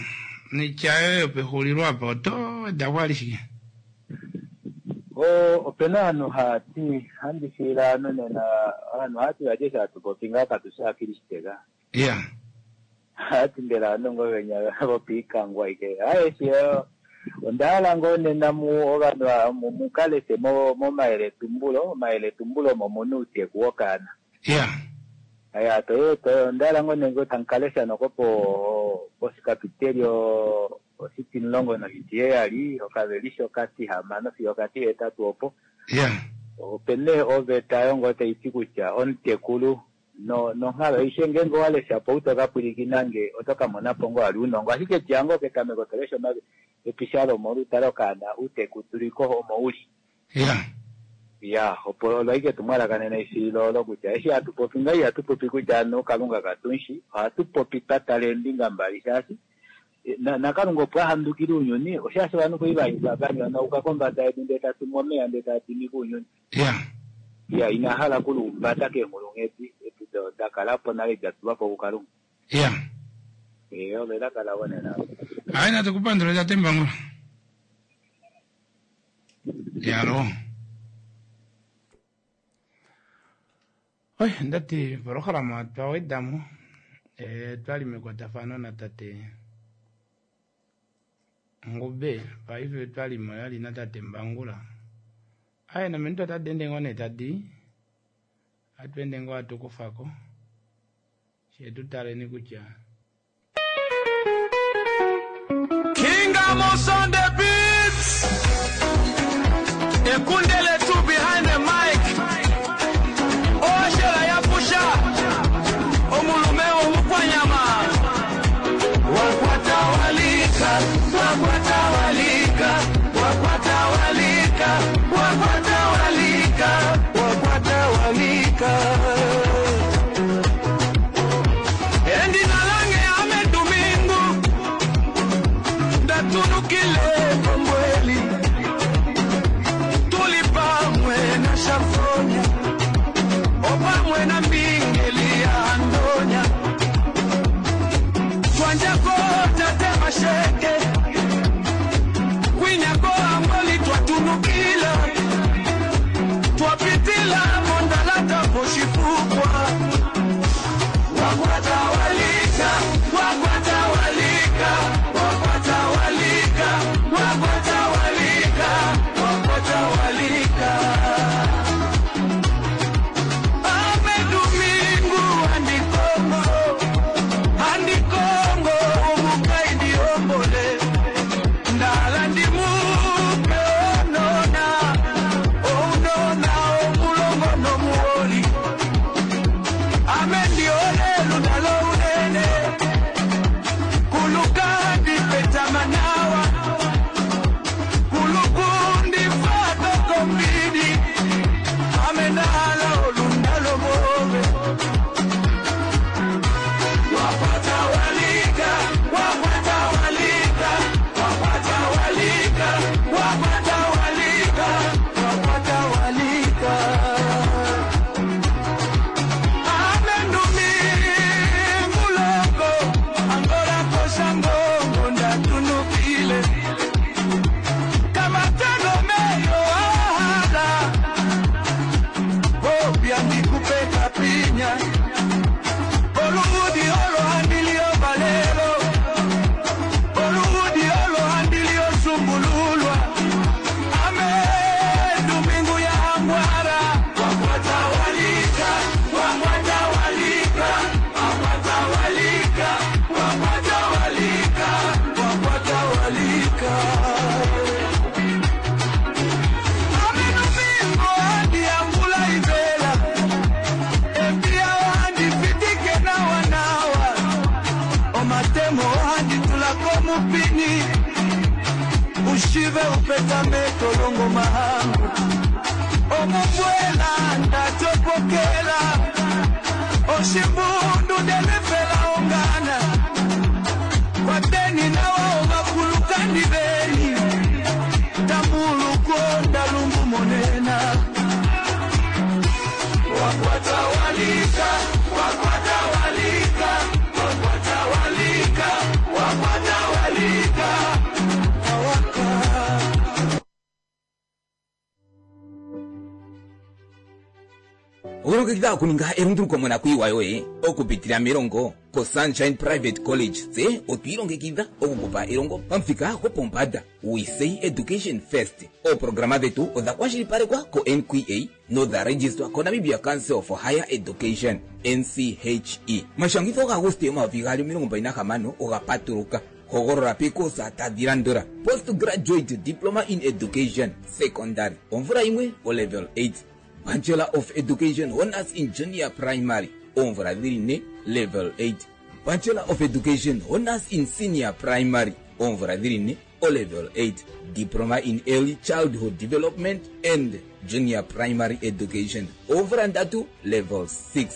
noitya yoye yopexulilo apa oto weda ko vali shike? O, opena ovanhu hava ti, handi fiila ovanhu nena, ovanhu ohava ti vati eshi hatu popi ngaho katu shi aakilisiteka. Ya. Ohava ti mbela ovanhu ngoo venya vopiikangwa aike. Aye, eshi onda hala ngoo nena mu ovanhu mu ka leshe momayeletumbulo, omayeletumbulo omo mu na outeku wokaana. Ya. Ya, to to onda hala ngoo nee tamu ka lesha noko po poshikapiteli oshitimulongo noshitiheyali, okavelishe okatihamano fiyo okatihetatu opo. Ya. Ope nee oveta yo ngoo tai ti kutya omutekulu no nonghalo aishe ngeenge owa lesha po ou to ka pwilikina nge oto ka mona po ngoo vali ounongo. Ashike dja ngoo ketameko to lesha episalomo olutalo okaana outekuduliko omo u li. Ya. Ya, opo olo ashike etumwalaka nena efililo olo kutya eshi hatu popi ngaho ihatu popi kutya anu Kalunga katushi, ohatu popi twa tala eembinga mbali shaashi naKalunga opo a handukile ounyuni oshaashi ovanhu kwali va nyonauka kombada yedu ndele ta tumu omeya ndele taa dimike ounyuni. Ya. Ya, ina hala okuluumbata keenghulunghedi edi da kala po nale da tulwa po kuKalunga. Ya. Ee, olo elaka lavo nena. Hayi natu kupandule tate Mbangula. Yalo. Oi, ndati polohalama twa wedamo e, twali mekwatafano natate Ngube paife twali mo yali natate Mbangula. Aye nominute otadi ende ngoo nee tadi atu ende ngoo atu kufako she tu taleni kutya King Amos on the beats. Ekundele two behind the mic. Oshela ya pusha. Omulume omukwanyama. Wakwatawalika, wakwatawalika, wakwatawalika, wakwatawalika, wakwatawalika. Endi nalange ame Domingo. Ndatunukile kombweli. Tuli pamwe na Shafonya. Opamwe na Mbingeli ya Andonya. Twanjako tate masheke. Kwinyako angoli twatunukila. Twapitila mondalata poshifukwa. Wakwatawalika, wakwatawalika, wakwatawalika, wakwatawalika, wakwatawalika. Ame Domingo andi Kongo, andi Kongo, omukaidi ombole. Ndala ndi mupe onona, onona omulongo nomuoli. Ame ndiole lunalo unene, kuluka ndipetamanawa, kulukundi fato kombini, ame ndala olundalo bobe. Wakwatawalika, wakwatawalika, wakwatawalika, wakwatawalika, wakwatawalika. Amendumi mulongo angola koshangongo ndatunukile kamatego meyo ahala obya ndikupeka pinya oludi olo andilio balelo oludi olo andilio sumbululwa ame dumingu ya angwara wakwatawalika wakwatawalika wakwatawalika wakwatawalika wakwatawalika ame dumingu andi angula ibela epia andi fitike nawa nawa omatemo andi tulako mupini ushive upetame tolongo mahangu omubwela ndatopokela oshimbundu delefela ongana kwateni nawa omakulukandi beni tambuluko ndalumbu monena wakwatawalika wakwatawalika wakwatawalika wakwatawalika awaka Okulongekidha okuninga elunduluko monakuyiwa yoye okupitila melongo koSunshine Private College tse otwiilongekidha okukupa elongo pamuthika gwopombanda. We say education first. Ooprograma dhetu odha kwashilipalekwa ko-NQA nodha registwa koNamibia Council for Higher Education NCHE. Omashangitho gaAguste 2026 oga patuluka. Hogolola peekosa tadhi landula: Postgraduate Diploma in Education Secondary omvula yimwe olevel 8, Bachelor of Education Honors in Junior Primary oomvula dhili ne level 8, Bachelor of Education Honors in Senior Primary oomvula dhili ne. o-level 8 diploma in early childhood development and junior primary education oomvula ndatu level 6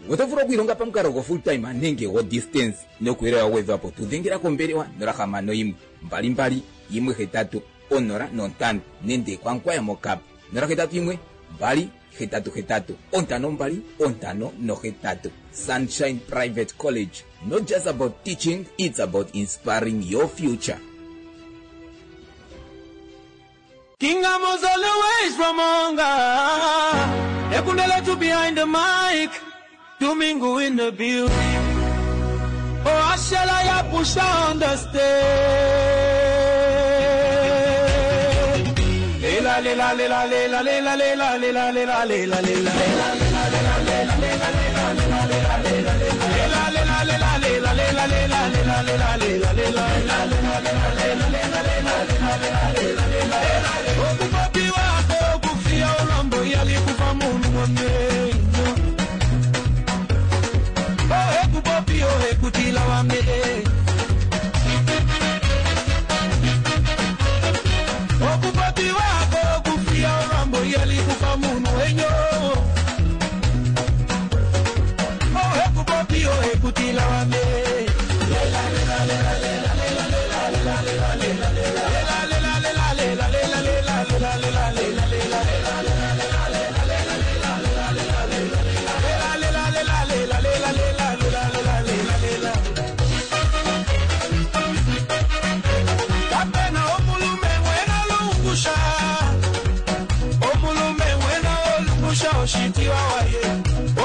oto vulu okwiilonga pamukalo go full time nenge go distance nokuyele wa gwedhwa po tu dhengela kombelewa 061 22 18 05 nenge kwankwaya mokap 081 2 88 52 58. Sunshine Private College. Not just about teaching, it's about inspiring your future. King Amos always from Onga. Ekundele to behind the mic. Domingo in the building. Oh, Ashala ya push on the stage. Lela, lela, lela, lela, lela, lela, lela, lela, lela, lela. Lela, lela, lela, lela, lela, lela, lela, lela, lela, lela. Okupopiwa okufia olwambo yalikufa munhu wamenyo. Oh, ekupopi, oh, ekutila wame. Okupopi wako okufia olwambo yalikufa munhu wenyo. Oh, ekupopi, oh, ekutila wame. Lela, lela, lela, lela, lela, lela, lela, lela, lela, lela. Lela, lela, lela, lela, lela, lela, lela, lela, lela, lela. Lela, lela, lela, lela, lela, lela, lela, lela, lela, lela. Kapena omulume wena lungusha. Omulume wena olungusha oshitiwa waye.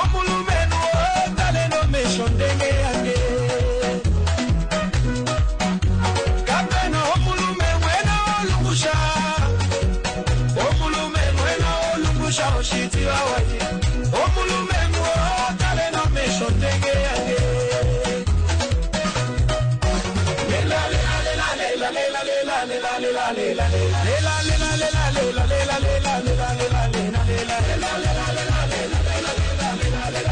Omulume nuo tale no mesho ndenge yange. Kapena omulume wena olungusha. Omulume wena olungusha oshitiwa waye. Omulume nuo tale no mesho ndenge yange. Lela, lela, lela, lela, lela, lela, lela, lela, lela, lela. Lela, lela, lela, lela, lela, lela, lela, lela, lela, lela. Lela, lela, lela, lela, lela,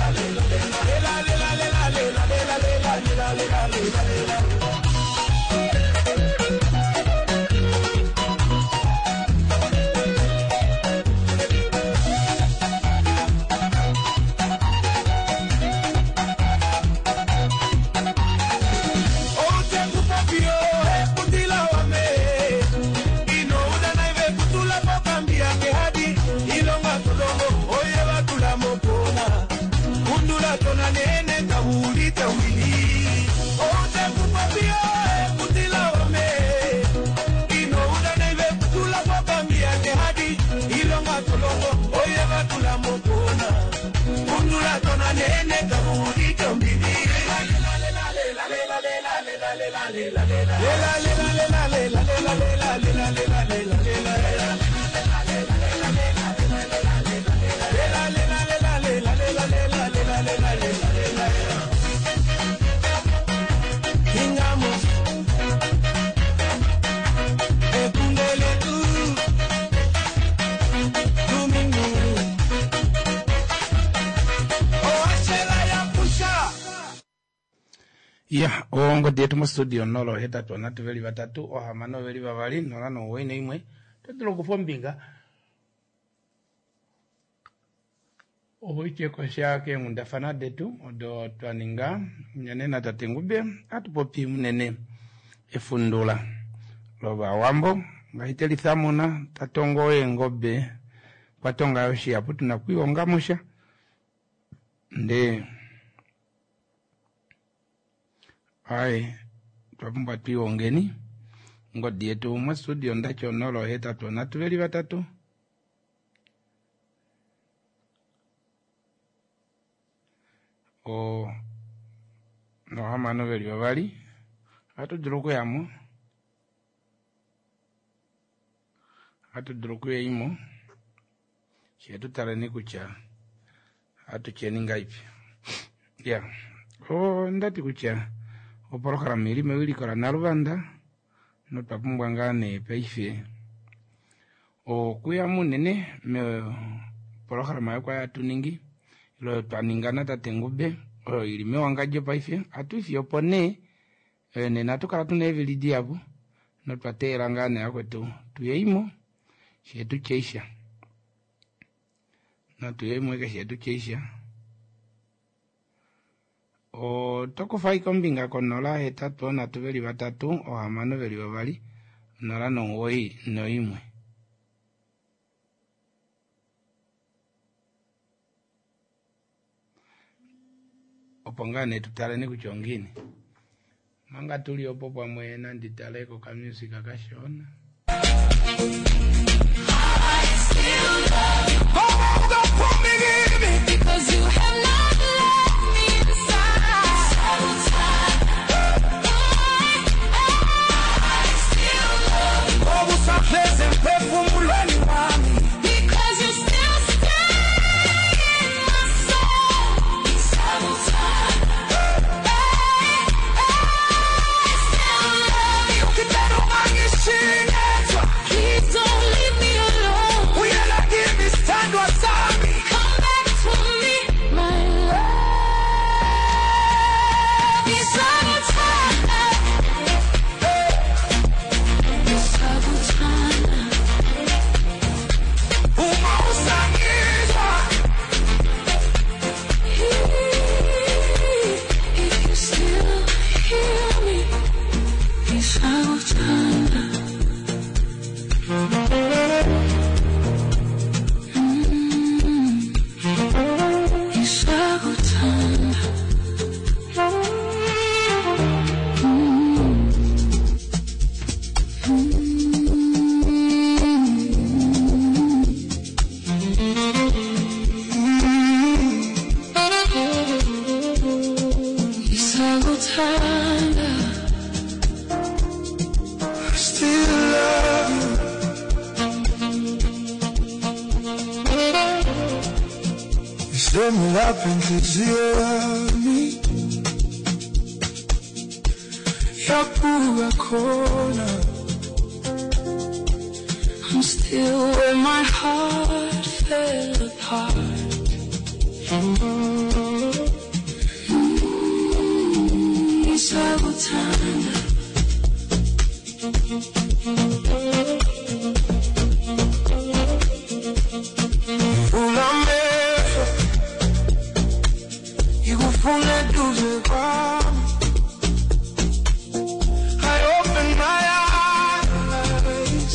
lela, lela, lela, lela. Lela, lela, lela, lela, lela, lela, lela, lela, lela, lela. Ya, ongodi yetu mostudio 083 3 6 2 0 9 1. Oto dulu okufa ombinga opo itye kosha keenghundafana detu odo twa ninga unene natate Ngube. Ohatu popi unene efundula lovawambo ngaashi telithamuna tatongo eengobe kwatonga yo shihapu tuna okwiihonga musha ndee aye twa pumbwa twiihongeni. Ongodi yetu mostudio ndati 083 3 o nohamano veli vavali ohatu dulu okuyamo, ohatu dulu okuyaimo shee tutaleni kutya ohatu tyeni ngaipi. Ya, ondati kutya opolohalama ili mewiliko laNaluvanda notwa pumbwa ngaa nee paife okuya munene mopolohalama yokwaya hatu ningi ilo oyo twa ninga natate Ngube oyo ili mewangadjo paife ohatu ifiyo opo nee nena ohatu kala tuna eevili dihapu. Notwa teela ngaa nee vakwetu tuyeimo shetu tyeisha. Natuyeimo eke shetu tyeisha. Oto kufa ashike ombinga ko 0 8 3 6 2 0 9 1. Opo ngaa nee tutaleni kutya ongiini. Manga tuli opo pamwe nandi tale kokamusic kashona. Because you have not left me inside. I still love you. Because you still stay in my soul. I still love you. Please don't leave me alone. Come back to me, my love. Ngisakuthanda. Ngisakuthanda. If you still hear me, ngisakuthanda. Ngisakuthanda. Ngisakuthanda. Still love you. Isemlapha inhliziyo yami yabuka khona. I'm still where my heart fell apart. Ngisakuthanda. Vula amehlo ngikufuna eduze kwami. I open my eyes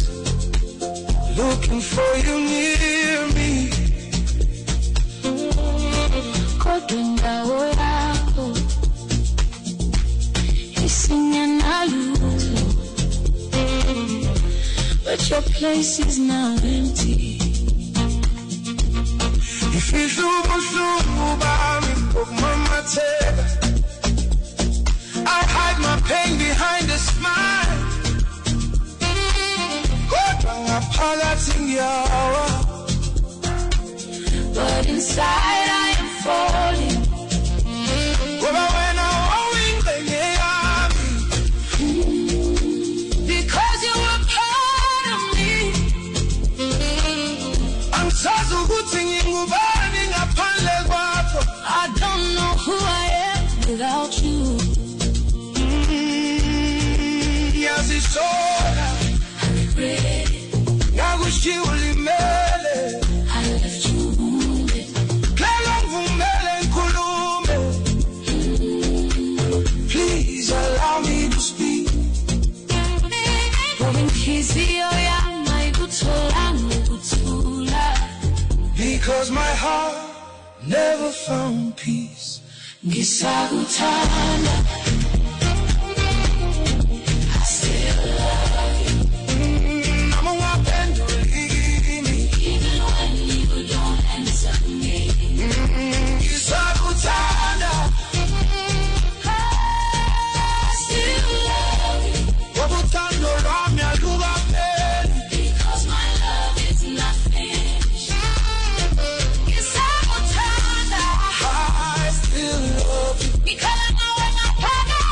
looking for you near me. Kodwa indawo yakho isingenalutho. But your place is now empty. Ngifihla ubuhlungu bami ngokumamatheka. I hide my pain behind a smile. Kodwa ngaphakathi ngiyawa. But inside I am falling. Ngoba wena wawuyingxenye yami. Because you were part of me. Angisazi ukuthi ngingubani ngaphandle kwakho. I don't know who I am without you. Ngiyazisola. I regret it. Ngakushiya ulimele. I left you wounded. Cela ngivumele ngikhulume. Please allow me to speak. Ngoba inhliziyo yami ayikutholanga ukuthula. Because my heart never found peace. Ngisakuthanda. I still love you. Noma ungaphenduli kimi. Even when you don't answer me. Ngisakuthanda. I still love you. Ngoba uthando lwami alukapheli. Because my love is not finished. Ngisakuthanda. I still love you. Ngikhala ngawe ngaphakathi.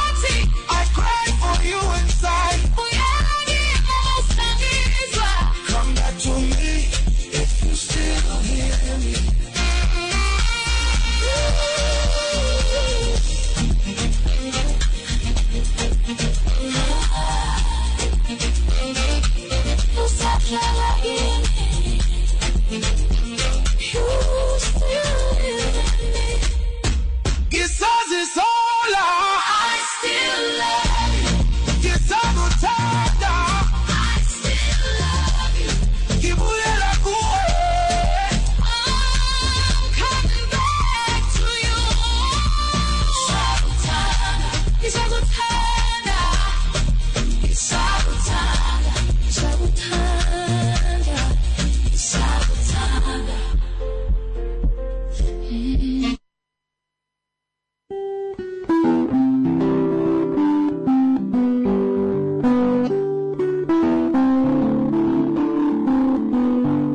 Ngizohlala kimi. You still live in me. Ngisazisola. I still love you. Ngisakuthanda. I still love you. Ngibuyela kuwe. I'm coming back to you. Ngisakuthanda, ngisakuthanda, ngisakuthanda, ngisakuthanda, ngisakuthanda.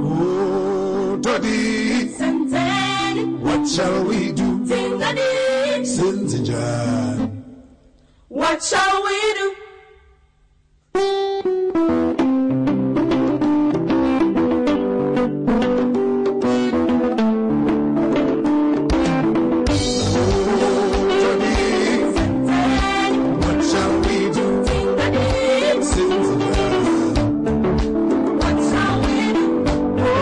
Oh, Toddy, what shall we do? Senzenjani? What shall we do? What shall we do? Senzenjani? What shall we do? Oh,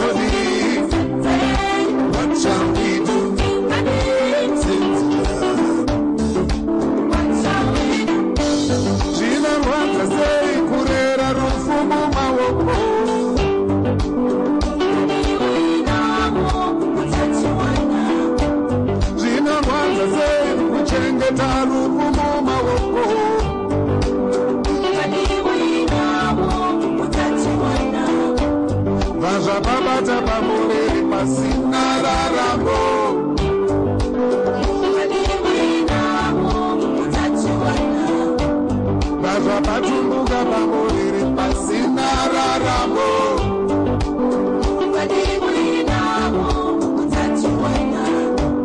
Toddy, what shall we do? Senzenjani? What shall we do? Zvinorwadza sei kurera rufu mumaoko? Zvinorwadza sei kuchengeta rufu mumaoko? Vazvababata pamuviri pasina raramo. Vazvabatumbuka pamuviri pasina raramo.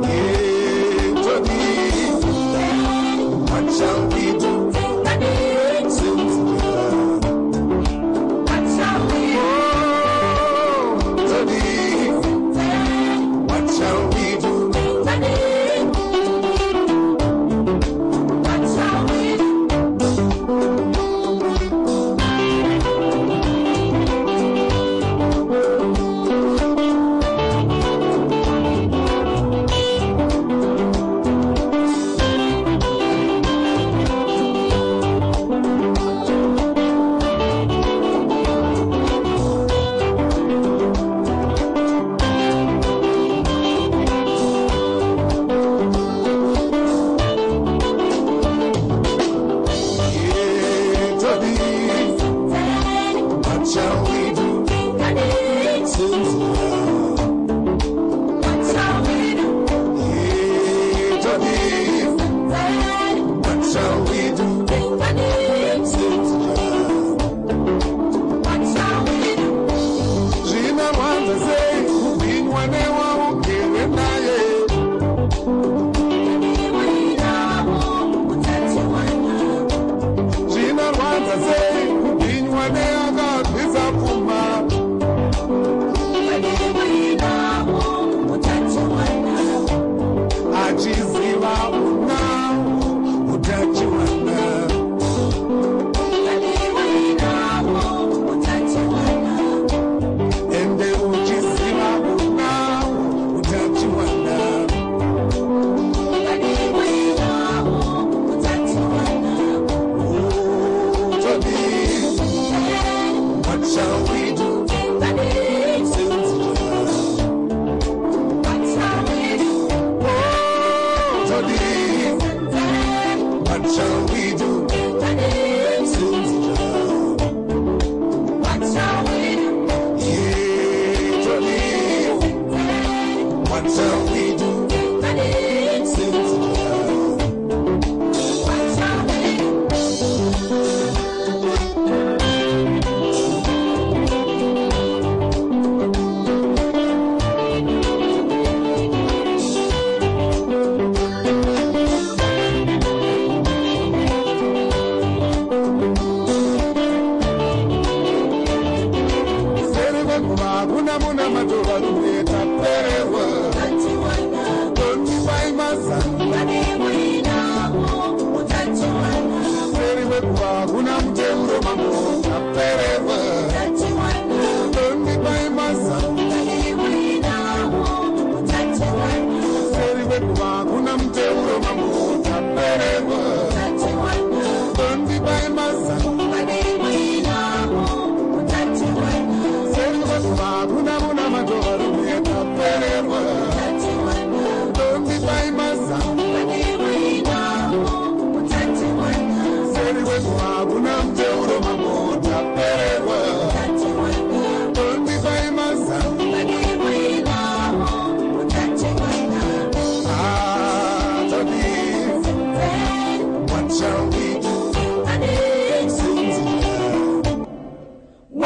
Yeah, Toddy, what shall we do? Senzenjani? Oh, Toddy, what shall we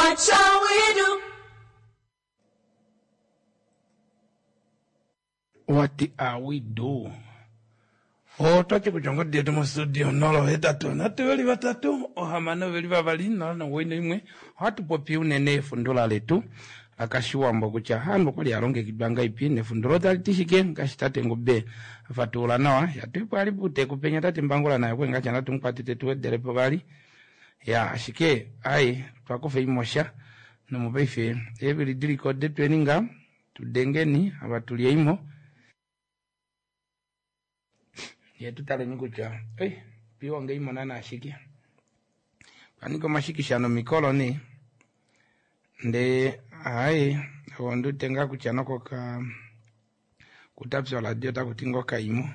What shall we do? What are we do? Otwati kutya ongodi yetu mostudio 083 3 6 2 091. Ohatu popi unene efundula letu lakashiwambo kutya handu okwali alongekidwa ngaipi nefundulo otali ti shike ngaashi tate Ngube afatulula nawa yatwipo ali puteku penya tate Mbangula naye okwe ngacha natu mukwate tetu wedelepo vali ya ashike ai twakufa imosha nomopaife eevili diliko detweni nga tudengeni ava tulyeimo ye tutaleni kutya ei twiihonge imona naashike twanika omashikisha nomikolo nee ndee ai ondiwete ngaa kutya nokoka kutapya oradio otakuti ngoo kaimo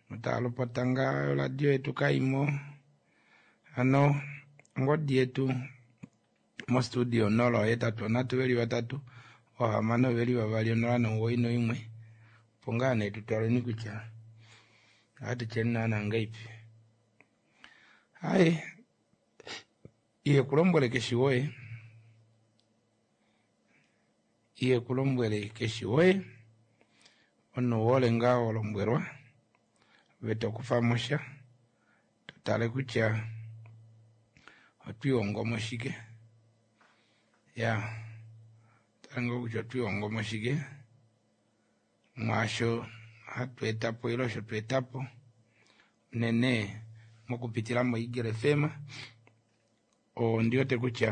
notaalopota ngaa oradio yetu kaimo hano ongodi yetu mostudio 083 3 6 2 091 opo ngaa nee tutaleni kutya ohatu tyeni naana ngaipi ai iye kulombwele keshi woye iye kulombwele keshi woye omunhu ouhole ngaa walombwelwa ove tokufamosha totale kutya otwiihongomo shike ya tale ngoo kutya otwiihongomo shike mwaasho hatu etapo ile osho tweetapo unene mokupitila mo Eagle FM ondiwete kutya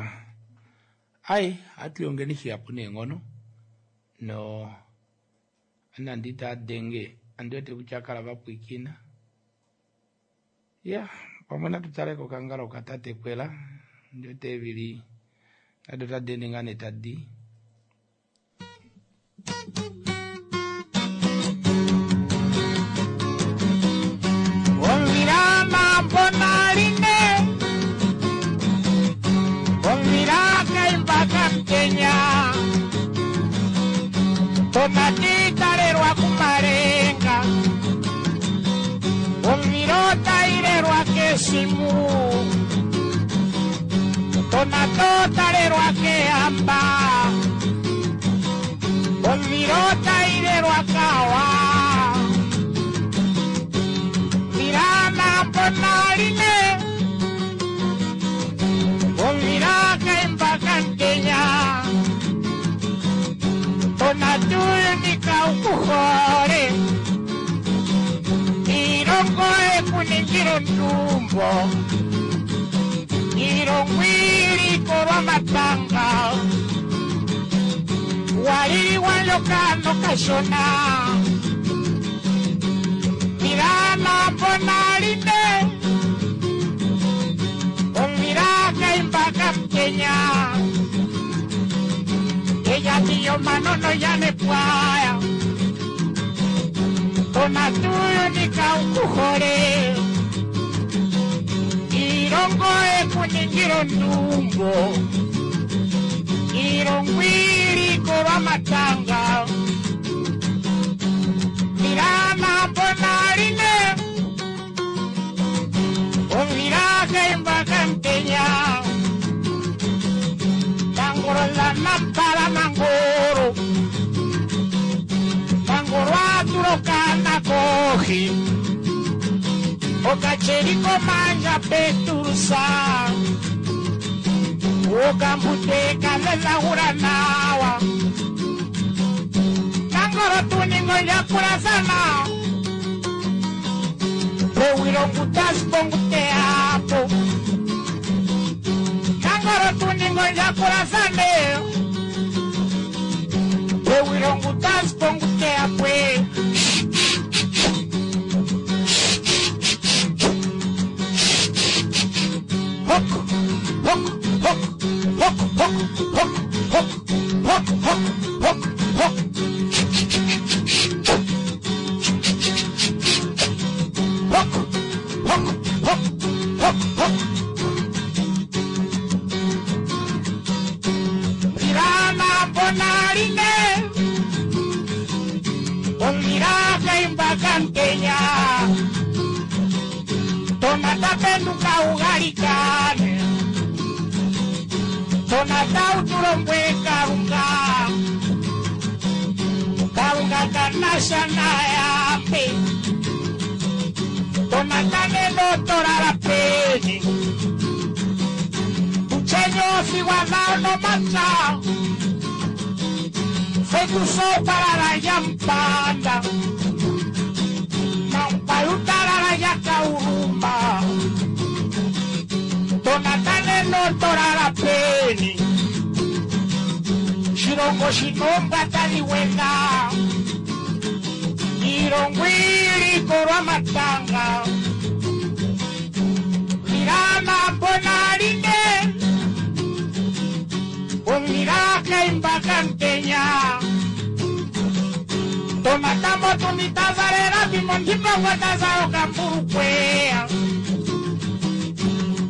ai ohatu lihongeni shihapu neenghono no nande itaadenge andiwete kutya akala vapwiikina ya pamwe natu tale kokangalo katate Kwela ondiwete eevili nado otadi ende ngaa nee tadi Omvila mambonaline Omvila kaimba kamtenya Tomati talelwa kumalenga Omvila otailelwa kesimu Tomato talelwa kehamba Omvila otailelwa kawa Mirana bonaline Omvila kaimba kamtenya Tonatuyunika ukuhole Ilongo ekuningila ondumbo Ilongo ilikolwa matanga Waliliwa ndjoka nokashona Mirana bonaline Omvila kaimba kamtenya Ella manono yanepwaya Tonatuyunika ukuhole Ilongo ekuningila ondumbo Ilongo ilikolwa matanga Mirana bonaline Omvila kaimba kamtenya Mangoro la nampala mangoro Mangoro atulokana kohi Okacheriko manja peturusa Okambuteka lelahura nawa Nangoro tuningo yakurazana Pewilongutas ponguteapo Nangoro tuningo yakurazane Pewilongutas ponguteapo Hok, hok, hok, hok, hok, hok, hok, hok, hok, hok, hok. Hok, hok, hok, hok, hok. Mirana bonaline Omira kaimba kamtenya Tonata penduka ugalikane Tonata utulombwele Kalunga. Kalunga kanasha nayambe. Tonata neno tolala peni. Uchenyofi wa vano mata. Fetuso parara ya mpanda. Mampayutarara ya kaurumba. Tonatane no torara peni. Shilongo shinomba taliwena. Ilongwili korwa matanga. Lirana mbona line. Omiraka imbaka ntenya. Tomatambo tumitazarera bimondimba kamburukwea.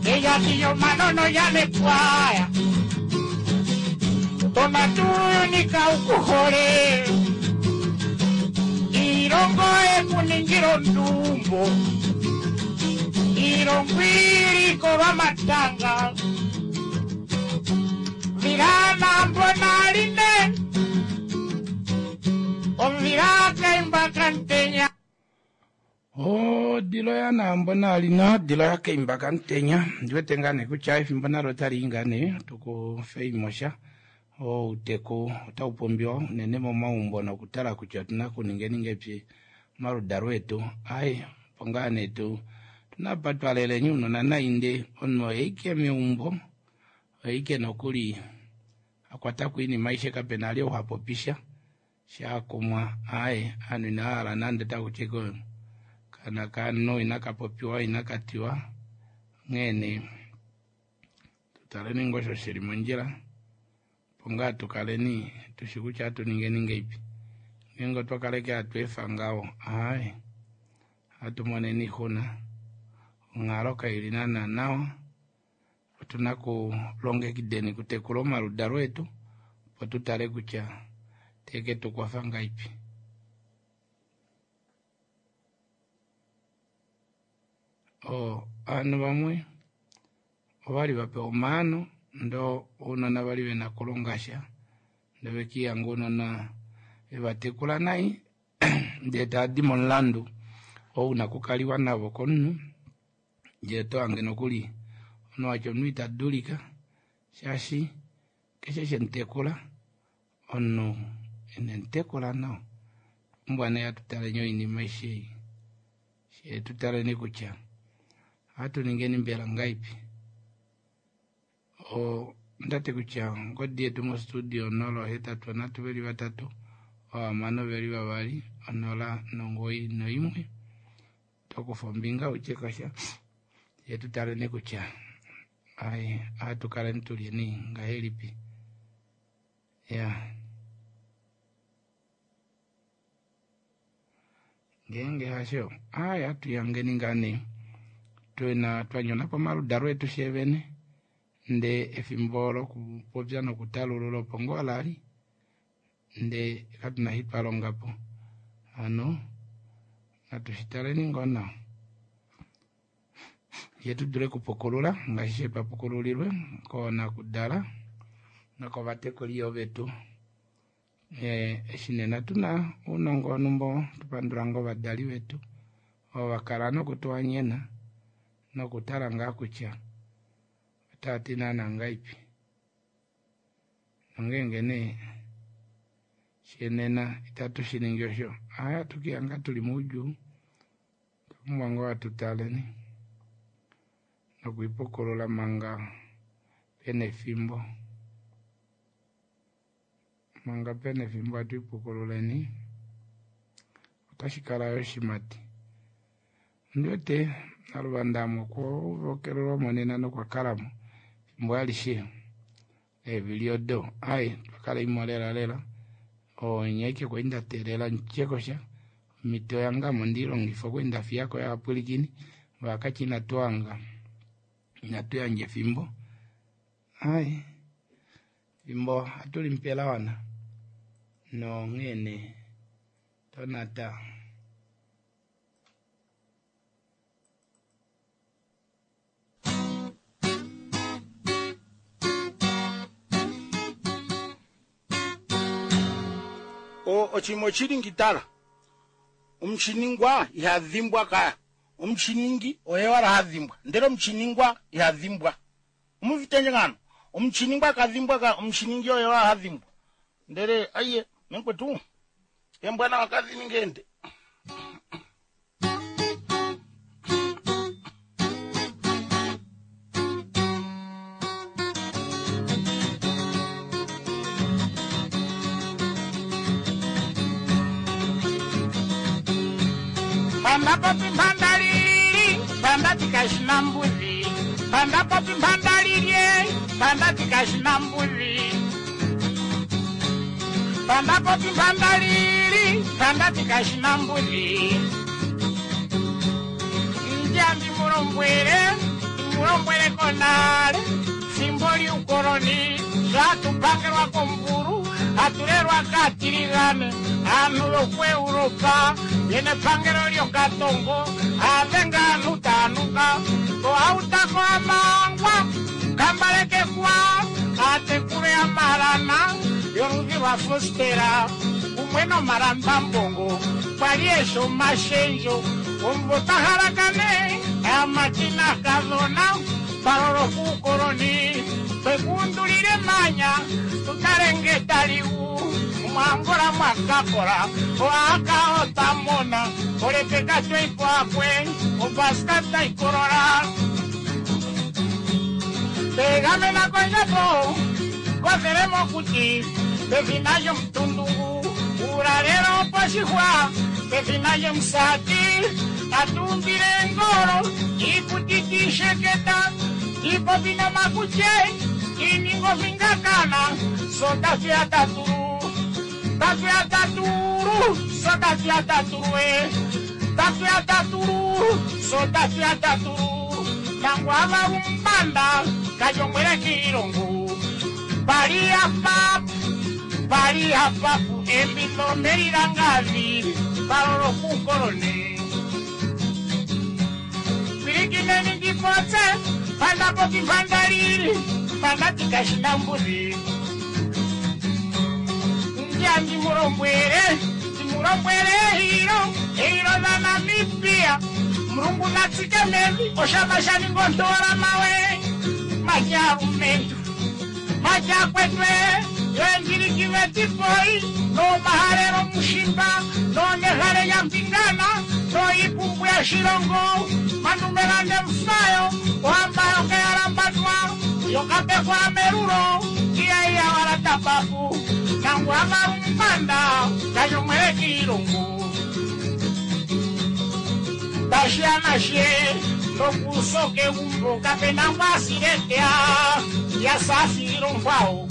Ella tiyo manono ya nepwaya. Tomatunika ukuhole. Irongo ekuningiro ndumbo. Irongwiri korwa matanga. Virana mbona line. Omiraka imbaka ntenya. Odilo ya naambo nalina odilo ya kaimba kamutenya ndiwete ngaa nee kutya efimbo nalo otali i ngaa nee tukufeimosha outeku otau pumbiwa unene momaumbo nokutala kutya otuna kuningeni ngeipi omaludalo etu ai opo ngaa nee tu tuna apa twaleleni ounona nainde omunhu oyeike meumbo oyeike nokuli akwatako oinima aishe kapena ali ou hapopisha shaakumwa ai ovanhu inavahala nande takuti kana kanhu inakapopiwa inakatiwa onghee nee tutaleni ngoo osho shili mondjila opo ngaa tukaleni tushi kutya ohatu ningeni ngeipi ngeenge otwa kaleke hatu efa ngaho ai ohatu moneni oixuna onghalo kaili naana nawa otuna kulongekideni kutekula omaludalo etu opo tutale kutya teke tukwafa ngaipi. Ovanhu vamwe ovali vapewa omaano ndoo ounona vali vena kulongasha ndee vekihanga ounona vevatekula nai ndee taadi momulandu oo una kukaliwa navo komunhu ndee otohange nokuli omunhu watya omunhu ita dulika shaashi keshe shemutekula omunhu inemutekula nawa opumbwa nee hatutaleni oinima aishe ei shee tutaleni kutya ohatu ningeni mbela ngaipi ondati kutya ongodi yetu mostudio 083 3 6 2 091 tokufa ombinga utye kosha ye tutaleni kutya ai ohatu kaleni tulyeni ngahelipi ya ngeenge hasho ai hatuyangeni ngaa nee twena twanyona pomaludalo etu shevene ndee efimbo lokupopya nokutalulula opo ngoo lali ndee katuna eshi twalongapo hano natu shitaleni ngoo nawa yee tudule okupukulula ngaashi twapukululilwe koonakudala nokovatekuli yoo vetu eshi nena tuna ounongo wonhumba tupandula ngoo ovadali vetu ovo vakala nokutuhanyena nokutala ngaa kutya otaati naana ngaipi nongeenge nee shenena itatu shiningi osho aya atukihanga tuli moudjuu otwapumbwa ngoo atutaleni nokwiipukulula manga pena efimbo manga pena efimbo atwiipukululeni otashi kala yo oshimati ondiwete naluvanda ame okwovokelelwamo nena nokwakalamo efimbo alishe eevili odo ai twakala imo lela lela onye aike kwali ndateelela ntyekosha omito yange ame ondeilongifa okwali ndafiyako yovapwilikini vakatya inatuhanga inatuyandja efimbo ai efimbo ohatulimupe lawana nonghee nee tonata. Oshinima oshili ngitala omushiningwa ihadhimbwa kaya omushiningi oye wala hadhimbwa ndele omushiningwa ihadhimbwa omuvitenje ngano omushiningwa kadhimbwa ka omushiningi oye wala hadhimbwa ndele aiye mekwetu embwana wakadhiningende Panda popi mpanda lili, panda tikashina mbuzi. Panda popi mpanda lilye, panda tikashina mbuzi. Panda popi mpanda lili, panda tikashina mbuzi. Njambi mulombwele, mulombwele konale, fimbo liukoloni, zvatupangelwa komburu, atulelwa katiligane, anhu lokweuropa, yene pangelo lyokatongo, avenga anhu tanuka, oautako amangwa, kambalekekwa, atekule amalana, yoludhi lwa fostera, kumwe nomalambambongo, kwali esho mashenjo, omvo tahalakane, amatina kadhona, palolo kuukoloni, twekundulile manya, tutalenge taliwu, mwangola mwakakola, oaka otamona, olepeka tweipo akwe, opaska taikolola. Tegamena kondjapo, kothele mokuti, pefina lyomutundungu, uulalelo poshihwa, pefina lyomusati, atumbile ngolo, iikuti tiisheketa, tiipopi nomakutye, tiiningo vingakana, so tatuya tatulu, tatuya tatulu, so tatuya tatulu e, tatuya tatulu, so tatuya tatulu, nangu avalumbanda, kajongwele kiilongo, pali apapu, pali apapu, embilo melilangavi, palolo kukolone. Pilikineni ndipotse, panda popi panda lili, panda tikashina mbuzi. Ndya ndimulombwele, ndimulombwele hilo, hilo la Namibia. Mulungu natsike mevi, oshama shaningondola mawe. Majalumentu, majakwetwe, yendilikiwe tipoi, no mahalelo mushimba, no nehale ya mpingana, no ipumbu ya shilongo, manumelande mfayo, ohamba yokeyalambatwa, yokapekwa merulo, iya iya wala tapapu, nangu amalumbanda, kanyomwele kiilongo. Tashianashe, nokusoke umbo, kapena ngwasiletea, yasafiro nkwao,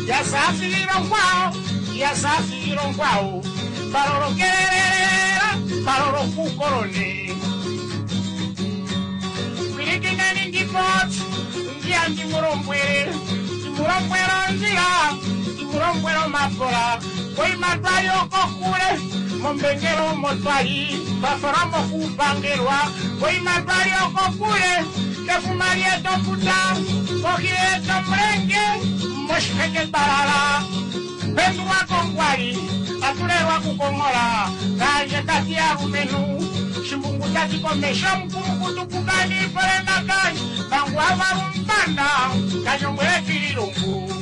yasafiro nkwao, yasafiro nkwao, palolokelela, palolokukolone. Pilikineni ndipoti, ndiya ndimulombwele, ndimulombwelo nzila, ndimulombwelo mapola, koimatwali okokule, mombengelo motwali, bafora mokupangelwa, koimatwali okokule, kefuma lyetofuta, kohileto mulenge, moshiheke balala, pendulwa kongwali, atulelwa kukongola, kanje tati alumenu, shimbungu tati komesho mukulukutu kukani polena kanje, kangu avalumbanda, kanyongwele kililungu.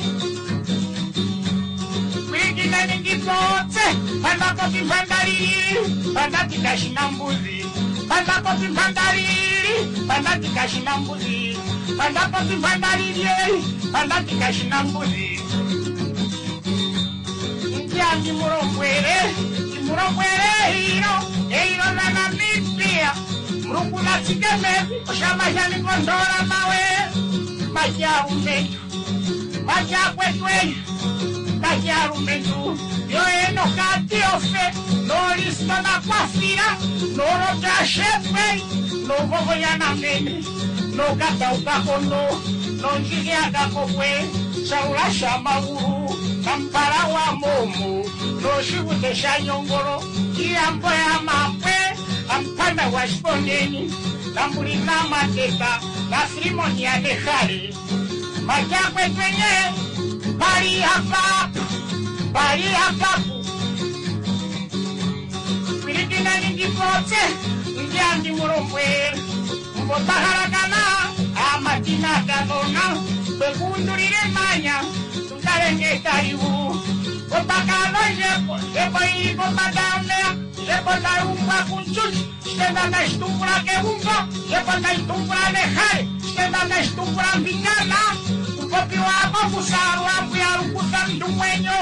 Pilikineni ndipotse, panda popi mpanda lili, panda tikashina mbuzi, panda popi mpanda lili, panda tikashina mbuzi, panda popi mpanda lili, panda tikashina mbuzi. Ndya ndimulombwele, ndimulombwele hilo, hilo la Namibia, Mulungu natsike mevi, oshama shaningondola mawe, majalumentu, majakwetwe, majalumentu, yoeno katiofe, nolisto nakwafira, nolotashefwe, novovoyanamene, nokataukakono, nonjiliakakokwe, shaula shamagulu, nampala wa momo, noshivute shanyongolo, iyambo ya mapwe, ampanda wa shiponeni, nambulina mateta, na filimoni ya nehale. Majakwetwenye, pali hapapu, pali hapapu. Eneni ndipopye ndiandi mulombwele mbotahalakana amatina kadhona twekundulile manya tutalenge taliwu otakadho ndjepo ili pombanda yomeya ndjepo tayumbwa kunchuchi shitenda ndashitumbula kegumbo ndjepo ndashitumbula nehale shitenda ndashitumbula mbinyana kupopiwa kokusalwa mbuyalukusa ndumwenyo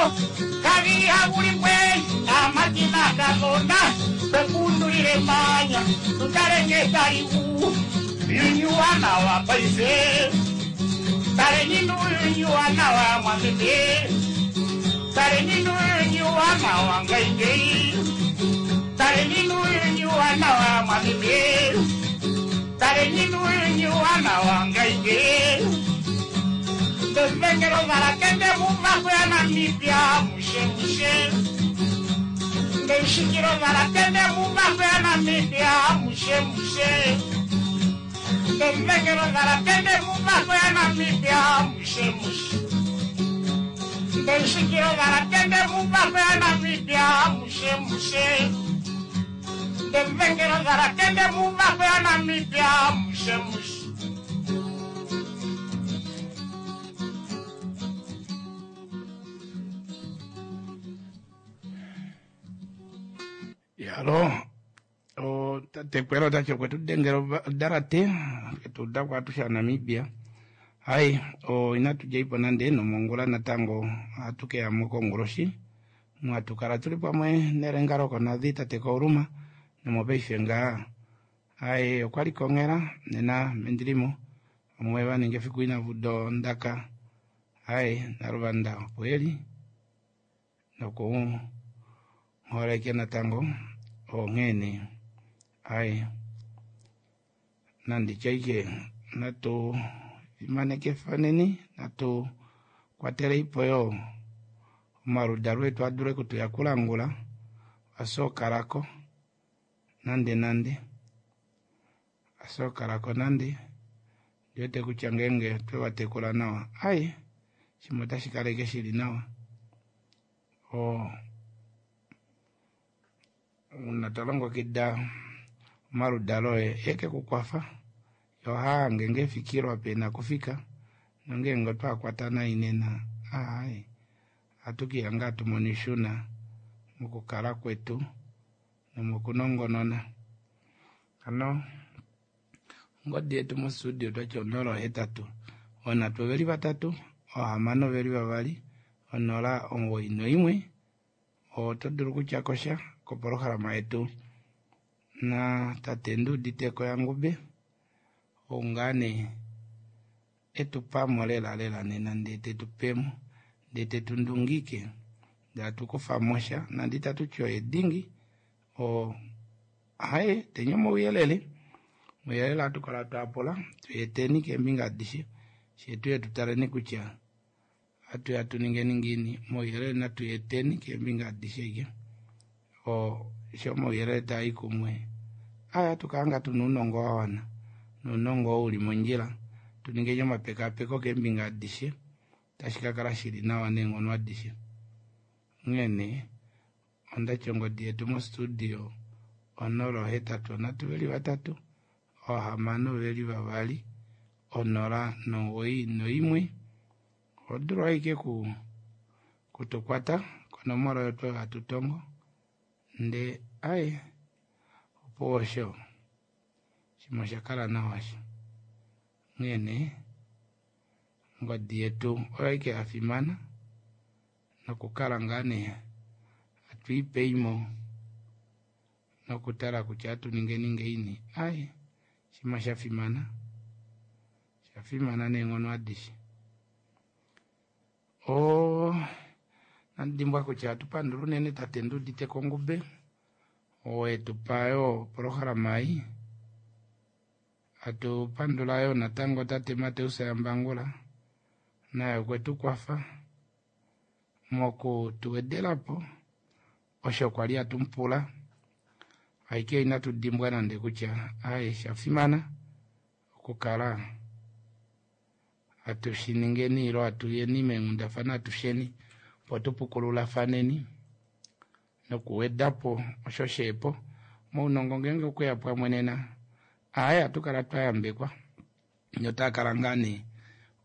kavili hakulimbwe amatina kadhona twekundulile manya tutalenge taliwu yunyuwa nawa paife taleni nuyunyuwa nawa mwameme taleni nuyunyuwa nawa ngaingei taleni nuyunyuwa nawa mwameme taleni nuyunyuwa nawa ngaingei ndozvengero varakende mumako ya Namibia mushe mushe ndeisvikiro varakende mumako ya Namibia mushe mushe ndozvengero varakende mumako ya Namibia mushe mushe ndeisvikiro varakende mumako ya Namibia mushe mushe ndozvengero varakende mumako ya Namibia mushe mushe. Yalo tatekwela otachi okwe tudengela odarate etuda kwatusha Namibia. Hai inatu jaipo nande nomongula natango atukeyamo konguloshi mwatukala tuli pamwe nelenga lokonadhi tate Kauluma nomopaife ngaa. Hai okwali kongela nena mendilimo omwe vaninga efiku inavuda ondaka. Hai naluvanda opo eli noku holeke natango onghene. Hai nanditya ike natu fimaneke faneni natu kwatele ipo yo omaluda lwetu adule kutuyakulangula asokalako nande nande asokalako nande ndiwete kutya ngenge twevatekula nawa. Ai shimwe otashi kaleke shili nawa. Una talongokida omaludalo oye eke kukwafa yo haange ngefikilwa pena kufika nongenge otwakwatana inena. Ai atukiyanga tumonishuna mukukala kwetu nomukunongonona. Ano ngodi yetu mostudio twatya 083 onatu oveli 3 ohamano oveli 2 0 91. Oto dulu kutya kosha kopolohalama yetu na tate Nduuditeko yaNgube oungane etupamo lela lela nena ndee tetupemo ndee tetundungike ndee atukufamosha nande itatu oye dingi haye tenye omauyelele omauyelele atukala twapula tuyeteni keembinga adishe shetu tutaleni kutya atuya tuningeni ngini omauyelele natuyeteni keembinga adishe ike sho omauyelele taai kumwe aya tukanga tuna uunongo wa wana nuunongo oo uli mondjila tuningeni omapekapeko keembinga adishe tashi kakala shili nawa neenghono adishe. Onghene ondatya ongodi yetu mostudio 083 3 6 2 0 91. Odulu aike kutukwata konomola oyo twe hatutongo nde ai opo osho shimwe oshakala nawa sho. Onghene ongodi yetu oyo aike yafimana nokukala ngaa nee atwiipeimo nokutala kutya atuningeni ngeini. Ai shimwe shafimana shafimana neenghono adishe. Nandimbwa kutya atupandula unene tate Nduuditeko Ngube owetupa yo opolohalama ei. Atupandula yo natango tate Mateus Yambangula naye okwetukwafa mokutuwedelapo osho kwali atumupula. Aike inatu dimbwa nande kutya ai shafimana okukala atushiningeni ilo atuyeni meenghundafana atusheni opo tupukululafaneni nokuwedapo osho sheepo. Mounongo ngeenge okweya pamwe nena aaye ohatu kala twa yambekwa notaa kala ngaa nee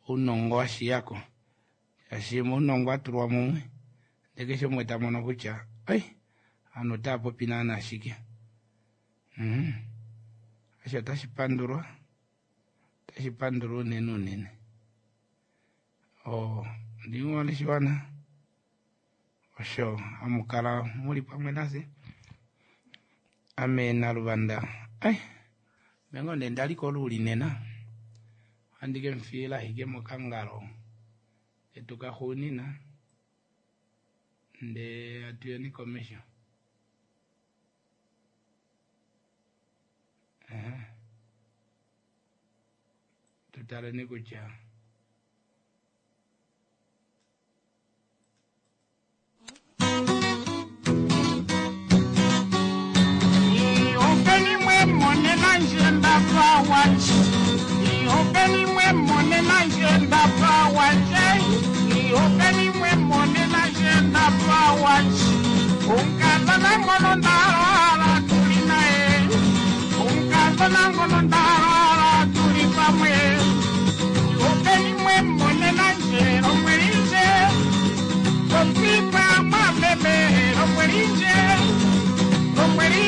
ounongo washiyako shaashi mounongo watulwa mumwe ndee keshe umwe ta mono kutya oi ovanhu otava popi naana shike. Osho otashi pandulwa, otashi pandulwa unene unene. Ondi shiwana osho hamu kala muli pamwe nafye. Ame Naluvanda ai mengo nee ndali koluuli nena ohandi ke mufiila ashike mokangalo ketu kaxuunina ndee hatuyeni komesho. Tutaleni kutya Openi mwe monena ndje ndapa wandje. Openi mwe monena ndje ndapa wandje. Openi mwe monena ndje ndapa wandje. Omukadhona ngono ndalala tuli naye. Omukadhona ngono ndalala tuli pamwe. Openi mwe monena ndje lombweli ndje. Popipa mwameme lombweli ndje. Lombweli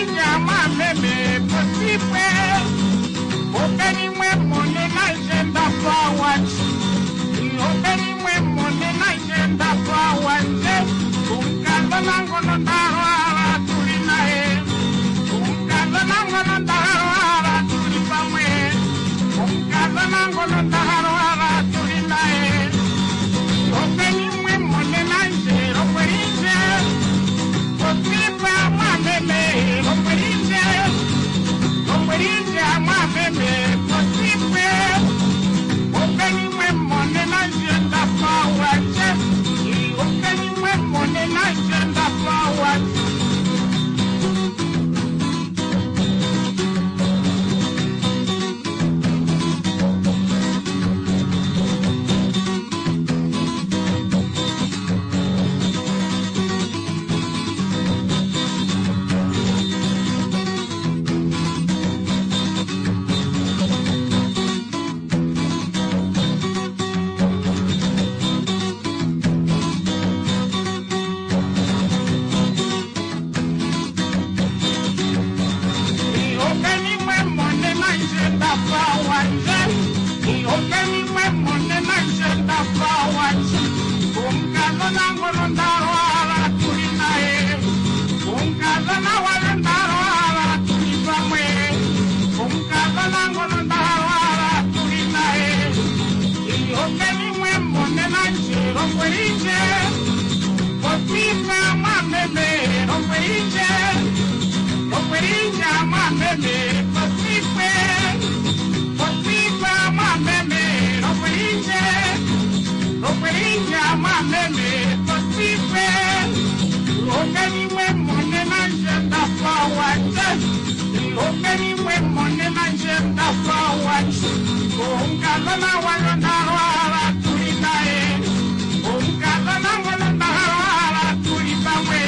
mwameme potipwe. Openi mwe monena ndje ndapa wandje. Openi mwe monena ndje ndapa wandje. Omukadhona ngono ndalala tuli naye. Omukadhona ngono ndalala tuli pamwe. Omukadhona ngono ndalala tuli naye. Openi mwe monena ndje lombweli ndje. Popipa mwameme lombweli ndje. Lombweli ndje mwameme potipwe. Openi mwe monena ndje ndapa wandje. Openi mwe monena ndje ndapa wandje. Openi mwe monena ndje ndapa wandje. Openi mwe monena ndje ndapa wandje. Omukadhona ngono ndalwala tuli naye. Omukadhona wale ndalwala tuli pamwe. Omukadhona ngono ndalwala tuli naye. Openi mwe monena ndje lombweli ndje. Popipa mwameme lombweli ndje. Lombweli ndje mwameme potipwe. Popipa mwameme lombweli ndje. Lombweli ndje mwameme potipwe. Openi mwe monena ndje ndapa wandje. Openi mwe monena ndje ndapa wandje. Omukadhona walo ndalwala tuli naye. Omukadhona ngono ndalwala tuli pamwe.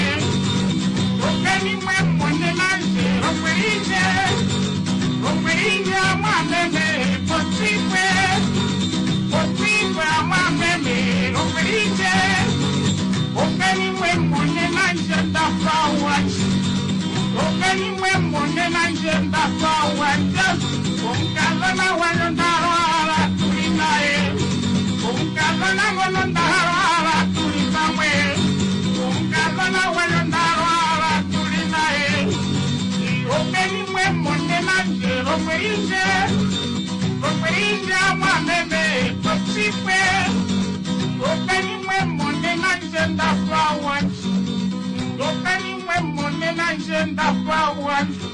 Openi mwe monena ndje lombweli ndje. Lombweli ndje mwameme potipwe. Potipwe mwameme lombweli ndje. Openi mwe monena ndje ndapa wandje. Openi mwe monena ndje ndapa wandje. Omukadhona walo ndalwala tuli naye. Omukadhona ngono ndalwala tuli pamwe. Omukadhona walo ndalwala tuli naye. Openi mwe monena ndje lombweli ndje. Lombweli ndje mwameme potipwe. Openi mwe monena ndje ndapa wandje. Openi mwe monena ndje ndapa wandje.